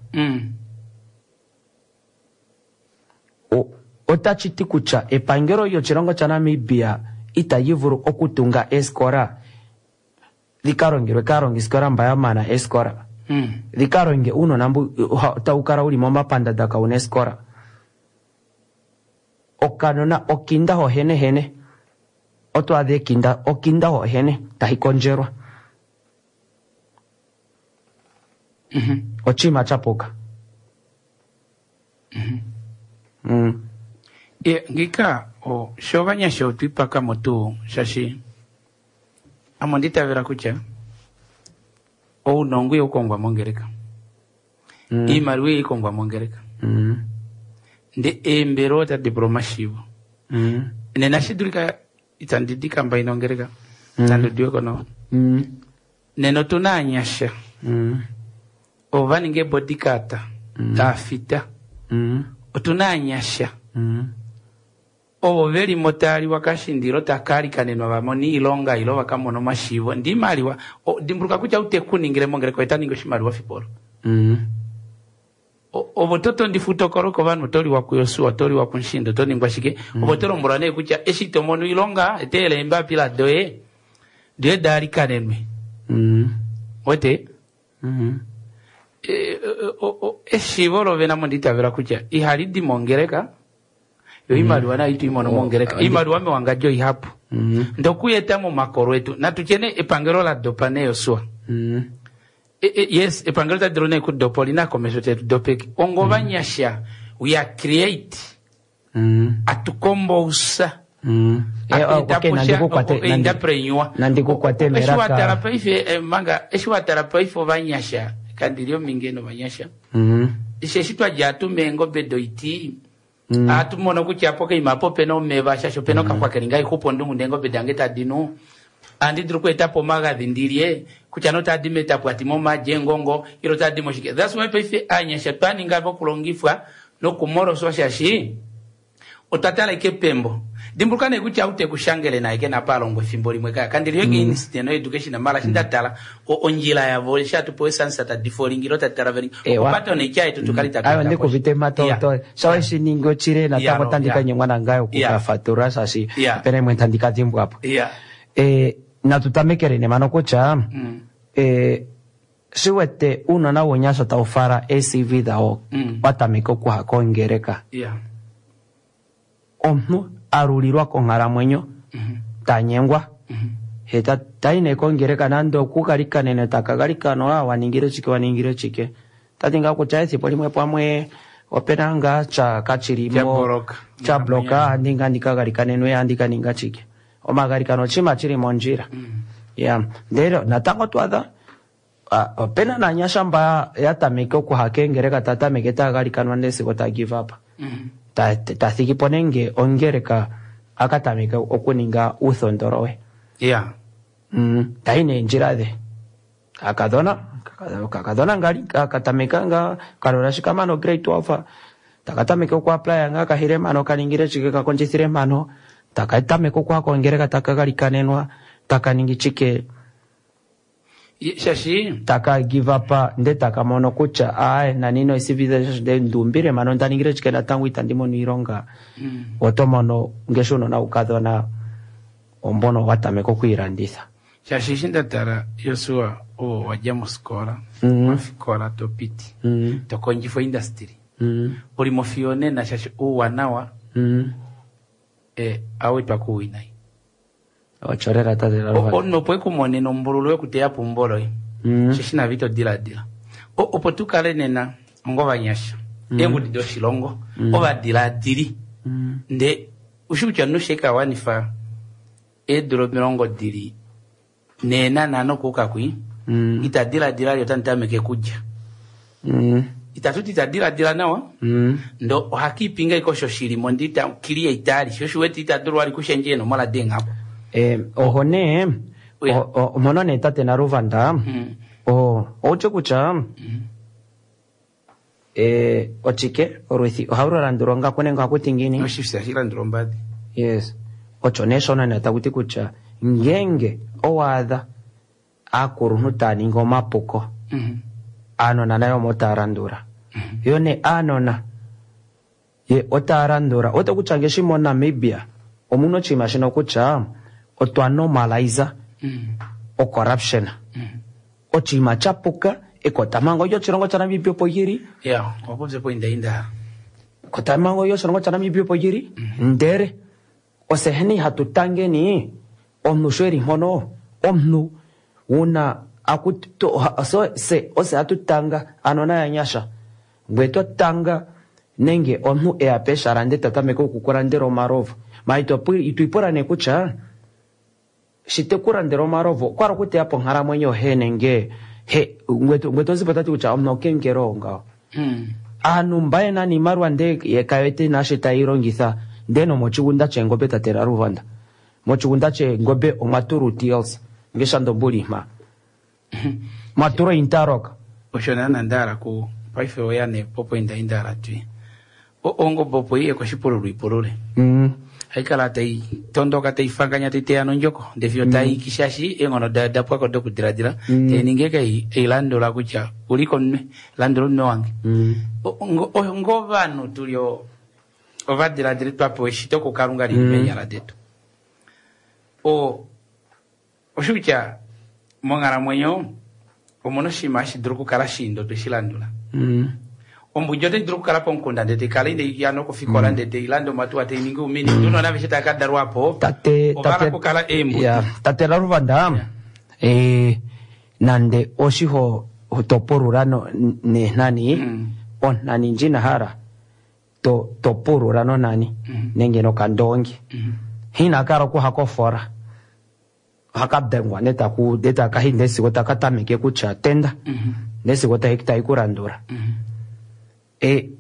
Otashi ti kutya epangelo lyoshilongo shaNamibia itali vulu okutunga eskola dhika longelwe kaalongisikola mba ya mana eskola. Dhika longe uunona mbu tawu kala wuli momapandanda kawuna eskola. Okanona okinda hohenehene oto adha ekinda okinda hohene tahi kondjelwa. Oshinima sha puka. Ngika sho ovanyasha otwiipakamo tuu shaashi ame onda itavela kutya ounongo ihau kongwa mongeleka. Iimaliwa ihai kongwa mongeleka. Ndee eembelewa otadi pula omashiivo. Nena shi dulika itandi dikamba ina ongeleka. Itandi udiweko nawa. Nena otuna aanyasha. Ovo va ninga eebodyguard taafita. Otuna aanyasha. Ovo velimo taaliwa kashindilo takalikanenwa vamone oilonga ilo vakamona omashiivo. Ndee iimaliwa dimbuluka kutya ou tekuningile mongeleka oye taningi oshimaliwa fipolo. Ovo totondifuta okoloko ovanhu otoliwa kuYosua otoliwa kuMushindo otoningwa shike. Ovo tolombwelwa nee kutya eshi tomono oilonga eteela eembapila doye doye daalikanenwe. Wete? Eshiivo lovene ame onda itavela kutya ihali di mongeleka yo iimaliwa nayo ito imono mongeleka. Iimaliwa mewangadjo oihapu. Ndee okuyeta momakolo etu natutye nee epangelo la dopa nee Yosua. Yes, epangelo tali dulu nee kudopa olina komesho tetu dopeke. Onga ovanyasha we are create. Atukombousa. Entrepreneur. Nandikukwate Eshi melaka. watala paife manga eshi watala paife ovanyasha kandili ominge novanyasha. Eshi twadja atume eengobe doiti. Atumono kutya apo keima apo opena omeva shaashi opena okaxwa keli ngaa ixupo ondungu ndee eengobe dange tadi nu. Ohandi dulu okweetapo omagadhi ndilye kutya nee otadi metapwati momaadi eengongo ile otadi moshike. That's why paife aanyasha twaninga vokulongifwa nokumoloswa shaashi otwa tala ike pembo. Dimbuluka nee kutya ou tekushangele naye kena apa alongwa efimbo limwe kaya. Kandili yo against no education mara eshi nda tala ondjila yavo eshi hatu pewa esansa tadi folingi ilo tadi traveling. Okupata oneitya yetu tukale tatu Ayo enda ndikuvite matoto. Sha weshi ningi ochile natango tandi kanyengwa nangaye okukafatulula shaashi opena imwe tandi ka dimbwapo. Natu tamekele nee mano kutya shi wete uunona wounyasha tawu fala ee-CV dhawo wa tameka okuha kongeleka. Omunhu alulilwa konghalamwenyo tanyengwa. He tayi nee kongeleka nande okugalikanene takagalikana waningile chike waningile chike. Tati ngaa kutya ethimbo limwe pamwe Opena ngaa tya kachili Cha mo block. cha bloka handi nga ndikagalikanenwe handi kaninga chike. Omagalikano oshinima chili mondjila. Ya, ndele natango twadha opena naanyasha mba ya tameke okuha keengeleka ta tameke taya galikanwa ndele sigo ta give up. Ta thigi po nenge ongeleka a ka tameke okuninga uuthondolo we. Ya. Tayi neendjila dhe. Kakadhona, kakadhona ngali katameka nga kalola shika mano grade 12 taka tameke oku applya nga kahile mano kaningile chike kakondjithile mano taka tameke okuha kongeleka taka galikanenwa taka ningi chike Shashi taka give up nde taka mono kutya ae nanino civilization nde ndumbile mano ndaningile chike natango itandi mono iilonga. Oto mono ngeshi uunona wukadhona ombono wa tameka okwiilanditha. Shashi eshi nda tala Josua oo wadja mosikola, mofikola to piti, to kondjifa oindustry. Uli mo fiyo nena shashi ouwanawa awetwa kuwinayi. Ocho lela tate la Luvanda. Omunhu opo ekumonene ombululu yokuteya po eumbo loye. Shashi nave ito diladila. Opo tu kale nena ongovanyasha, eengudi doshilongo, ovadiladili. Nde ushi kutya omunhu sheka wanifa eedula 40 dili neena na nokuuka kwi, ita diladila li otandi tameke kulya. Itatu ti ita diladila nawa, ndo ohakiipinga iko osho shili mo ndi ita kili eitali, sho shi wete ita dulu vali kushendja eenomola deenghaku. Oho nee, mono nee tate Naluvanda, outye kutya, ochike olwithi ohalu landulwa ongaku nenge ohaku ti ngiini? Oshifi hashi landulwa ombadi. Yes. Ocho nee shono nee taku ti kutya ngenge owaadha aakuluntu taya ningi omapuko, aanona nayo omo taya landula. Yo nee aanona ye otaya landula. Oto kutya ngeshi moNamibia omuna oshinima shino kutya otwa normalize o corruption. Oshinima cha puka ekotamhango lyoshilongo shaNamibia opo lili. Ya, opo pye poindainda. Ekotamhango lyoshilongo shaNamibia opo lili. Ndele oseheni hatu tangeni omunhu sho eli mpono omunhu wuna se ose hatu tanga aanona ya nyasha ngwe to tanga nenge omunhu eya peshala nde ta tameke okukulandela omalovu. Ma ito ipula nee kutya shi te kulandela omalovu okwa hala okuteya po onkalamwenyo he nenge he ngwe to zipo tati kutya omunhu okengelo ngaho. Aanhu mba yena niimaliwa nde ye kayete naasho tayi longitha nde nomochigunda cheengombe tate Naluvanda. Mochigunda cheengombe omwa tulwa TLC ngesha ndombuli mha. Mwa tulwa Interlock. Osho naana nda hala ku paife oya nee popo inda inda hala twi. Ongombe opo iye koshipululo ipulule. Hayi kala tai tondoka tai fanganya tai teya nondjoko ndee fiyo tai kishashi eenghono dayo da pwako dokudiladila tai ningi eke eilandula kutya uli komunwe landula omunwe wange. Ngovanhu tuli ovadiladili twa pewa eshito kuKalunga lili meenyala detu. Osho kutya monghalamwenyo omuna oshinima hashi dulu okukala shiindo tweshi landula. Ombudi otai dulu okukala pomukunda ndee taikala inai ya nokufikola ndee tailande omatuwa tai ningi oumini ndee unona aveshe tava ka dalwa po ovala okukala eembudi. Tate Naluvanda, nande oshiho to pulula neenhani, onhani ndjina hala to pulula nonhani nenge nokandoongi. Ina kala okuha kofora. Ohaka dengwa ndee takahi ndee sigo taka tameke kutya tenda. Ndee sigo tai kulandula.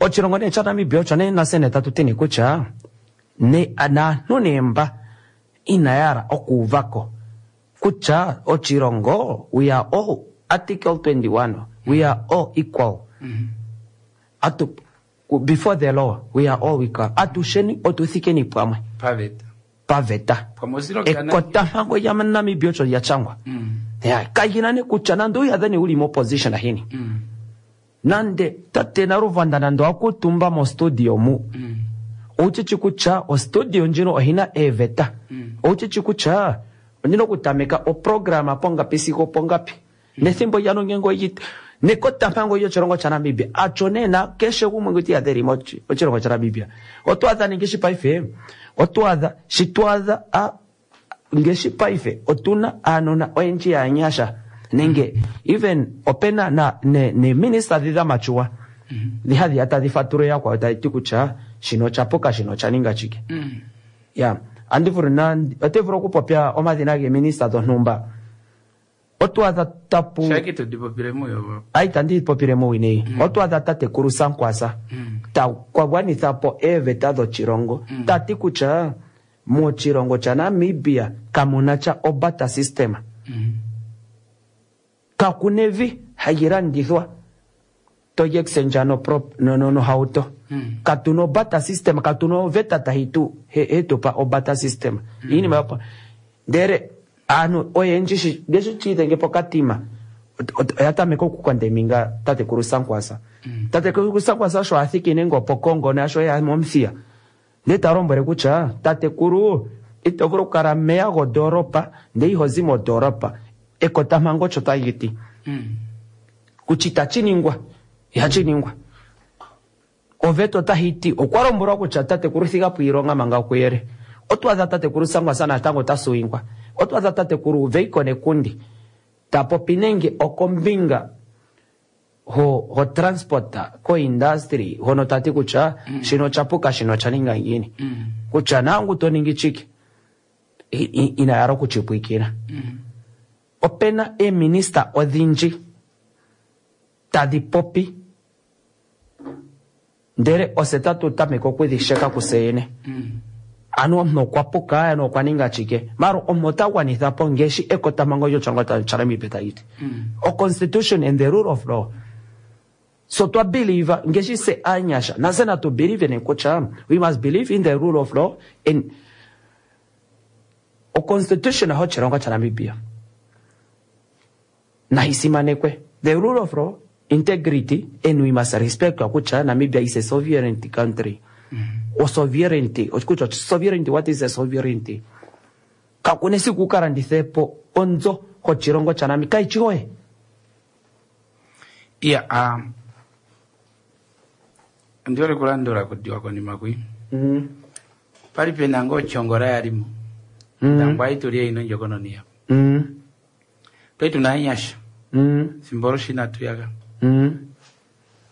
Oshilongo nee shaNamibia osho nee nafye nee tatu ti nee kutya naanhu nee mba inaya hala okuuvako kutya oshilongo we are all article 21 we are all equal. Atu, before the law we are all equal. Atusheni otuthikeni pamwe. Paveta. Paveta. Ekotamhango lyaNamibia osho lya shangwa. Ya, kayina ne kutya nande uyadhe ne uli mo-opposition hini. Nande tate Naluvanda nande akutumba mo studio mu. Ouchichi kutya o studio ndjino ohina eeveta. Ouchichi kutya ondina okutameka oprograma pongapi sigo pongapi. Nethimbo lyanongengo yit nekotamhango lyoshilongo shaNamibia acho nena keshe gumwe ngu tiyadhe li moshilongo shaNamibia. Otwaadha ningi paife, otwaadha shitwaadha ngeshi paife otuna aanona oyendji yaanyasha nenge even opena na ne minister dhi dha machuwa. Dhi hadhi ya tadhi fatulula yakwawo tadhi ti kutya shino osha puka shino osha ninga chike. Ya, andi vulu na ote vulu okupopya omadhina geeminista dhontumba. Oto adha tapu Shaki to dipopile muyo. ayi tandi popile muuwinayi. Oto adha tatekulu Sankwasa ta kwa gwanitha po eeveta dhoshilongo ta ti kutya moshilongo shaNamibia kamuna sha obata system. Kakuna evi hali landithwa toyi exchange no prop no no nohauto. Katuna obata system, katuna oveta tayi tu he tupa obata system. Iinima yopo. Ndele aantu oyendji shi ngeshi chiidhenge pokatima oya tameka okukondeminga tatekulu Sankwasa. Tatekulu Sankwasa sho a thiki nenge opoKongo nasho ya mOmuthiya. Ndele ta lombwele kutya tatekulu ito vulu okukala meya gondoolopa ndele iho zi mondoolopa. Ekotampango osho tali ti. Kutya itashi ningwa, ihashi ningwa. Oveta otayi ti okwa lombwelwa kutya tatekulu thiga po iilonga manga kuyele. Oto adha tatekulu Sankwasa natango ota suwingwa. Oto adha tatekulu Veiko Nekundi ta popi nenge okombinga ho, ho transport ko industry hono tati kutya shino osha puka shino osha ninga ngiini. Kutya nangu to ningi chike ina yala okuchipwikina. Opena eeminista odhindji tadhi popi ndele ose tatu tameke okudhi sheka kuse yene. Ano omuntu okwa puka, ano okwa ninga chike. Maro omuntu ota gwanitha po ngeshi ekotampango lyoshilongo shaNamibia tali ti. O constitution and the rule of law. So twa believe ngeshi se aanyasha nase natu believe ne kutya we must believe in the rule of law and o constitution hoshilongo shaNamibia nayi simanekwe. The rule of law, integrity, and we must respect kutya Namibia is a sovereign country. O sovereignty, kutya sovereignty, what is a sovereignty? Kakuna esiku wu ka landithe po onzo hoshilongo shaNamibia kayishi yoye. Iya, ondi hole okulandula kudiwa konima kwi. Pali pena ngoo Chongola yalimo. Ndangwa aituli ino ndjokononi yapo. Twali tuna aanyasha. Fimbo olo shi inatu yaka.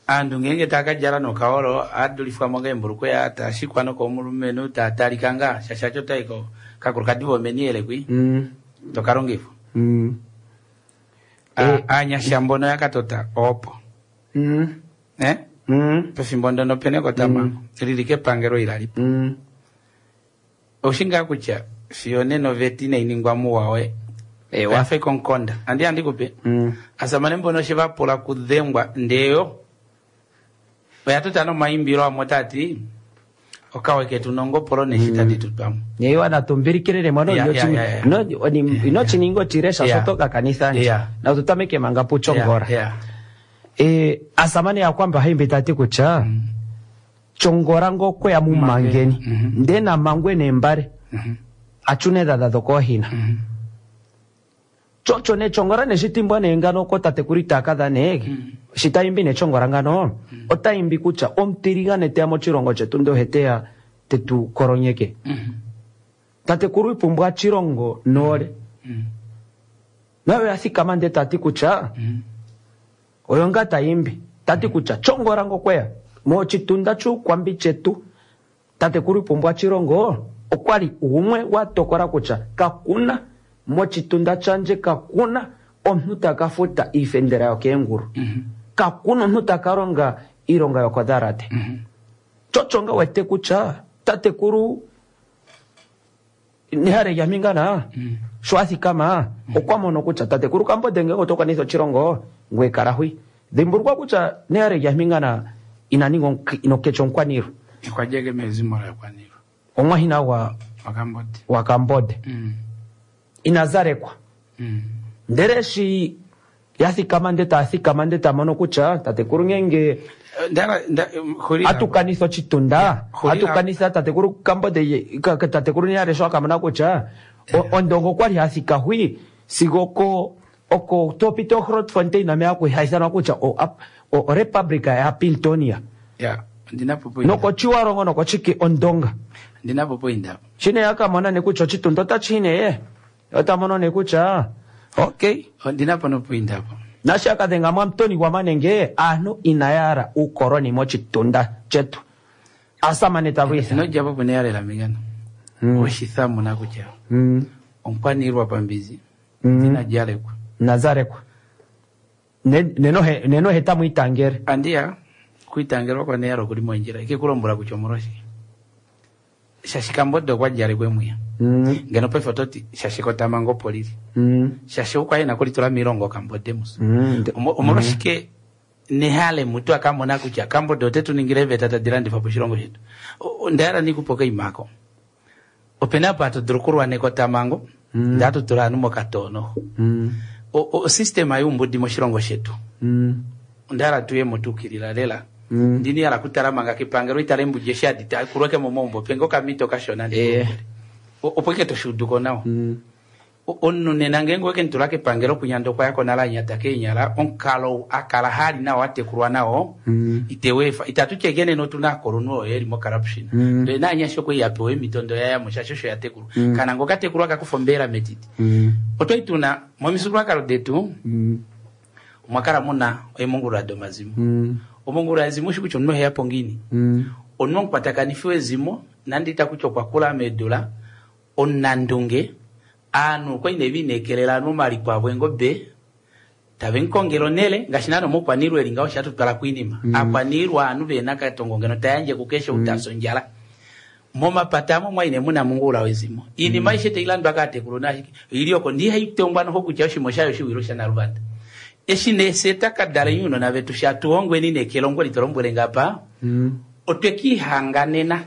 Aantu ngeenge taa ka djala nokaolo, aadulifwamo keembulukweya, taa shikwa nokomulumenhu, taa talika ngaa, shaashi aco otai ko kakulukadi vomeni ele kwi, toka longifwa. Aanyasha mbono ya katota opo. Eh? Pefimbo ndono pene ekotamhango, lili kepangelo ilalipo. Oushi ngaa kutya fiyo nena oveta inai ningwa muwa we. Oya fa omukonda. Andi handi kupe. Asamane mbono she va pula kudhengwa ndeyo oya tota nomaimbilo amwe taa ti okawe ketu nongopolo neshi tadi tu pamwe. Yeiwa natumbilikilile mono ino chininga ochilesha soto kakanitha nje. Na tutameke manga puchongora. Asamane ya kwamba haimbi tati kutya chongora ngokwe ya mumangeni. Nde na mangwe nembare. Achune dada dhokohina. Chocho ne chongora ne shitimbwa ne ngano ko tatekuri takadha ne. Shitaimbi ne chongora ngano. Otaimbi kutya omutiligane teya moshilongo chetu ndo heteya tetu koronyeke. Tatekuru ipumbwa chilongo nole. Nayo yathikama nde tati kutya oyo nga taimbi tati kutya chongora ngokweya mochitunda chukwambi chetu. Tatekuru ipumbwa chilongo okwali umwe watokola kutya kakuna mochitunda chandje kakuna omuntu taka futa iifendela yokeengulu. Kakuna omuntu taka longa iilonga yokodharate. Chocho nga wete kutya tatekuru nehale lyamingana sho a thikama okwa mono kutya tatekuru Kambonde ngele oto kwanitha oshilongo ngweye kala hwi. Dhimbulukwa kutya nehale lyamingana ina ninga ino kecha omukwaniilwa. Okwa djeke mezimo lakwaniilwa. Omwahina gwa Wakambonde. Wakambonde. Ina zalekwa. Ndele shi ya thikama nde ta thikama nde ta mono kutya tatekuru ngenge atukanitha oshitunda, atukanitha tatekuru Kambonde, tatekuru Nehale sho akamona kutya ondongo okwali hathika hwi sigo oko oko topita Grootfontein name haithanwa kutya o Republic ya Pintonia. Ya, ndina po point. Nokochiwarongo nokochiki ondonga. Ndina po point apo. Shine yakamona ne kutya oshitunda otachi ne. Ota mono ne kutya okay. Ndina po no point apo. Nasha kadhenga mwamutoni gwamanenge aantu inaya hala uukoloni mochitunda chetu. Asamane tavwitha. Inodjapo pune yalela mingano. Oshithamuna kutya omukwaniilwa pambizi ina djalekwa. Nazarekwa. Neno heta mwitangere. Andiya kuitangerwa kwa neyaro kuli mondjila ikikulombwela kutya omolwashike. Shashika mbodo okwa djalekwa emwiya. Ngeno paife ototi shashika otamango opo lili. Shashi okwa kulitula miilongo kambode musu. Omolwashike nehale mutu akamona kutya kambode ote tu ningile eeveta tadi landifwa poshilongo shetu. Onda hala nikupe okaima ako. Opena apa hatu dulu okulwaneka otamango ndee hatu tula ovanhu mokatoono. Osystema youmbudi moshilongo shetu. Onda hala tuyemo tuukilila lela. Ndini hala kutala manga kepangelo itale embudi eshi hadi kulweke momaumbo penge okamito kashona opo ike toshuuduko nawa. Omunhu nena ngeenge oweke mutula kepangelo kunyanda okwa yako nale anyata keenyala omukalo akala hali nao atekulwa nao iteweefa itatu tye ike nena otuna aakulunhu oyo yeli mo corruption. Ndele naanyasha okwali yapewa eemhito ndo yayamo shaashi osho yatekulwa. Kana ngo katekulwa kakufa ombeela metiti. Otwali tuna momifyuululwakalo detu omwa kala muna eemungulula domazimo. Omungulula yezimo oshi kutya omunhu oheyapo ngiini. Omunhu omukwatakanifi wezimo nande ita kutya okwa kula meedula omunandunge aanhu okwali nee viinekelela ovanhu omaliko avo eengobe tave mukongele onhele ngaashi naana omoukwaniilwa eli ngaho osho hatutwala koinima. Aakwaniilwa ovanhu vehena katongo ngeno tayandje kukeshe ou tafya ondjala. Momapata amo omwali nee muna mungula wezimo. Iinima aishe tailandwa kaatekulu naashike oili oko ndee ihaitongwa noho kutya oshima oshayo oshiwilo shanaluvanda. Eshi nee fye twakadala ounona vetu shatuhongweni nee kelongo litolombwele ngapa otwekiihanganena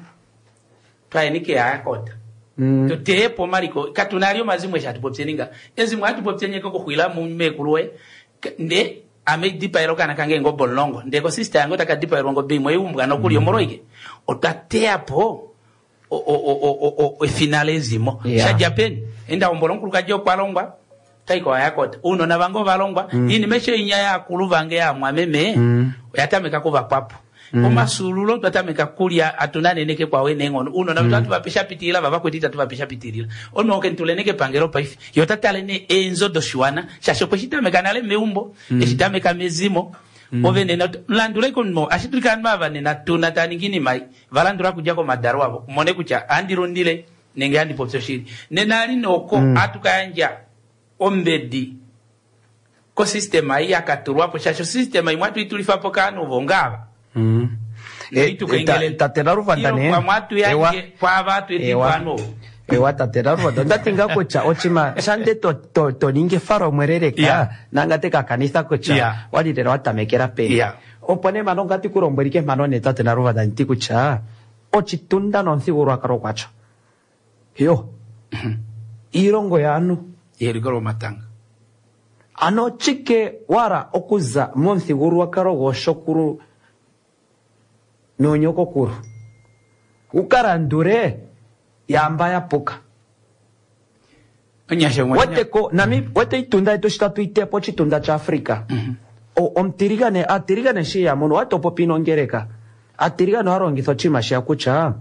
twayeni keyayakota. Tuteyepo omaliko katuna ali omazimo eshi hatupopyeni nga ezimo hatupopyeni eke okuxwila meekulu woye nde ame dipaela okaana kange eengobe 10 ndee kosista yange otaka dipaelwa ongobe imwe iumbwa nokuli omolwaike otwa teyapo efina lezimo. Shadja peni enda hombola omukulukadi okwa longwa taiko ayakota ounona vange ovalongwa iinima eshi oinya yaakulu vange yaamwameme oya tameka kuvakwapo. Omasululo twa tameka kulya atuna neneke kwawe neenghono ounona vetu hatu vape shapitilila vavakweti itatu vape shapitilila. Omunhu okentulene kepangelo paife ye ota tale nee eenzo doshiwana shaashi okwe shi tameka nale meumbo eshi tameka mezimo ove nena landulei komunhu ashi dulika ovanhu ava nena tuna tava ningi iinima ei valandula okudja komadalo avo mone kutya ohandi lundile nenge handi popi oshili. Nena ali noko ohatu kayandja ombedi kosystema ei yakatulwapo shaashi osystema imwe hatu itulifapo kaanhu vongaava. Tate Naluvanda nee. Ewa. Kwaava hatu etifa ovanhu ovo. Ewa tate Naluvanda ondati ngaa kutya oshima shande to ningi efalomwe leleka nanga te kakanitha kutya wali lela watamekela peni. Opo nee mano ngati kulombwela ike mano nee tate Naluvanda nditi kutya ochitunda nomuthigululwakalo kwacho. Yo iilongo yaanhu. Yeliko lomatanga. Ano chike wala okuza momuthigululwakalo goshokulu noonyokokulu ukalandule yamba yapuka. Weteko nami wete itunda yetu shi tatu itepo ochitunda cha Africa. Omutiligane atiligane shi yamono watopopi nongeleka atiligane ohalongitha oshinima shiya kutya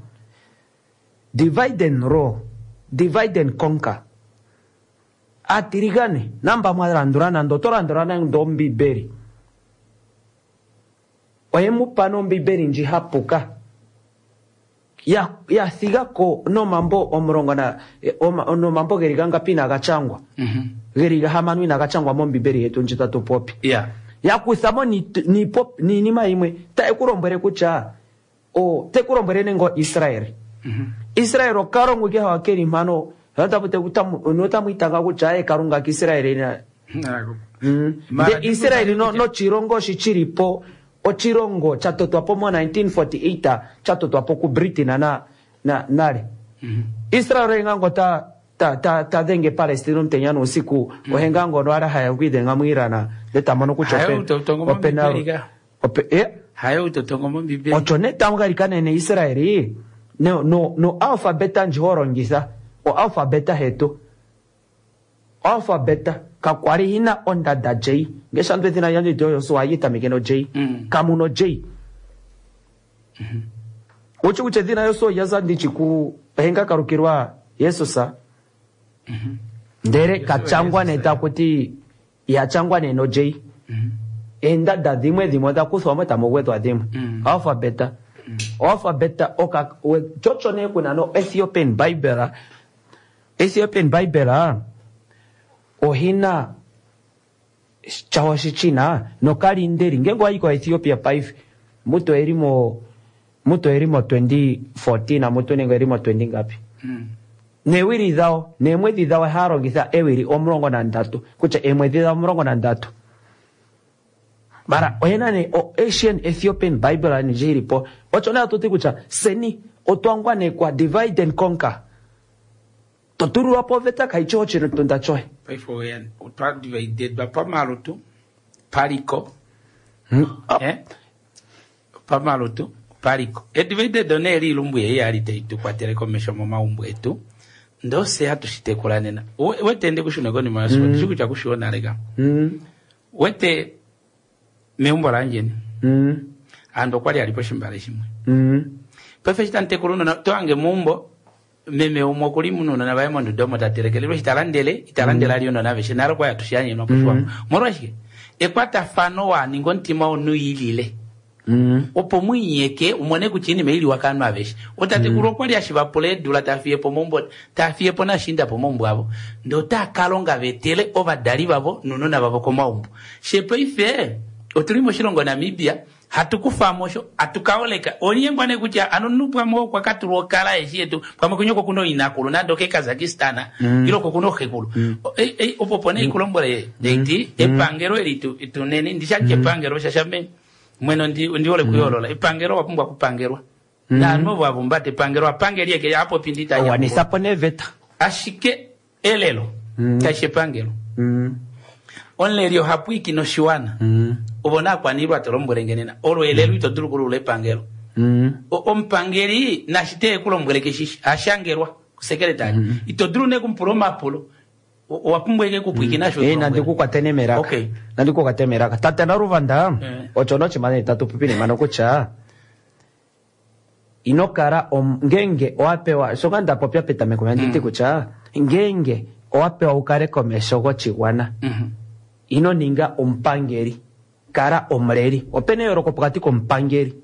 divide and rule, divide and conquer. Atiligane namba mwalandula nando oto landula nando ombibeli oye mupa nombibeli ndji hapuka ya thigako nomambo 10 na nomambo geli gangapi inaga changwa geli gahamano inaga changwa mombibeli yetu ndji tatu popi. Yakuthamo niinima yimwe taye kutya tekulombwele nengo Israel. Israel okalongo ike hawa keli mpano notamwiitanga kutya aye kalunga kaIsrael na nde Israel nochilongo shi chilipo ochilongo chatotwapo mo 1948 chatotwapo ku Britain na nale. Israel ohengango ta dhenge Palestine omutenya nousiku ohengango no ala haya okwiidhenga mu Iran nde tamono kutya opena ocho nee tamu Israel no alphabeta ndji ho longitha o alphabeta hetu alphabeta kakwali hina ondada J ngeshantu ethina lyandje lyoyoso hayi no J kamuno J uchi kutya ethina yoso yaza ndichi ku henga kalukilwa Yesusa ndele kachangwa neta kuti yachangwa neno J. Eendada dhimwe dhimwe odha kuthwa mo tamu gwedhwa dhimwe. Alphabet. Alphabet oka chocho ne kuna no Ethiopian Bible. Ethiopian Bible ohina chawo shichina nokalindeli ngenge wayi ko Ethiopia paife mutu erimo mutu erimo 2014 mutu nenge erimo 20 ngapi neewili dhawo neemwedhi dhawo haya longitha ewili 13 kutya eemwedhi dhawo 13 mara oyena ne o Asian Ethiopian Bible ndji ilipo ocho nayo tuti kutya seni otwangwanekwa divide and conquer totululwapo oveta kaichi ochitunda choe paife oya otwa dividedwa pamalutu paliko pamalutu paliko edivided one eli ilumbu yeyi ali taitukwatele komesho momaumbo etu ndose hatu shitekula nena wete ndi kushuna konima yasuku ndishi kutya kushiona leka wete meumbo lanjeni andu okwali alipo shimbale shimwe paife shitantekula unona toange muumbo meme umwe okuli munona vaye monduda omo tatelekelelwe shitalandele italandele ali unona aveshe nalo kwaya tushiyanyenwa kushiwamo molwashike ekwatafano waninga omutima wonu yilile opo mwiinyeke umone kutya inima iliwa kanu aveshe otatekulu okwali ashivapula eedula tafiyepo mombo tafiyepo nashinda po mombo avo ndee otakalonga vetele ovadali vavo nounona vavo komaumbo shepaife otuli moshilongo Namibia hatukufamo sho hatukaoleka onyengwa ne kutya ano nupwamo okwakatulwa okala eshi yetu pamwe kunyoko kuno inakulu nando ke Kazakhstan ilo kokuno xekulu opo pone ikulombole eti epangelo eli tunene ndisha epangelo shashame mwene ndiole kuyolola epangelo wapumbwa kupangelwa naanhu ovo avumbata epangelo apangelie ke apo pindita wanisapo neveta ashike elelo kaishi epangelo omuleli ohapwiki noshiwana ovo naakwaniilwa tolombwelenge nena olo elelo ito dulu kulula epangelo omupangeli nashite ekulombwele keshishi ashangelwa kusekretary ito dulu ne kumupula omapulo owapumbwa eke kupwikina sho nandikukwate nemelaka Okay. nandikukwate melaka tate Naluvanda ocho nochimane tatu pupine mano kutya ino kala ngenge owapewa shoka ndapopya petameko yanditi kutya ngenge owapewa ukale komesho gochigwana ino ninga omupangeli kala omuleli opena eyooloko pokati komupangeli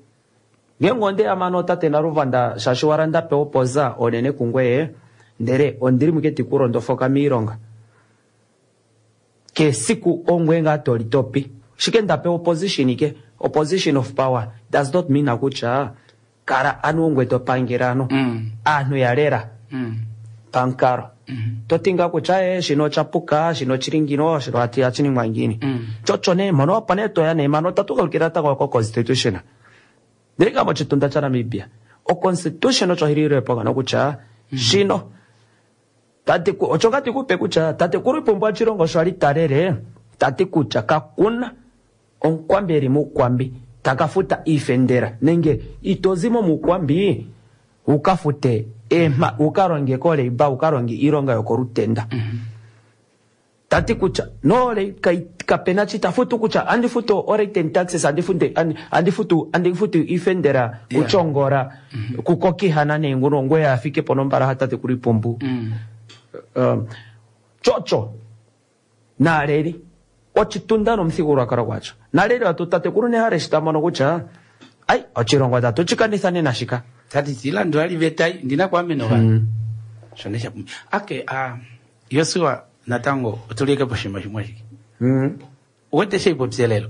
ngenge ondeya mano tate Naluvanda shaashi wala ndapewa opoza onene kungweye ndele ondili muke tikulondofoka miilonga kesiku ongwe nga toli topi shike ndapewa opposition ke opposition of power does not mean kutya kala anu ongwe topangela ano aanhu yalela pankalo totinga kutya shino chapuka shino chili ngino shino ati achiningwa ngini chocho ne mono opo ne toya ne mano tatukalukila tako ko constitution ndili nga mochitunda cha Namibia o constitution ocho hililwepo kano kutya shino tati ocho ngati kupe kutya tatekulu Iipumbu Tshilongo sho ali talele tati kutya kakuna onkwambi eli muukwambi takafuta iifendela nenge itozimo muukwambi ukafute ema ukalonge koleiba ukalonge iilonga yokolutenda tati kutya nole kapena chitafutu kutya andifutu orate taxes andifunde andifutu andifutu ifendera kuchongora kukokihana nenguno ngwe afike ponombala hatate kuli Ipumbu chocho naleli ochitunda nomuthigululwakalo gwacho naleli watu tatekulu nehale shitamono kutya ai ochilongo tatu chikanithane nashika tati tilandu ali vetai ndina kwameno va shone shapumbi ake Yosua natango otulike poshima shimwe shike wete sheipopya lelo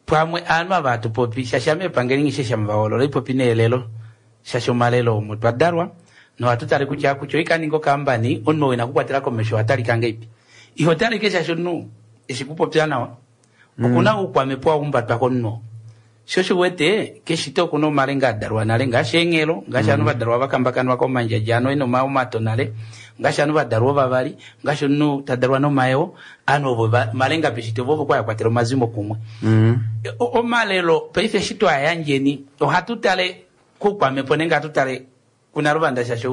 pamwe aanhu ava hatupopi shashame epangeli ngishe shamvaolola ipopi neelelo shasha omalelo omo twadalwa nohatutale kutya kutya oikaninga okambani omunhu wina kukwatela komesho ohatalika ngeipi iho talike shasha omunhu eshi kupopya nawa okuna oukwamhepo waumbatwa komunhu sho shiwete keshito okuna omalenga adalwa nale ngaashi eenghelo ngaashi ovanhu vadalwa vakambakanwa komandjadja ano ena omato nale ngaashi ovanhu vadalwa ovavali ngaashi omunhu tadalwa nomayeo ovanhu ovo malenga peshito vovo kwa yakwatela omazimo kumwe omalelo paife eshi twayandjeni ohatu tale koukwamhepo nenge ohatu tale kuNaluvanda shaashi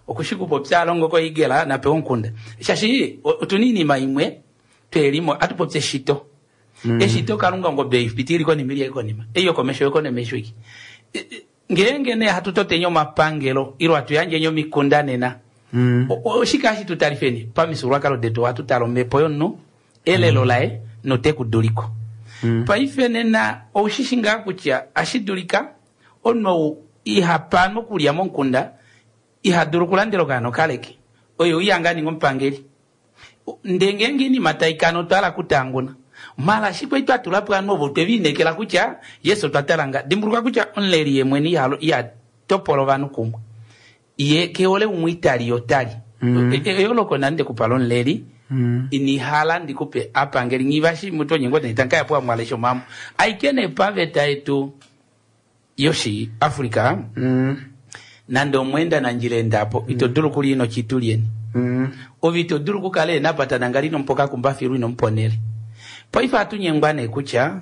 okushi kupopya alongo koigela napewa onkunda shaashi otuna iinima imwe twelimo atupopya eshito eshito kalunga ongobe ipitili konima ili konima eyo komesho yokonemesho iki ngeenge ne hatu totenya omapangelo ilo hatuyandjenye omikunda nena oshike hashi tutalifeni pamifyuululwakalo detu ohatu tala omhepo yomunhu elelo laye notekuduliko. Paife nena oushishi ngaa kutya ashi dulika omunhu ou iha pa okulya momukunda iha dulu okulandela okaana okaleke oye uya ngaa ninga omupangeli. Ndee ngeenge iinima taikana otwa hala kutanguna mala ashike kwali twa tula po ovanhu ovo twe liinekela kutya yes otwa tala nga dimbuluka kutya omuleli ye mwene iha topola ovanhu kumwe ye kehole umwe itali ye otali. Eyooloko nande kupa lomuleli inihala ndikupe apangeli ngivashi mutu onyengo netankaya po amwalesha omamo aike nee paveta yetu yoshi Africa nande omweenda nandjila endapo ito dulu kulya ino chitulyeni. Ove ito dulu kukala enapata ngali inomupa kumbafilu inomuponele. Paife atunyengwa nee kutya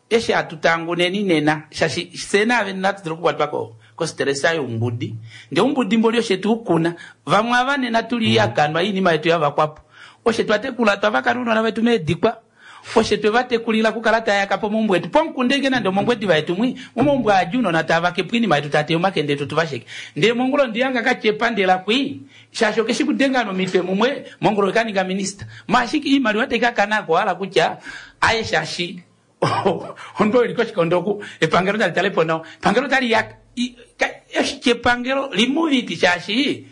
eshi atutanguneni nena shashi fye naave natu dulu okukwatwa kostressa youmbudi. Ndee oumbudi mboli oshe tuukuna vamwe ava nena tuli ihakanwa iinima yetu yavakwapo. Oshe twatekula twavaka nounona vetu meedikwa. Oshe twevatekulila kukala tayaka pomaumbo etu pomukunda ike nande omongwediva yetu mwi momaumbo aadja ounona tavake po iinima yetu tateya omakende etu tuvasheke. Ndee mongula ondiyanga katyepa ndela kwi shaashi okeshi kudenga nomitwe mumwe mongula okaninga minista. Maashike iimaliwa taikakana ko hala kutya aye shaashi omunhu eli koshikondo oku epangelo tali tale po nawa epangelo tali yaka epangelo limuviti shaashi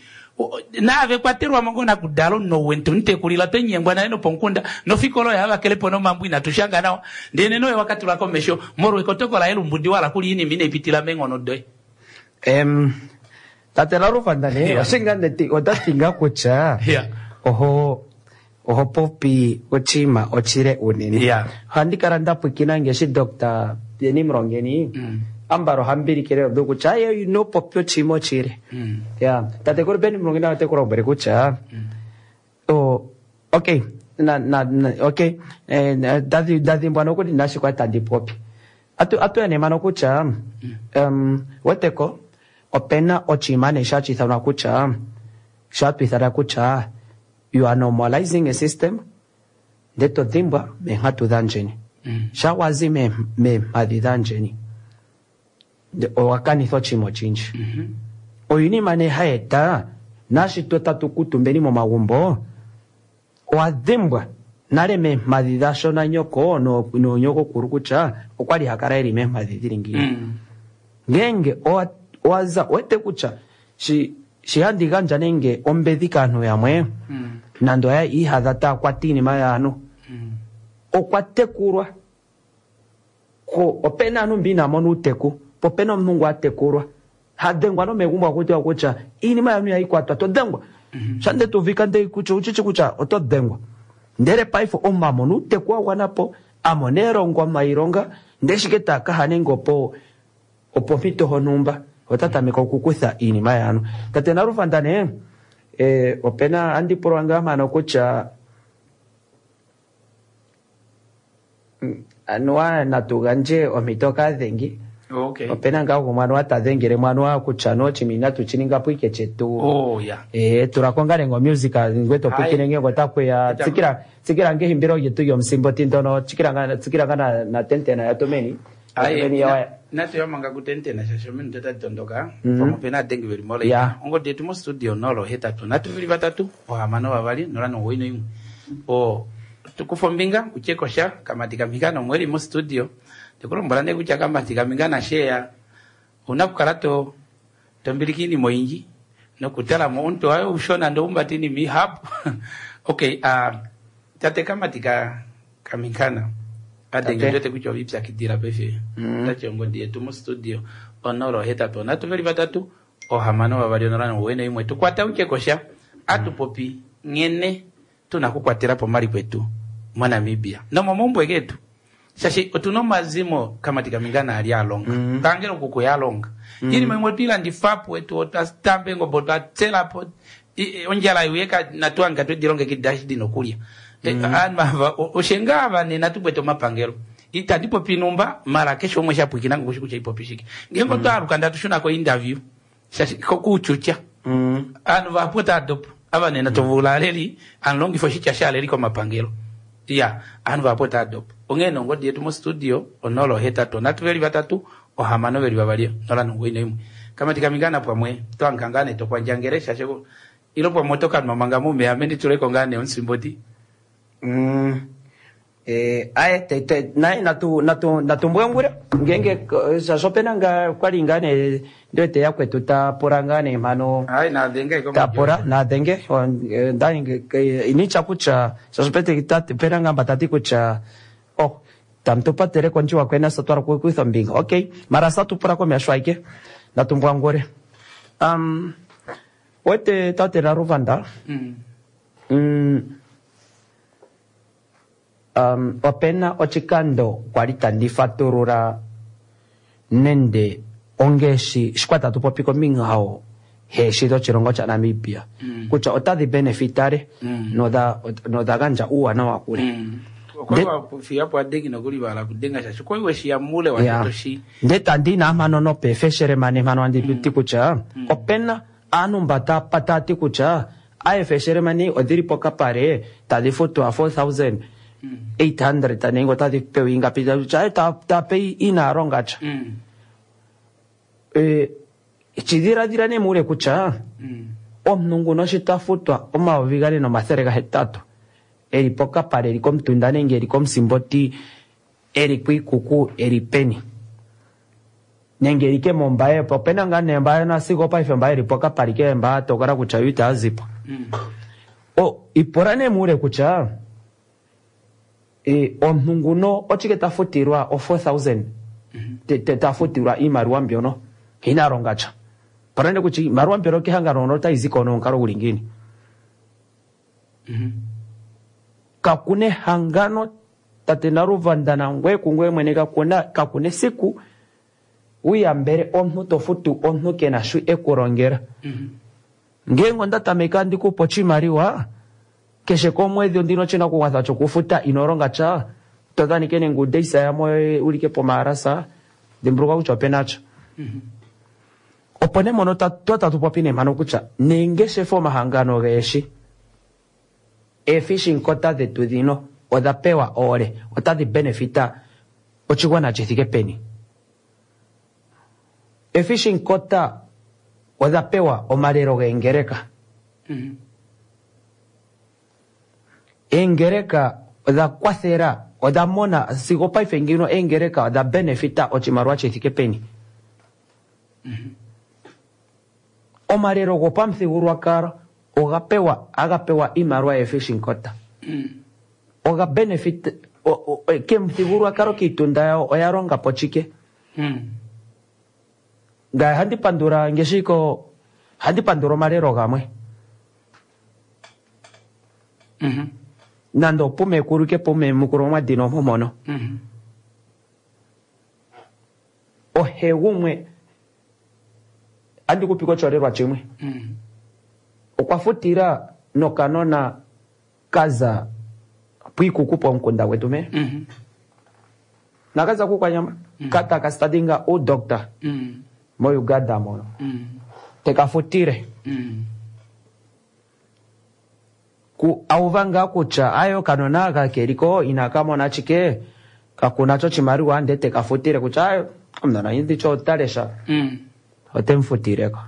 naave kwatelwamo ngoo nakudala omunhu ou tumutekulila twenyengwa naye nopomukunda nofikola oyo havakelepo nomambo inatushanga nawa ndee nena oye wakatula komesho molwa ekotoko laye lumbudi wala kuli iinima inaipitila meenghono doye. Tate Lalufandane, otati ngaa kutya oho oho popi oshinima oshile unene. Ohandi kala nda pwikina ngeshi Dr. Beni Mulongeni ambala ohambilikile odo kutya aye ino popi oshinima oshile. Ya, tatekulu Beni Mulongeni ote ku lombwele kutya okay na okay ndadhimbwa nokuli nashi kwa tandi popi. Atu ene kutya weteko opena oshinima nee shatwithanwa kutya shatwithana kutya you are normalizing a system ndele to dhimbwa meenghatu dhandjeni. Shawazi meemhadhi dhandjeni owa kanitha oshinima oshindji. Oinima nee hayi eta nashi tatu kutumbeni momagumbo owa dhimbwa nale meemhadhi dhasho nanyoko noonyokokulu kutya okwali hakala eli meemhadhi dhili ngiini. Ngenge owaza wete kutya shi handi gandja nenge ombedhi kaanhu yamwe nande oya ihadha taakwata iinima yaanhu okwa tekulwa opena aanhu mbi inamona uuteku po opena omuntu ngu atekulwa hadhengwa nomegumbo akutiwa kutya iinima yaanhu ihayi kwatwa to dhengwa shande tuvika nde kutya uchichi kutya oto dhengwa ndele paife omunhu amona uuteku wa gwanapo amona elongo mailonga ndele shike taakaha nenge opo opompito honumba ota tameka okukutha iinima yaanhu. Tate Nalufandane opena andi pulwa ngaa mpano kutya anuwa natu gandje ompito kaadhengi. Opena ngaa gumwe anuwa ta dhengele anuwa kutya anuwa oshinima inatu shi ninga po ike chetu. Tulako ngaa nenge omusic ngwe to pwikine ngenge otakuya tsikila ngehimbilo lyetu lyomusimboti ndono tsikila ngaa na tentena yatumeni. Natu yamanga kutentena shasho ominute tadi tondoka pamwe opena adengi veli mola ongodi yetu mostudio 083 3 6 2 0 91. Tukufa ombinga utye kosha kamati kaminga nomweli mostudio tekulombwela nee kutya kamati kaminga nasheya una kukala to tombilika iinima oyindji nokutalamo omuntu waye ushona ndo umbata iinima ihapu. Okay, tate kamati kaminkana adenge ndote kutya ovipyakidila paife tati ongodi yetu mostudio 083 3 6 2 0 91 tukwata utye kosha atupopi nghene tuna kukwatela po omaliko etu moNamibia nomomaumbo getu shashi otuna omazimo kamati kamingana ali alonga pangelo kuku yalonga iinima imwe twilandifapo etu otwatambe engombe otwatselapo ondjala iuyeka natuanga twedilongekida eshi dina okulya. Aanhu ava oshenga ava nena tukwete omapangelo itandi popi numba mara keshe umwe shapwikina ngokushi kutya ipopi shike ngenge otwaaluka ndatushuna ko interview shashi kokuchucha aanhu vahapu otaadopo ava nena tovula aleli anlongifa oshitya shaleli komapangelo ya aanhu vahapu otaadopo onghee nongodi yetu mostudio 083 3 6 2 091 kamati kamingana pamwe twankangane tokwandjangele shashe ilo pamwe otokanwa manga mumeya ame ndituleko ngaa nee omusimboti. Aye naye natu mbwangule ngenge shaashi opena ngaa kwali ngaa nee ndiwete yakwetu ta pula ngaa nee mhano Ai nadhenge iko tapula nadhenge initya kutya shaashi pena ngaa mba tati kutya oh tamu patele kondjiwa kwena sa twala kukutha ombinga. Okay, mara sa tupula komesho aike natu mbwangule. Wete tate Naruvanda. Opena oshikando kwali tandi fatulula nende ongeshi shikwa tatu popi kombinga hao heeshi dhoshilongo shaNamibia kutya otadhi benefitale nodha gandja uuwanawa kule. Okwali wafiyapo adengi nokuli vala kudenga shaashi kwali weshiya mule watotoshi. Nde tandi na mhano nopefeshere mane mhano andi ti kutya opena aantu mba taya ti kutya aefeshere mani odhili pokapale tadhi futwa 4800 nenge otadhi pewa ingapi kutya tape inaa longa tya. Tshidhiladhila nee muule kutya omuntu nguno shi ta futwa 4800 eli pokapale eli komutunda nenge eli komusimboti eli kwiikuku eli peni nenge eli ke mombaye po opena ngaa nee mba nasigo paife mba eli pokapale ke mba tokola kutya yo itaya zipo. Ipula nee muule kutya omuntu nguno otshike ta futilwa o 4000 ta futilwa iimaliwa mbyono ina longa tya. Pula nee kutya iimaliwa mbyono kehangano hono otayi ziko nomukalo guli ngiini. Kakuna ehangano tate Naruvanda nangweye kungweye mwene kakuna esiku wiyambele omuntu to futu omuntu kena sho ekulongela. Ngenge onda tameka ndikupa oshimaliwa keshe komwedhi ondina oshinakugwanithwa chokufuta ino longa tya to dhanike nenge udeisa yamwe ulike pomahalasa dhimbulukwa kutya opena tya. Opo nee mono tatu popi nee mpano kutya neengeshefa omahangano geeshi eefishing quota dhetu dhino odha pewa oole otadhi benefita oshigwana shithike peni. Efishing quota odha pewa omalelo geengeleka. Eengeleka odha kwathela odha mona sigo paife ngino eengeleka odha benefita oshimaliwa shithike peni. Omalelo gopamuthigululwakalo oga pewa aga pewa iimaliwa yefishing quota. Oga benefit kemuthigululwakalo kiitunda yawo oya longa po chike. Ngaye handi pandula ngeshiko handi pandula omalelo gamwe. Nando pumekulu ke pumemukulu omwadhina omomono. Ohe gumwe andi kupika oshiholelwa shimwe. Okwa futila nokanona kaza pwiikuku pomukunda gwetu me. Nakaza kukwanyama kata kastadinga udoctor mo Uganda mono. Tekafutile. Ku auva ngaa kutya ayo kanona aka keliko inakamona chike kakuna cho chimaliwa nde tekafutile kutya ayo omunona indicho otalesha otemfutileko.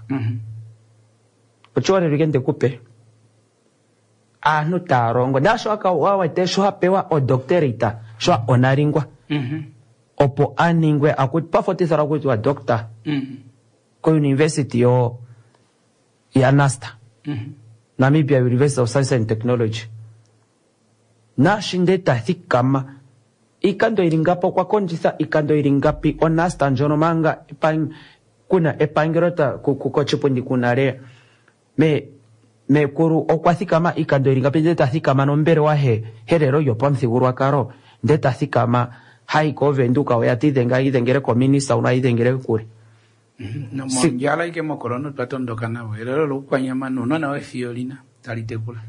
Ochiholelwa ike ndikupe aantu taya longo nasho wawete sho apewa odoctorate sho onalingwa opo aningwe pafotithala kutiwa doctor ko university yo ya NASTA Namibia University of Science and Technology. Nashi nde ta thikama ikando ili ngapi okwa kondjitha ikando ili ngapi oNASTA ndjono manga kuna epangelo kochipundi kuna le mekulu okwa thikama ikando ili ngapi nde ta thikama nombelewa he helelo lyopamuthigululwakalo nde ta thikama hayi koVenduka oya tidhenga idhengele kominista una idhengele kule. Nomondjala ike mokorona twa tondoka navo elelo lokukwanyama nuunona wefiyo lina tali tekula.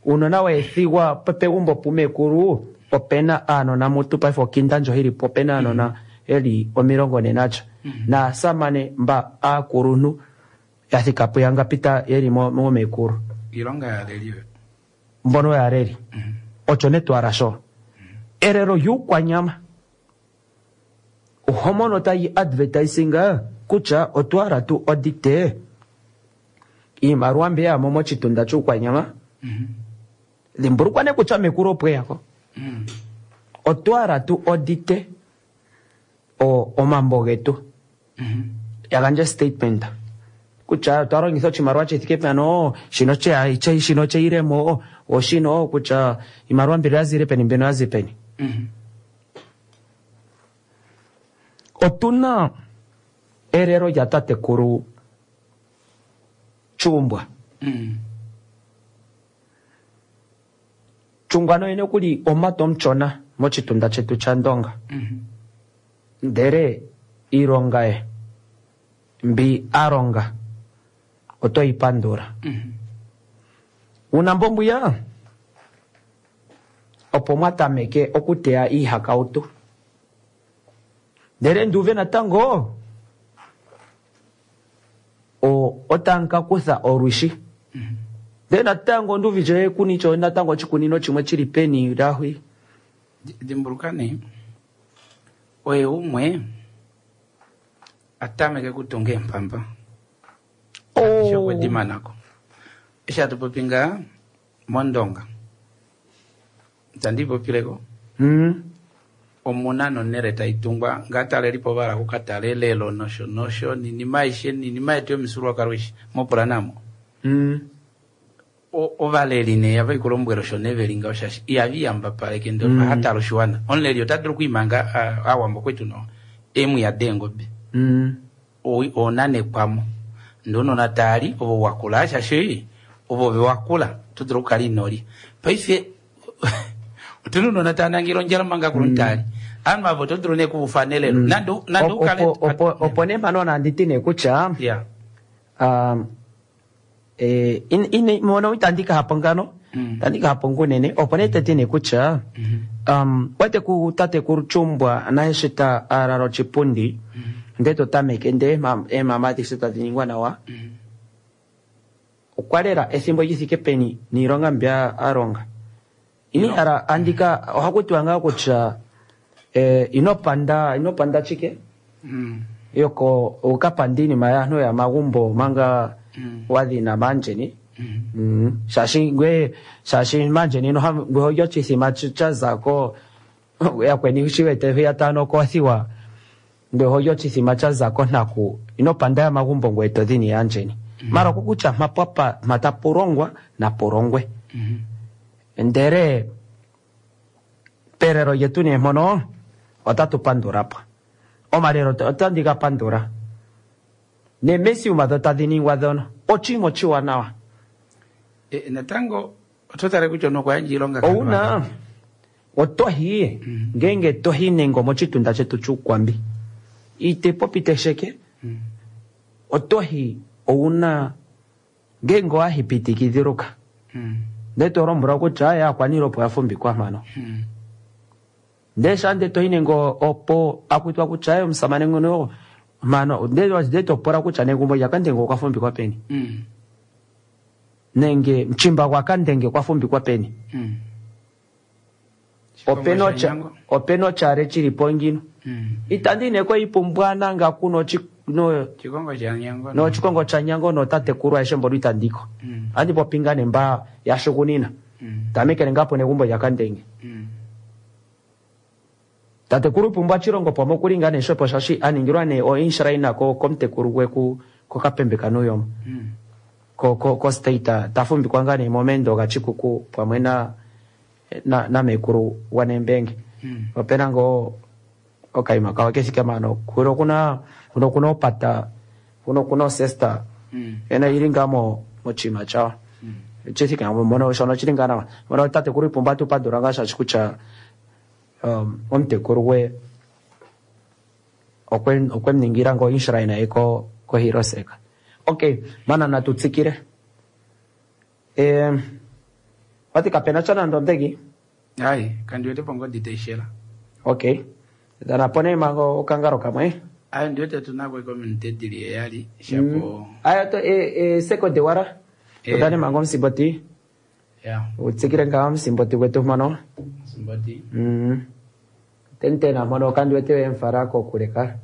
Uunona weethigwa pegumbo pumekulu opena aanona mutu paife okinda ndjo hili po opena aanona eli 44 naasamane mba aakuluntu ya thika puyangapi ta yeli momekulu. Iilonga yaaleli oyo. Mbono yaaleli. Osho nee twala sho. Elelo lyuukwanyama oho mono tayi advertisinga kutya otwala tu audite iimaliwa mbi yamo mochitunda chuukwanyama. Dhimbulukwa nee kutya mekulu opweyako. Otwa hala tu audite omambo getu, ya gandje statement kutya otwa longitha oshimaliwa shi thike pano, shino shino cheiremo, oshino kutya iimaliwa mbino ya zile peni, mbino ya zi peni. Otuna elelo lya tatekulu Chumbwa. Chungwa noyene okuli omumati omuchona mochitunda chetu chaNdonga. Ndele iilonga ye mbi a longa otoyi pandula. Uuna mbombuya opo mwa tameke okuteya iihakautu. Ndele nduuve natango otamu ka kutha olwishi. Ndele natango nduuvite kunicho natango oshikunino shimwe chili peni lahwi. Dimbuluka nee, oye umwe a tameke kutunga eempamba. Eshi okwe di mana ko. Eshi hatu popi ngaa mOndonga, itandi popileko, omuna nonhele tai tungwa ngaa talelipo ova hala okukatala elelo nosho nosho ninima aishe ninima yetu yomifyuululwakalo aishe mopula namo. Ovaleli nee ava ikulombwela osho nee veli ngaho shaashi ihava iyambapaleke ndee oha tala oshiwana. Omuleli ota dulu okwiimanga Aawambo kwetu no eemwiya deengobe. Oonanekwamo ndee ounona taali ovo wakula shaashi ovo vewakula oto dulu okukala inolya. Paife otuna ounona tava nangele ondjala omanga akulunhu taali. Ovanhu ava oto dulu nee okuvufana elelo. Nande ukale Opo nee mpano nandi ti nee kutya mono itandi ka hapo ngano, itandi ka hapo ngunene, opo nee teti nee kutya wete ku tatekulu Chumbwa naye eshi ta alala oshipundi, ndee to tameke ndee eemama adishe tadi ningwa nawa, okwa lela efimbo li fike peni niilonga mbya a longa. Ini hala andika ohaku tiwa ngaa kutya ino panda chike yoko ukapanda iinima yaanhu ya magumbo manga wadhina maandjeni. Shaashi ngwe shaashi maandjeni ngwe holya oshithima cha zako yakweni shi wete hwiya tano kothiwa ngwe holya oshithima cha zako nhaku ino panda ya magumbo ngwe to dhini yaandjeni. Mara okukutya mpa mpa tapu longwa napu longwe. Ndele pelelo lyetu nee mpono otatu pandula po. Omalelo otandi ga pandula. Neemesiuma dho tadhi ningwa dhono oshinima oshiwanawa. Natango oto tale kutya omunhu okwa yandja iilonga Ouna otohi ngeenge tohi nenge omochitunda chetu chuukwambi ite popi tesheke otohi ouna ngeenge owahipitikidhiluka ndee tolombwelwa kutya aye aakwaniilwa opo yafumbikwa mpano. Ndee shaa nde tohi nenge opo akutwa kutya aye omusamane ngono mpano ndee topola kutya negumbo lyakandenge okwa fumbikwa peni. Nenge muchimba gwakandenge okwa fumbikwa peni. Opena otyale chili po ngino. Itandi neko ipumbwa nanga kuno nochikongo chanyango notatekulu aeshe mbono itandiko. Andi popi ngaa nemba yashugunina. Tamekele ngaa po negumbo lyakandenge. Tatekulu Ipumbwa Tshilongo pwamwe okuli ngaa nee shopo shaashi a ningilwa nee oinshrine komutekulu gwe kokapembe kaNuuyoma. Ko state ta fumbikwa ngaa nee momendo gaChikuku pwamwe namekulu gwaNembenge. Opena ngoo okaima kawo kefike mpano kulo okuna kuno okuna opata kuno okuna osesta ena ili ngaa mochima chawo. Chithike mono shono chili ngaa nawa. Mono tatekulu Ipumbwa atu pandula ngaa shaashi kutya omutekulu gwe okwe muningila ngoo inshrine ye koHiroseka. Okay, mana natu tsikile. Wati kapena cha nando ndegi? Ai, kandi wete pongodi taishela. Okay. Dhana pone mango okangaro kamwe. Ayo ndiwete tunako ikominute dili eyali shapo. Ayo to sekonde wara. Tudhane mango msimboti. Utsikile ngaa msimboti gwetu mano. Msimboti. Tentena mano kandi wete wemfara kokuleka.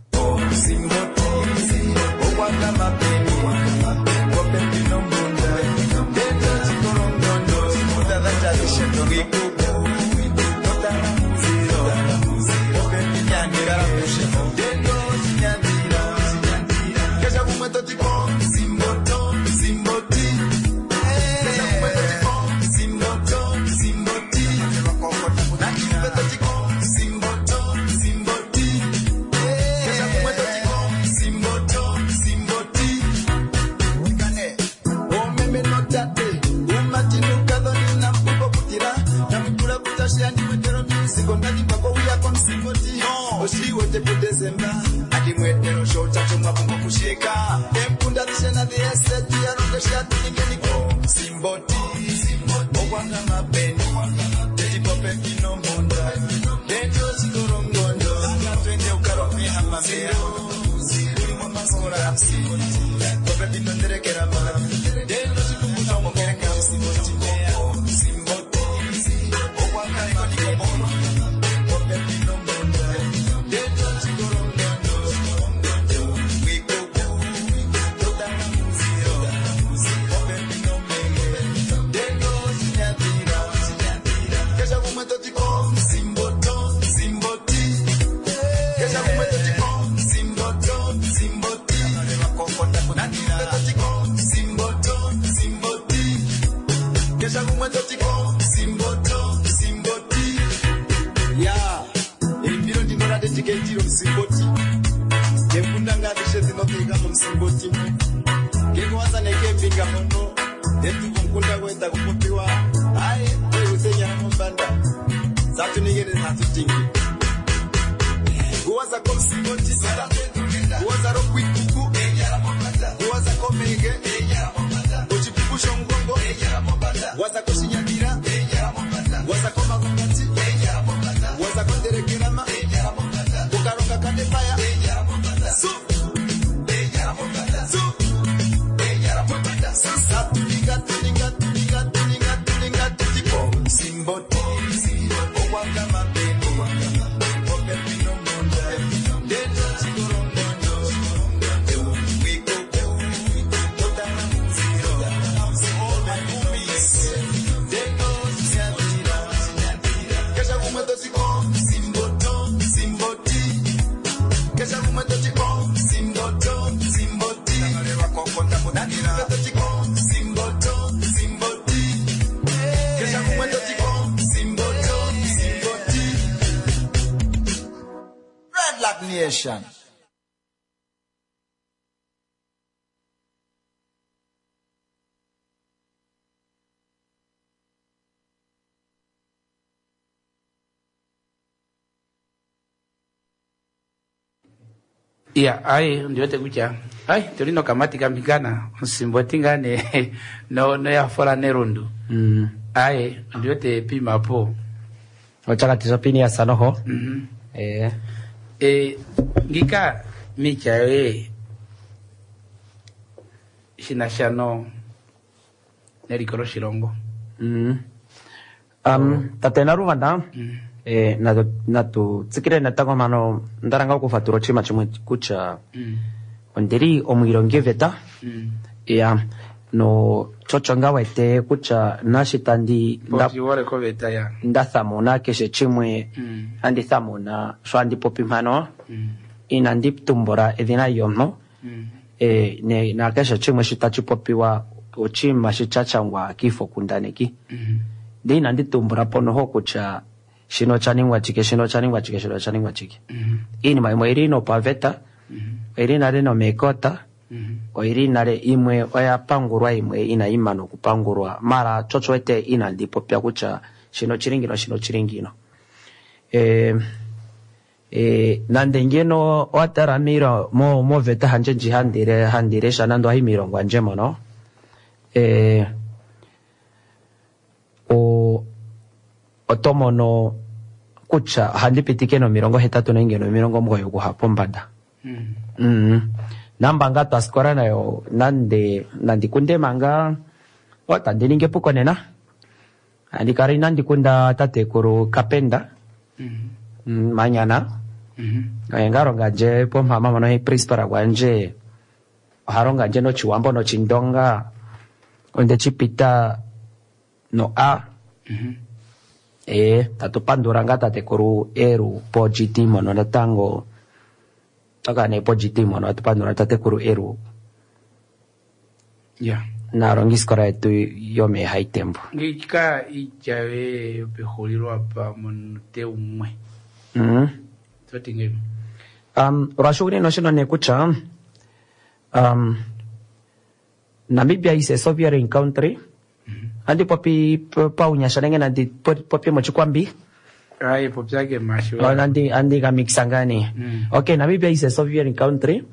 Nation. Ya, ai ndiwete kutya ai tuli nokamati kambingana osimboti ngaa ne no noyafola nerundu ai ndiwete pimapo ochakati shopiniasa noho eh e, ngika miitya yoye shinasha no neliko loshilongo Tate Naruvanda eh, natu tsikile natango mano ndaranga okufatula oshinima shimwe kutya ondili omwiilongi veta ya no tshotsho nga wete kutya nashi tandi pofiwole koveta ya nda thamuna keshe chimwe andi thamuna sho andi popi mpano inandi tumbula edhina lyomuntu eh, ne na keshe chimwe shi tachi popiwa oshinima shi chachangwa kiifokundaneki ndi inandi tumbula po noho kutya shino osha chike shino osha chike shino osha chike. Iinima yimwe oyili nopaveta oyili nale nomeekota oyili nale imwe oya pangulwa imwe inayi mana okupangulwa mara tsho wete inandi popya kutya shino oshili ngino shino oshili ngino. Eh, eh, nande ngeno owa tala moveta handje ndji handilesha nande ohayi miilongo yandje mono eh, oto mono kutya ohandi pitike no80 nenge no90 okuha pombanda. Namba nga twasikola nayo nande nandi kunde manga otandi ningi epuko nena andi kala inandi kunda tatekulu Kapenda Manyana oye nga longa ndje pompama mono he principal gwandje oha longa ndje nochiwambo nochindonga onde chipita no A. Eh, tatu pandula nga tatekulu Eru po GT mono natango toka ne po GT mono atu pandula tatekulu Eru. Ya. Naalongisikola yetu yomeehaitembu. Ngiika iitya yoye yopexulilo apa momunute umwe. To ti ngahelipi? Um, lwashugunina oshino nee kutya um, Namibia is a sovereign country. Andi popi paunyasha nenge nandi popye mochikwambi? Aye, popya ke mashu. Oh, nandi andi ka mixa ngaa nee. Okay, Namibia is a sovereign country.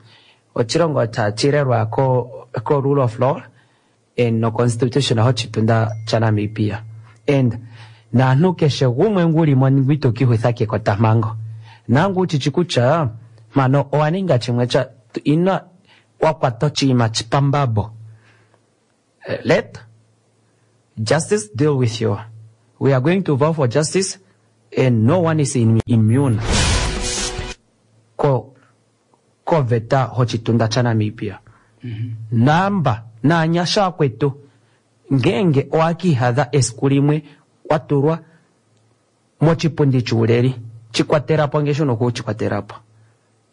Ochilongo tachilelwa ko ko rule of law and no constitution hochitunda cha Namibia. And naantu keshe gumwe nguli mo ito kihutha kekotampango. Nangu uchichi kutya mpano owa ninga chimwe cha ino wa kwata oshinima pambambo. Let justice deal with you. We are going to vow for justice and no one is immune ko koveta hochitunda chaNamibia. Namba naanyasha akwetu ngeenge owakihadha esiku limwe wa tulwa mochipundi chuuleli chikwatelapo nge shono okuchikwatelapo.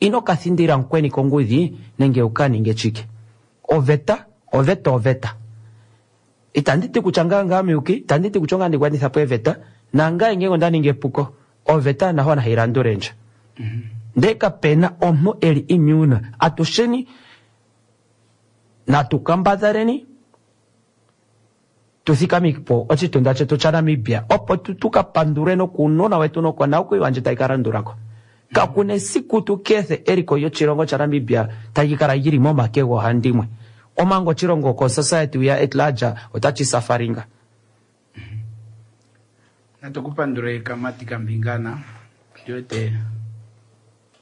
Ino ka thindila mukweni kongudhi nenge wu ka ninge chike. Oveta, oveta, oveta. Itandi ti kutya ngaye ongame muyuki, itandi ti kutya ongame ndi gwanitha po eveta, nangaye ngenge onda ningi epuko, oveta naho nayi landule ndje. Ndele kape na omuntu e li immune. Atusheni natu kambadhaleni tu thikamike po oshitunda shetu chaNamibia opo tu ka pandulwe nokuunona wetu nokonakuyiwa ndji tayi ka landula ko. Kakuna esiku tu ke ethe eliko lyoshilongo chaNamibia tali kala lyi li momake goohandimwe omanga oshilongo ko society we are at large otashi safaringa. Natu ku pandule Kamati Kambingana, ondi wete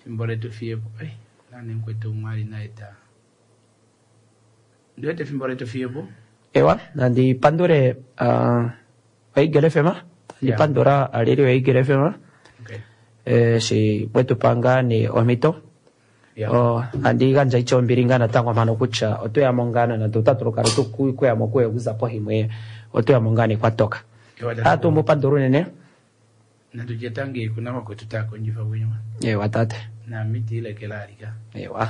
efimbo letu fiyepo. Ai, nani mukwetu umwe ali naye ta. Ondi wete efimbo letu fiyepo. Ewa, nandi pandule uh, oEagle FM, nandi pandula aleli yoEagle FM. Okay. Eshi mwetu pa ngaa nee omhito. Oh, andi gandja ityo ombili ngaa natango mpano kutya otweya mo ngaa nande otatu lukala tukuya mo kuye okuza pohimwe otweya mo ngaa nee kwatoka. Atu mu pandula unene. Natu tye tangi kuna vakwetu tava kondjifa kunywa. Ewa tate. Naami ti ilekela alika. Ewa.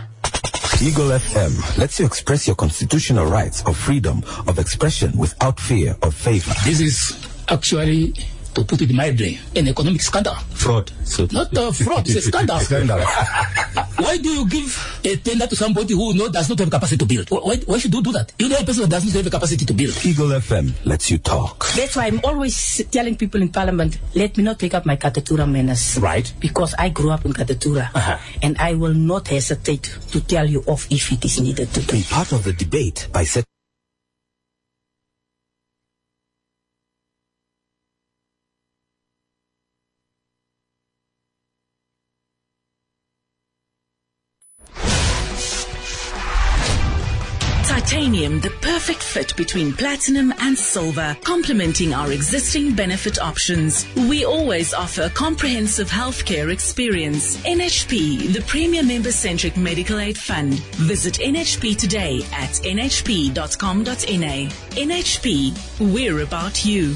Eagle FM lets you express your constitutional rights of freedom of expression without fear of favor. This is actually, to put it mildly, an economic scandal. Fraud. So Not a fraud, it's a scandal. Scandal. Why do you give a tender to somebody who does not have capacity to build? Why should you do that? You know a person that does not have the capacity to build. Eagle FM lets you talk. That's why I'm always telling people in Parliament, let me not take up my Katutura manners. Right. Because I grew up in Katutura. And I will not hesitate to tell you off if it is needed to. Be part of the debate by setting Titanium, the perfect fit between platinum and silver, complementing our existing benefit options. We always offer a comprehensive healthcare experience. NHP, the premier member-centric medical aid fund. Visit NHP today at nhp.com.na. NHP, we're about you.